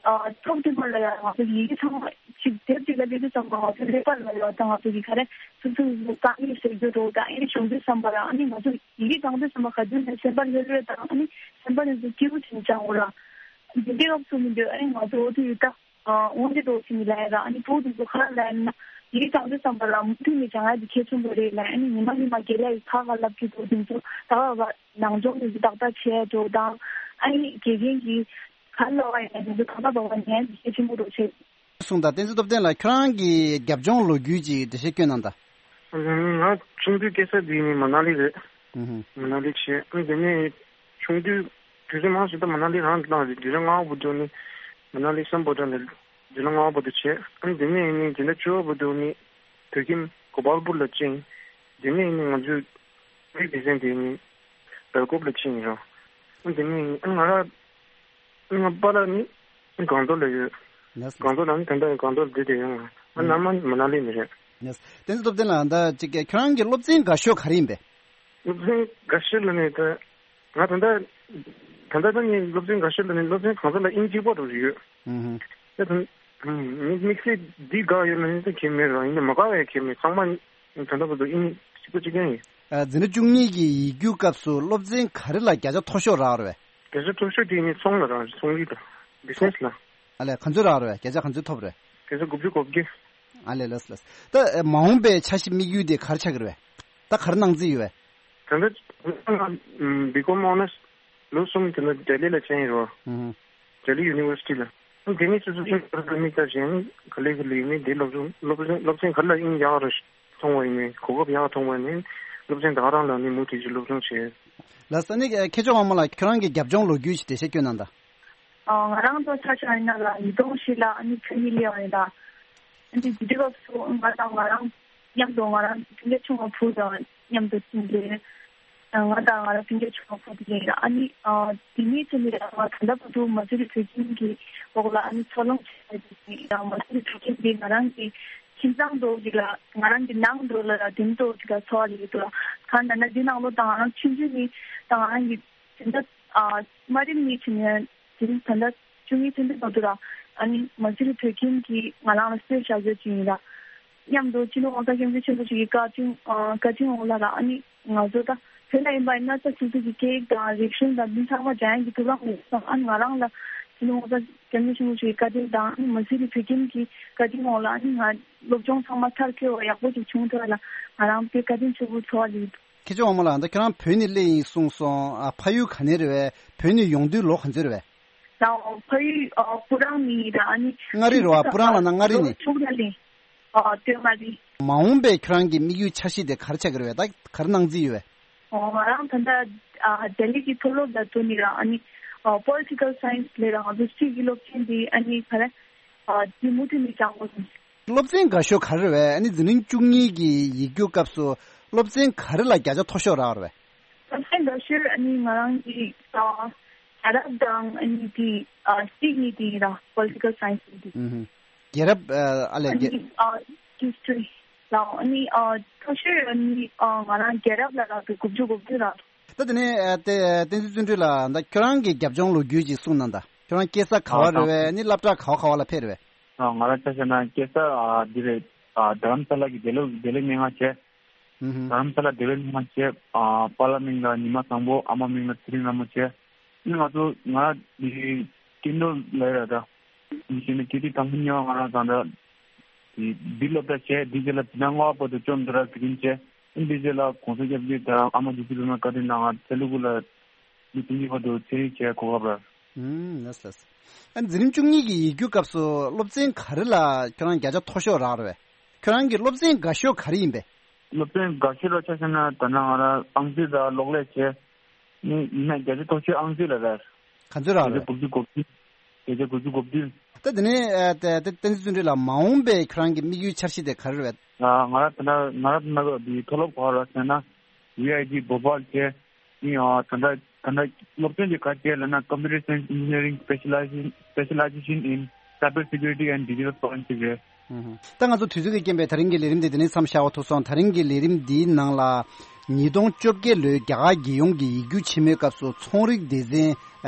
ཨ་ཐོག་མཐའ་བར་ལ་ཡང་ང་ཚོ་ཡི་གེ་ཚང་མ་གཅིག་དེབ་གཅིག་ལ་སླེབས་དུས་ཙམ་པ་ང་ཚོ་ཀླད་པ་ལ་ཡང་ད་ང་ཚོ་གི་ག་རེ་སོ་སོ་སོ་དཀའ་ངལ་སེལ་རྒྱུ་འགྲོ་དང་ཨེ་འདྲ་བྱུང་དུས་ཙམ་པ་ལ་ཨ་ནི་ང་ཚོ་ཡི་གེ་སྦྱང་དུས་ཙམ་པ་ག་དུས་ནས་སེམས་པ་ལྷོད་ལྷོད་དང་ཨ་ནི་སེམས་པ་ནས་ཚུར་སྐྱིད་པོ་བྱུང་སྦྱང་དགོས་ར། འདི་འདྲའི་སྐབས་སུ་མི་འདོད་ཨ་ནི་ང་ཚོ་འོ་དུས་ཡོད་ད་ཨ་དབང་ཆ་འདྲ་བོ་ཞིག་ནས་ལབ་ཡ་ར། ཨ་ནི་ཕྲུ་གུ་དེ་ཚོ་ག་རེ་ལབ་ཡ་ན་ཡི་གེ་སྦྱང་དུས་ཙམ་པ་ལ་མུ་མཐུད་ནས་སྦྱང་ཡ་དེ་གལ་ཆེན་པོ་རེད་ལབ། ཨ་ནི་ཉི་མ་ཉི་མ་རྒན་ལགས་ཡིས་ཁ་ཁ་ལབ་ཀྱི་འདུག་དེ་ཚོ་ད་ག་ག་ནང་སྦྱོང་དེ་ཚོ་ཏག་ཏག་བྱས་འགྲོ་དང་ཨ་ནི་དགེ་རྒན་གྱིས་ག་ལབ་པ་ཡིན་ན་དེ་ཚོ་ད་ག་ག་ཉན་གལ་ཆེན་པོ་འགྲོ་བྱས། གསུངས་དང་། བསྟན་འཛིན་སྟོབས་ལྡན་ལགས་ཁྱོད་རང་གི་རྒྱབ་ལྗོངས་ལོ་རྒྱུས་ཀྱི་འགྲེལ་བཤད་སྐྱོན་གནང་དང་། ང་ཆུང་དུས་སྐྱེས་ས་དེ་ནི་མ་ན་ལི་རེད། ཨུ་ཧུ། མ་ན་ལི་བྱས། ཨ་དེ་ནས་ཆུང་དུས་དུས་ཚོད་མང་ཞིག་ད་མ་ན་ལི་རང་དུ་བཏང་རེད། དུས་ཚོད་སྔ་པོ་དུ་ནི་མ་ན་ལི་སམ་བྷོ་ཊ་ནས་དུས་ཚོད་སྔ་པོ་དུ་བྱས། ཨ་དེ་ནས་ནི་དེ་འདྲ་བཅུ་པོ་དུ་ནི་བོད་ཁྱིམ་གོ་པལ་པུར་ལ་ཕྱིན། དེ་ནས་ནི་ང་ཚོའི་བོད་སྡེ་ཚན་དེ་ནི་སྦེལ་ཀོབ་ལ་ཕྱིན་ཡིན་རོ། ཨ་དེ་ནས་ཨ་ང་ར་ང་པཱ་ལགས་ནི་སྒང་ཏོག་ལ་ཡོད། ལགས་སོ། སྒང་ཏོག་ལ་ནི་ད་ལྟ་སྒང་ཏོག་ལ་བསྡད་དེ་ཡོད། ང་ཨ་ནམ་མ་མ་ན་ལི་ནས་རེད། ལགས་སོ། བསྟན་འཛིན་སྟོབས་ལྡན་ལགས་ད་ཅིག་ཁྱོད་རང་གི་སློབ་ཚན་དགའ་ཤོས་ག་རེ་ཡིན་པས། སློབ་ཚན་དགའ་ཤོས་ལ་ནི་ད་ང་ད་ལྟ་ད་ལྟ་ད་ནི་སློབ་ཚན་དགའ་ཤོས་ལ་ནི་སློབ་ཚན་གང་ས་ལ་དབྱིན་ཇི་པོ་འདྲ་ཡོད། ཨུ་ཧུ། ད་ད་དམིགས་བསལ་འདི་དགའ་ཡོད་ན་ནི་ད་ཁྱད་མེད་རང་ཡིན་ན་མ་དགའ་བའི་ཁྱད་མེད་ཚང་མ་ད་ལྟ་བར་དུ་དབྱིན་ཇི་པོ་གཅིག་རྐྱང་ཡིན། ཨ་འཛིན་གྲྭ་བཅུ་གཉིས་ཀྱི་ཡིག་རྒྱུགས་སྐབས་སུ་སློབ་ཚན་ག་རེ་ལ་བརྒྱ་ཆ་མཐོ་ཤོས་རག་རེད་བས། བརྒྱ་ཆ་མཐོ་ཤོས་དེ་ནི་ཚོང་ལ་རག་རེད། ཚོང་རིག་དང་བི་ཛི་ནེ་སི་ལ། ཨ་ལས་ག་ཚོད་རག་རེད་བས། བརྒྱ་ཆ་ག་ཚོད་ཐོབ་རེད། བརྒྱ་ཆ་དགུ་བཅུ་གོ་བརྒྱད། ཨ་ལས་ལགས་སོ་ལགས་སོ། ད་མ་འོངས་པའི་འཆར་གཞི་དམིགས་ཡུལ་དེ་ག་རེ་ཆགས་ཀྱི་རེད་བས། ད་ག་རེ་གནང་རྩིས་ཡོད་བས། ད་ལྟ་ང་བི་ཀོམ་ཨོ་ནར་སི་ལོ་གསུམ་དེ་ལ་ལྡི་ལི་ལ་བྱས་ཡིན་རོ། ཨུ་ཧུ། ལྡི་ལི་ཡུ་ནི་ཝར་སི་ཊི་ལ། དེ་ནས་སོ་སོ་དབྱིན་ཇི་ལ་དམིགས་བསལ་བྱས་ནས་ག་ལེ་ག་ལེ་ནས་དེ་སློབ་སྦྱོང་སློབ་སྦྱོང་སློབ་ཚན་ག་ལ་དབྱིན་ཡག་རུ་མཐོང་བ་ཡིན་ནའི་གོ་སྐབས་ཡག་མཐོང་བ་ཡིན་ནའི་སློབ་ཚན་ད་ག་རང་ལ་ནི་མུ་མཐུད་ཀྱི་སློབ་སྦྱོང་བྱས། ལགས་སོ། ནི་མཁས་མཆོག་དབང་མོ་ལགས་ཁྱོད་རང་གི་རྒྱབ་ལྗོངས་ལོ་རྒྱུས་ཀྱི་འགྲེལ་བཤད་སྐྱོན་གནང་དང་། ཨ་ང་རང་ཚོ་ཆ་བཞག་ཡིན་ན་ལ་ཉིས་སྟོང་བཞི་ལ་ཨ་ནི་བོད་ནས་སླེབས་པ་ཡིན་ད། ཨ་ནི་དེ་དུས་སྐབས་སུ་ང་དང་ང་རང་མཉམ་དུ་ང་རང་གི་སྤུན་ཀྱག་ཆུང་བ་བུ་དང་མཉམ་དུ་ཕྱིན་ཏེ། ང་དང་ང་རང་སྤུན་ཀྱག་ཆུང་བ་བུ་དེ་ཡིན་ཨ་ནི་དེ་ནས་ཚེ་ནི་ང་ད་ལྟ་བར་དུ་མ་སུ་རི་བོད་ཁྱིམ་གྱི་འོག་ལ་ཨ་ནི་འཚར་ལོངས་བྱས་ཏེ་ཡང་མ་སུ་རི་བོད་ཁྱིམ་དེ་ང་རང་གི་ཁྱིམ་ཚང་འདྲ་བོ་ཞིག་ལ་ང་རང་གི་ནང་འགྲོ་ལ་ར་དེ་འདྲ་ཞིག་ལ་འཚོ་བ་ལས་ཡོད་དོ། གང་ལབ་ན་འདི་ནང་ལོ་དང་ང་རང་ཆུང་ཆུང་ནས་ད་ང་རང་གི་དེ་འདྲ་ཨ་དམའ་རིམ་ནས་བྱས་ནས་དེ་རིང་ད་ལྟ་བཅུ་གཉིས་ཐོན་དུས་བར་དུ་ར་ཨ་ནི་མ་སུ་རི་བོད་ཁྱིམ་གྱིས་ང་རང་ལ་གསོས་བཞག་རྒྱུ་ཅིག་ཡིན་ར། མཉམ་དུ་སྤྱི་ནོར་༸གོང་ས་༸སྐྱབས་མགོན་ཆེན་པོ་མཆོག་གི་བཀའ་དྲིན་ཨ་བཀའ་དྲིན་འོག་ལ་ར་ཨ་ནི་ང་ཚོ་ད་བོད་ལ་ཡིན་པ་ཡིན་ན་ད་སོ་སོ་གི་སྐད་ཡིག་དང་རིག་གཞུང་དང་འདི་ཚང་མ་སྦྱང་ཡག་གི་ཐུགས་ལ་འོང་སོང་། ཨ་ནི་ང་རང་ལ་སྤྱི་ནོར་༸གོང་ས་༸སྐྱབས་མགོན་ཆེན་པོ་མཆོག་གི་བཀའ་དྲིན་དང་ཨ་ནི་མ་སུ་རི་བོད་ཁྱིམ་གྱི་བཀའ་དྲིན་འོག་ལ་ཨ་ནི་ང་སློབ་སྦྱོང་ཚང་མ་མཐར་འཁྱོལ་བ་ཡག་པོ་ཅིག་བྱུང་ཐུབ་པ་ལ་ང་རང་དཔེ་བཀའ་དྲིན་ཆེན་པོ་ཚོར་བ་ཡོད། མཁས་མཆོག་དབང་མོ་ལགས་ད་ཁྱོད་རང་བོད་ནས་སླེབས་ཡིན་གསུངས་སོང་། ཨ་ཕ་ཡུལ་ག་ནས་རེད་བས། བོད་ནས་ཡོང་དུས་ལོ་ག་ཚོད་རེད་བས། ད་ཕ་ཡུལ་ཨ་སྤུ་རང་ནས་ར་ཨ་ནི། མངའ་རིས་རེད་བ། སྤུ་རང་ལབ་ན་མངའ་རིས་ནས། ཕྱུགས་ལ་ལེན། ཨ་སྟོད་མངའ་རིས། མ་འོངས་པའི་ཁྱོད་རང་གི་དམིགས་ཡུལ་འཆར་གཞི་དེ་ག་རེ་ཆགས་ཀྱི་རེད་བས། ད་ག་རེ་གནང་རྩིས་ཡོད་བས། ཨོ་ང་རང་ད་ལྟ་ཨ་ལྡི་ལི་གི་མཐོ་སློབ་ལ་འགྲོ་ནས་ར་ཨ་ནི་ཨ་པོ་ལི་ཊི་ཀལ་སའེན་སི་ལབ་ར་ང་ཚོ་སྲིད་ཀྱི་སློབ་ཚན་དེ་ཨ་ནི་ག་རེ་ཨ་དེ་མུ་མཐུད་ནས་སྦྱང་དགོས་སོང་། སློབ་ཚན་དགའ་ཤོས་ག་རེ་རེད་བས། ཨ་ནི་འཛིན་གྲྭ་བཅུ་གཉིས་ཀྱི་ཡིག་རྒྱུགས་སྐབས་སུ་སློབ་ཚན་ག་རེ་ལ་བརྒྱ་ཆ་མཐོ་ཤོས་རག་རེད་བས། སློབ་ཚན་དགའ་ཤོས་ཨ་ནི་ང་རང་གི་ཨ་རྒྱལ་རབས་དང་ཨ་ནི་དེ་ཨ་སྲིད་གཉིས་དེ་ཡིན་ར་པོ་ལི་ཊི་ཀལ་སའེན་སི་དེ། ཨུ་ཧུ། རྒྱལ་རབས་ཨ་ཨ་ལས་ཨ་རྒྱལ། ནི་ཨ་ཧིས་ཊོ་རི་ལ་ཨ་ནི་ཨ་མཐོ་ཤོས་ཨ་ནི་ཨ་ང་རང་རྒྱལ་རབས་ལ་རག་གི་དགུ་བཅུ་གོ་བདུན་རག་འདུག་ད་དེ་ནས་ཨ་དེ་བསྟན་འཛིན་བརྩོན་འགྲུས་ལགས་ད་ཁྱོད་རང་གི་རྒྱབ་ལྗོངས་ལོ་རྒྱུས་ཅིག་གསུངས་གནང་ད། ཁྱོད་རང་སྐྱེས་ས་ག་བ་རེད་བས། ཨ་ནི་སློབ་གྲྭ་ག་བ་ག་བ་ལ་ཕེབས་རེད་བས། ཨ་ང་རང་ཆ་བཞག་ན་སྐྱེས་ས་ཨ་འདི་རེད། ཨ་རྡ་རམ་ས་ལ་གི་འདི་ལོ་འདི་ལོ་སྙན་ངག་བྱས། ཨུ་ཧུ། རྡ་རམ་ས་ལ་འདི་ལོ་སྙན་ངག་བྱས། ཨ་པཱ་ལགས་མིང་ལ་ཉི་མ་བཟང་པོ། ཨ་མ་མིང་ལ་ཚེ་རིང་ལྷ་མོ་བྱས། ཨ་ང་ཚོ་ང་འདི་ཀེན་ཌོ་ལ་ཡོད་ར་ད། འདི་བྱས་ནས་ཀེ་ཏི་དང་པོ་གཉིས་པ་ང་རང་དང་འདྲ། འདི་འདི་སློབ་གྲྭ་བྱས། འདི་རྗེས་ལ་འཛིན་གྲྭ་ལྔ་པ་བར་དུ་ཅོན་ཏ་ར་ཟེར་གྱིན་བྱས། ཨིན་དེ་རྗེས་ལ་གོང་ས་སྐྱབས་མགོན་དང་ཨ་མ་རྗེ་བཙུན་སྒྲོལ་མའི་བཀའ་དྲིན་གནང་ང་ཚེ་ལུ་གུ་ལ་མི་བཅུ་གཉིས་བར་དུ་ཚན་རིག་བྱས་གོ་སྐབས་རག་ཨུམ། ལགས་སོ་ལགས་སོ། ཨ་འཛིན་རིམ་བཅུ་གཉིས་ཀྱི་ཡིག་རྒྱུགས་སྐབས་སུ་སློབ་ཚན་ག་རེ་ལ་ཁྱོད་རང་བརྒྱ་ཆ་མཐོ་ཤོས་རག་རེད་བས། ཁྱོད་རང་གི་སློབ་ཚན་དགའ་ཤོས་ག་རེ་ཡིན་པས། སློབ་ཚན་དགའ་ཤོས་ལ་ཆ་བཞག་ན་ད་ནང་ང་རང་ཨང་རྩིས་དང་གློག་ཀླད་བྱས། ནི་ཡིན་ན་བརྒྱ་ཆ་མཐོ་ཤོས་ཨང་རྩིས་ལ་རེད། ག་ཚོད་རག་རེད། བརྒྱ་ཆ་དགུ་བཅུ་གོ་བདུན། བརྒྱ་ཆ་དགུ་བཅུ་གོ་བདུན། ད་དེ་ནས་ཨ་ད་ད་བསྟན་འཛིན་བརྩོན་འགྲུས་ལགས་མ་འོངས་པའི་ཁྱོད་རང་གི་དམིགས་ཡུལ་འཆར་གཞི་དེ་ག་རེ་རེད། ང་རང་ད་ལྟ་ང་རང་ད་ལྟ་འདི་མཐོ་སློབ་ག་རེ་ཟེར་ན་V I T Bhopal བྱས། ཨིན་ཨ་ད་ལྟ་ད་ལྟ་སློབ་ཚན་དེ་ག་རེ་ལབ་ན་Computer Science Engineering Specialization Specialization in Cyber Security and Digital Forensic རེད། ད་ང་ཚོ་དུས་ཚོད་ཀྱི་རྐྱེན་པས་ད་རིང་གི་ལས་རིམ་དེ་འདི་ནས་མཚམས་བཞག་པ་ཐུག་སོང་། ད་རིང་གི་ལས་རིམ་འདིའི་ནང་ལ་ཉིས་སྟོང་བཅོ་བརྒྱད་ལོའི་རྒྱ་གར་རྒྱལ་ཡོངས་ཀྱི་ཡིག་རྒྱུགས་ཆེན་མོའི་སྐབས་སུ་ཚོང་རིག་སྡེ་ཚན་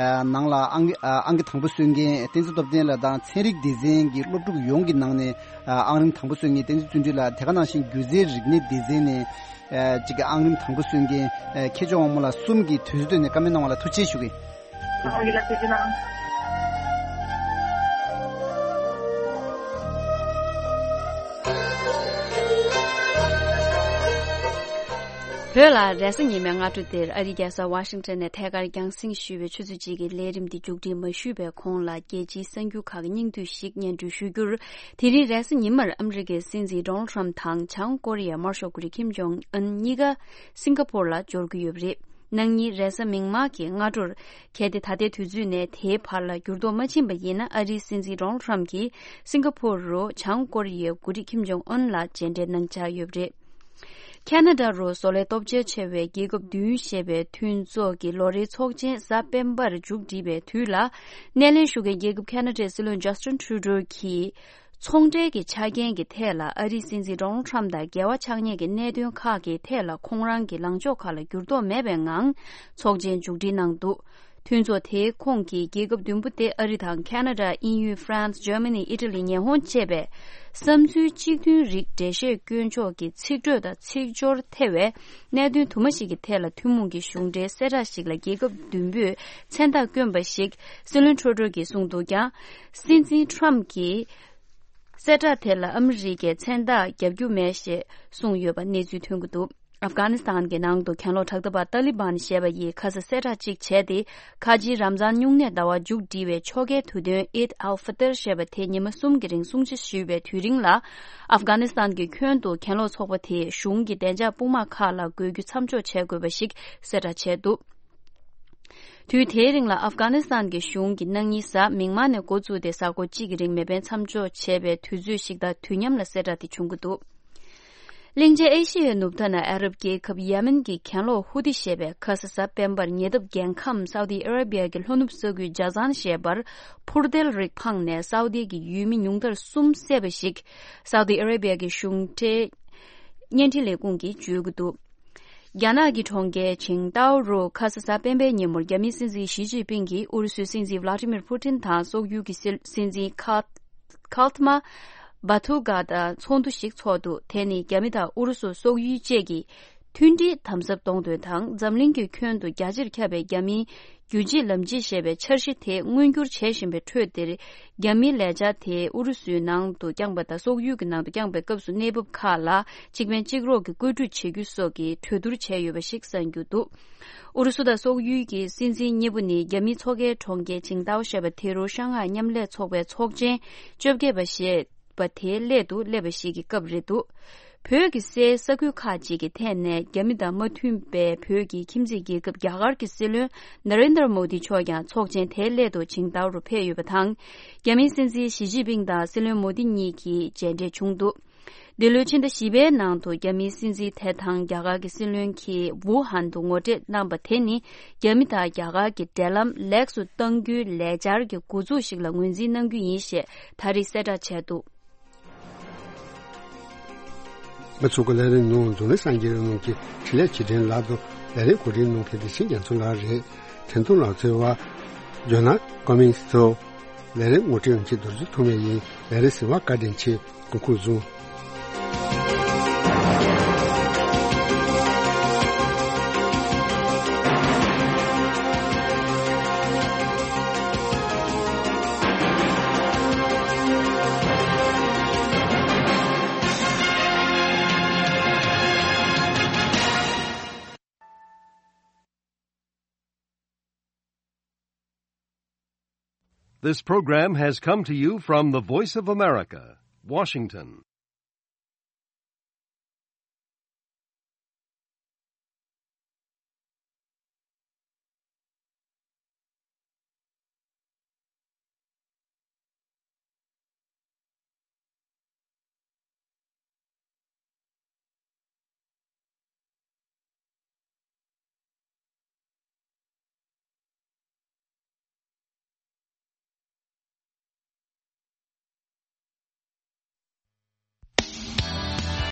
ནང་ལ་ཨང་ཨང་ཀི་དང་པོ་སོན་མཁན་བསྟན་འཛིན་སྟོབས་ལྡན་ལགས་དང་། ཚན་རིག་སྡེ་ཚན་གྱི་སློབ་ཕྲུག་ཡོངས་ཀྱི་ནང་ནས་ཨང་རིམ་དང་པོ་སོན་མཁན་བསྟན་འཛིན་བརྩོན་འགྲུས་ལགས། དེ་ག་ནང་བཞིན་སྒྱུ་རྩལ་རིག་གནས་སྡེ་ཚན་ནས་ཅིག་གི་ཨང་རིམ་དང་པོ་སོན་མཁན་མཁས་མཆོག་དབང་མོ་ལགས་གསུམ་གྱིས་དུས་ཚོད་བཏོན་ནས་བཀའ་མོལ་གནང་བ་ལ་ཐུགས་རྗེ་ཆེ་ཞུ་གི་ཡིན། ཨང་ཡིན་ལ་ཐུགས་རྗེ་གནང་། བོད་ལ་རེས་གཟའ་ཉི་མའི་སྔ་དྲོ་འདིར་ཨ་རིའི་རྒྱལ་ས་ཝ་ཤིང་ཊོན་ནས་ཐད་ཀར་རྒྱང་སྲིང་ཞུས་པའི་ཆུ་ཚོད་གཅིག་གི་ལས་རིམ་འདི་མཇུག་སྒྲིལ་མ་ཞུས་པའི་གོང་ལ་རྒྱལ་སྤྱིའི་གསར་འགྱུར་ཁག་གི་སྙིང་བསྡུས་ཤིག་སྙན་སྒྲོན་ཞུ་རྒྱུར། དེ་རིང་རེས་གཟའ་ཉི་མར་ཨ་མི་རི་ཀའི་སྲིད་འཛིན་ཌོ་ནལ་ཊམ་དང་བྱང་ཀོ་རི་ཡའི་དམར་ཤོག་འགོ་ཁྲིད་ཁིམ་ཇོང་ཨན་གཉིས་ཀ་སིང་ག་པོར་ལ་འབྱོར་གྱི་ཡོད་པ་རེད། གནངས་ཉིན་རེས་གཟའ་མིག་དམར་གྱི་སྔ་དྲོར། གལ་ཏེ་ད་ལྟའི་དུས་ཚོད་ནས་དེའི་བར་ལ་འགྱུར་ལྡོག་མ་ཕྱིན་པ་ཡིན་ན། ཨ་རིའི་སྲིད་འཛིན་ཌོ་ནལ་ཊམ་གྱིས་སིང་ག་པོར་རུ་བྱང་ཀོ་རི་ཡའི་འགོ་ཁྲིད་ཁིམ་ཇོང་ཨུན་ལ་མཇལ་འཕྲད་གནང་འཆར་ཡོད་པ་རེད། ཁ་ན་ཌ་རུ་བཟོ་ལས་སྟོབས་ཆེན་ཆེ་བའི་རྒྱལ་ཁབ་བདུན་ཞེས་པའི་མཐུན་ཚོགས་ཀྱི་ལོ་རེའི་ཚོགས་ཆེན་གཟའ་སྤེན་པར་མཇུག་སྒྲིལ་བའི་དུས་ལ། སྣེ་ལེན་ཞུ་མཁན་རྒྱལ་ཁབ་ཁ་ན་ཌའི་སྲིད་བློན་ཇ་སི་ཊིན་ཊུ་རུ་ཌོ་གྱིས། ཚོང་འབྲེལ་གྱི་ཆ་རྐྱེན་གྱི་ཐད་ལ་ཨ་རིའི་སྲིད་འཛིན་ཌོ་ནལ་ཊམ་དང་འགལ་བ་ཆགས་ཉེན་གྱི་གནད་དོན་ཁག་གི་ཐད་ལ་ཁོང་རང་གི་ལངས་ཕྱོགས་ཁག་ལ་འགྱུར་ལྡོག་མེད་པའི་ངང་ཚོགས་ཆེན་མཇུག་སྒྲིལ་གནང་འདུག་མཐུན་ཚོགས་དེའི་ཁོངས་ཀྱི་རྒྱལ་ཁབ་བདུན་པོ་སྟེ་ཨ་རི་དང་ཁ་ན་ཌ། དབྱིན་ཡུལ། ཧྥ་རན་སི། ཇར་མ་ནི། ཨི་ཊ་ལི། ཉི་ཧོང་བཅས་པས་བསམ་ཚུལ་གཅིག་མཐུན་རིགས་འགྲེལ་བཤད་སྐྱོན་ཕྱོགས་ཀྱི་ཚིག་འགྲོས་དང་ཚིག་སྦྱོར་ཐེ་བའི་གནད་དོན་དུ་མ་ཞིག་གི་ཐད་ལ་ཐུན་མོང་གི་གཞུང་འབྲེལ་གསལ་བསྒྲགས་ཤིག་ལ་རྒྱལ་ཁབ་བདུན་པོས་མཚན་རྟགས་བསྐྱོན་པ་ཞིག་སྲིད་བློན་ཊུ་རུ་ཌོ་གིས་གསུངས་འདུག་ཀྱང་། སྲིད་འཛིན་ཊམ་གྱིས། གསལ་བསྒྲགས་དེ་ལ་ཨ་མི་རི་ཀས་མཚན་རྟགས་བརྒྱབ་རྒྱུ་མེད་ཞེས་གསུངས་ཡོད་པ་གནས་ཚུལ་ཐོན་གྱི་འདུག་ཨབ་གྷ་ནི་སི་ཐན་གྱི་ནང་དུ་གྱེན་ལོག་དྲག་འཐབ་པ་ཏཱ་ལི་བན་ཞེས་པ་ཡིས་ཁ་ས་གསལ་བསྒྲགས་གཅིག་བྱས་ཏེ། ཁ་ཆེའི་རམ་ཛཱན་སྨྱུང་གནས་ཟླ་བ་མཇུག་སྒྲིལ་བའི་ཆོ་གའི་དུས་སྟོན་ཨིད་ཨལ་ཧྥི་ཏིར་ཞེས་པ་དེ་ཉི་མ་གསུམ་གྱི་རིང་སྲུང་བརྩི་ཞུས་པའི་དུས་རིང་ལ། ཨབ་གྷ་ནི་སི་ཐན་གྱི་ཁྱོན་དུ་གྱེན་ལོག་ཚོགས་པ་དེས་གཞུང་གི་བདེ་འཇགས་དཔུང་དམག་ཁག་ལ་དགོས་རྒྱུ་མཚམས་འཇོག་བྱེད་དགོས་པ་ཞིག་གསལ་བསྒྲགས་བྱས་འདུག་དུས་དེའི་རིང་ལ་ཨབ་གྷ་ནི་སི་ཐན་གྱི་གཞུང་གིས་གནངས་ཉིན་གཟའ་མིག་དམར་ནས་འགོ་བཙུགས་ཏེ་གཟའ་འཁོར་གཅིག་གི་རིང་མེ་འཕེན་མཚམས་འཇོག་བྱས་པའི་དུས་ཚོད་ཞིག་དང་དུས་མཉམ་ལ་གསལ་བསྒྲགས་དེ་བྱུང་གི་འདུག་གླིང་ཆེན་ཨེ་ཤི་ཡའི་ནུབ་མཐའ་ན་ཨ་རབ་རྒྱལ་ཁབ་ཡེ་མེན་གྱི་གྱེན་ལོག་ཧུ་ཏི་ཞེས་པས་ཁ་ས་གཟའ་སྤེན་པར་ཉེ་འདབས་རྒྱལ་ཁམས་སའུ་ཏི་ཨ་ར་བི་ཡ་གི་ལྷོ་ནུབ་ས་ཁུལ་ཇ་ཛན་ཞེས་པར་འཕུར་མདེལ་རིགས་འཕངས་ནས་སའུ་ཏི་གི་ཡུལ་མི་ཉུང་མཐར་གསུམ་བསད་པ་ཞིག་སའུ་ཏི་ཨ་ར་བི་ཡ་གི་གཞུང་འབྲེལ་བརྙན་འཕྲིན་ལས་ཁུངས་ཀྱིས་བརྗོད་ཀྱི་འདུག་རྒྱ་ནག་གི་གྲོང་ཁྱེར་ཆིང་ཏའོ་རུ་ཁ་ས་གཟའ་སྤེན་པའི་ཉིན་མོར་རྒྱ་མིའི་སྲིད་འཛིན་ཞི་ཅིན་ཕིང་གིས་ཨུ་རུ་སུའི་སྲིད་འཛིན་ཝ་ལ་ཏི་མིར་ཕུ་ཏིན་དང་སོག་ཡུལ་གྱི་སྲིད་སྲིད་འཛིན་ཁཱ་ཁཱལ་ཏི་མ་བཱ་ཐུ་གྷ་དང་ཚོགས་འདུ་ཞིག་འཚོགས་འདུག་དེ་ནི་རྒྱ་མི་དང་ཨུ་རུ་སུ། སོག་ཡུལ་བཅས་ཀྱི་མཐུན་སྒྲིལ་དམ་ཟབ་གཏོང་དོན་དང་། འཛམ་གླིང་གི་ཁྱོན་དུ་རྒྱ་ཆེར་ཁྱབ་པའི་རྒྱ་མིའི་རྒྱུད་གཅིག་ལམ་གཅིག་ཞེས་པའི་འཆར་གཞི་དེ་མངོན་འགྱུར་བྱེད་བཞིན་པའི་ཁྲོད་འདིར། རྒྱ་མིའི་ལས་འཆར་དེས་ཨུ་རུ་སུའི་ནང་དུ་བསྐྱངས་པ་དང་སོག་ཡུལ་གྱི་ནང་དུ་བསྐྱངས་པའི་སྐབས་སུ་གནས་བབ་ཁག་ལ་གཅིག་ཕན་གཅིག་རོགས་ཀྱི་བཀོད་སྒྲིག་བྱེད་རྒྱུ་སོགས་ཀྱི་གྲོས་བསྡུར་བྱས་ཡོད་པ་ཞིག་གསན་རྒྱུ་འདུག་ཨུ་རུ་སུ་དང་སོག་ཡུལ་གྱི་སྲིད་འཛིན་གཉིས་པོ་ནི་རྒྱ་མིའི་མཚོ་ཁའི་གྲོང་ཁྱེར་ཆིང་ཏའོ་ཞེས་པ་དེ་རུ་ཤང་ཧའེ་མཉམ་ལས་ཚོགས་པའི་ཚོགས་ཆེན་བཅོ་བརྒྱད་པ་ཞེས་པ་དེའི་སླད་དུ་སླེབས་པ་ཞིག་གི་སྐབས་རེད་འདུག་བོད་ཀྱི་སའི་ས་ཁུལ་ཁག་ཅིག་གི་ཐད་ནས་རྒྱ་མི་དང་མ་མཐུན་པའི་བོད་ཀྱི་ཁྱིམ་མཚེས་རྒྱལ་ཁབ་རྒྱ་གར་གྱི་སྲིད་བློན་ན་རེན་དར་མོ་དི་མཆོག་ཀྱང་ཚོགས་ཆེན་དེའི་སླད་དུ་ཆིང་ཏའོ་རུ་ཕེབས་ཡོད་པ་དང་། རྒྱ་མིའི་སྲིད་འཛིན་ཞི་ཅིན་ཕིང་དང་སྲིད་བློན་མོ་དི་གཉིས་ཀྱིས་མཇལ་འཕྲད་བྱུང་འདུག་འདི་ལོའི་ཕྱི་ཟླ་བཞི་པའི་ནང་དུ་རྒྱ་མིའི་སྲིད་འཛིན་དེ་དང་རྒྱ་གར་གྱི་སྲིད་བློན་གྱིས་ཝུ་ཧན་དུ་ངོ་འཕྲད་གནང་པ་དེ་ནི་རྒྱ་མི་དང་རྒྱ་གར་གྱི་འབྲེལ་ལམ་ལེགས་སུ་གཏང་རྒྱུའི་ལས་འཆར་གྱི་འགོ་འཛུགས་ཤིག་ལ་ངོས་འཛིན་གནང་རྒྱུ་ཡིན་ཞེས་ད་རེས་གསལ་བསྒྲགས་བྱས་འདུག་ང་ཚོ་གི་ལས་རིམ་ནང་འཛམ་གླིང་གསར་འགྱུར་རྣམས་ཀྱི་འཕྲིན་ལས་ཆེད་འཕྲིན་ལག་ཏུ་ལས་རིམ་གོ་སྒྲིག་གནང་མཁན་དེ་ཆིན་རྒྱ་མཚོ་ལགས་རེད། འཕྲིན་གཏོང་ལག་རྩལ་བ་ཇོ་ན་ཀོ་མིན་སི་ཐུ། ལས་རིམ་ངོ་སྤྲོད་ཡང་ཁྱེད་རྡོ་རྗེ་ཐོགས་མེད་ཡིན། ལས་རིམ་གསན་པར་བཀའ་དྲིན་ཆེ། གོང་བཀུར་བཟང་། This program has come to you from the Voice of America, Washington.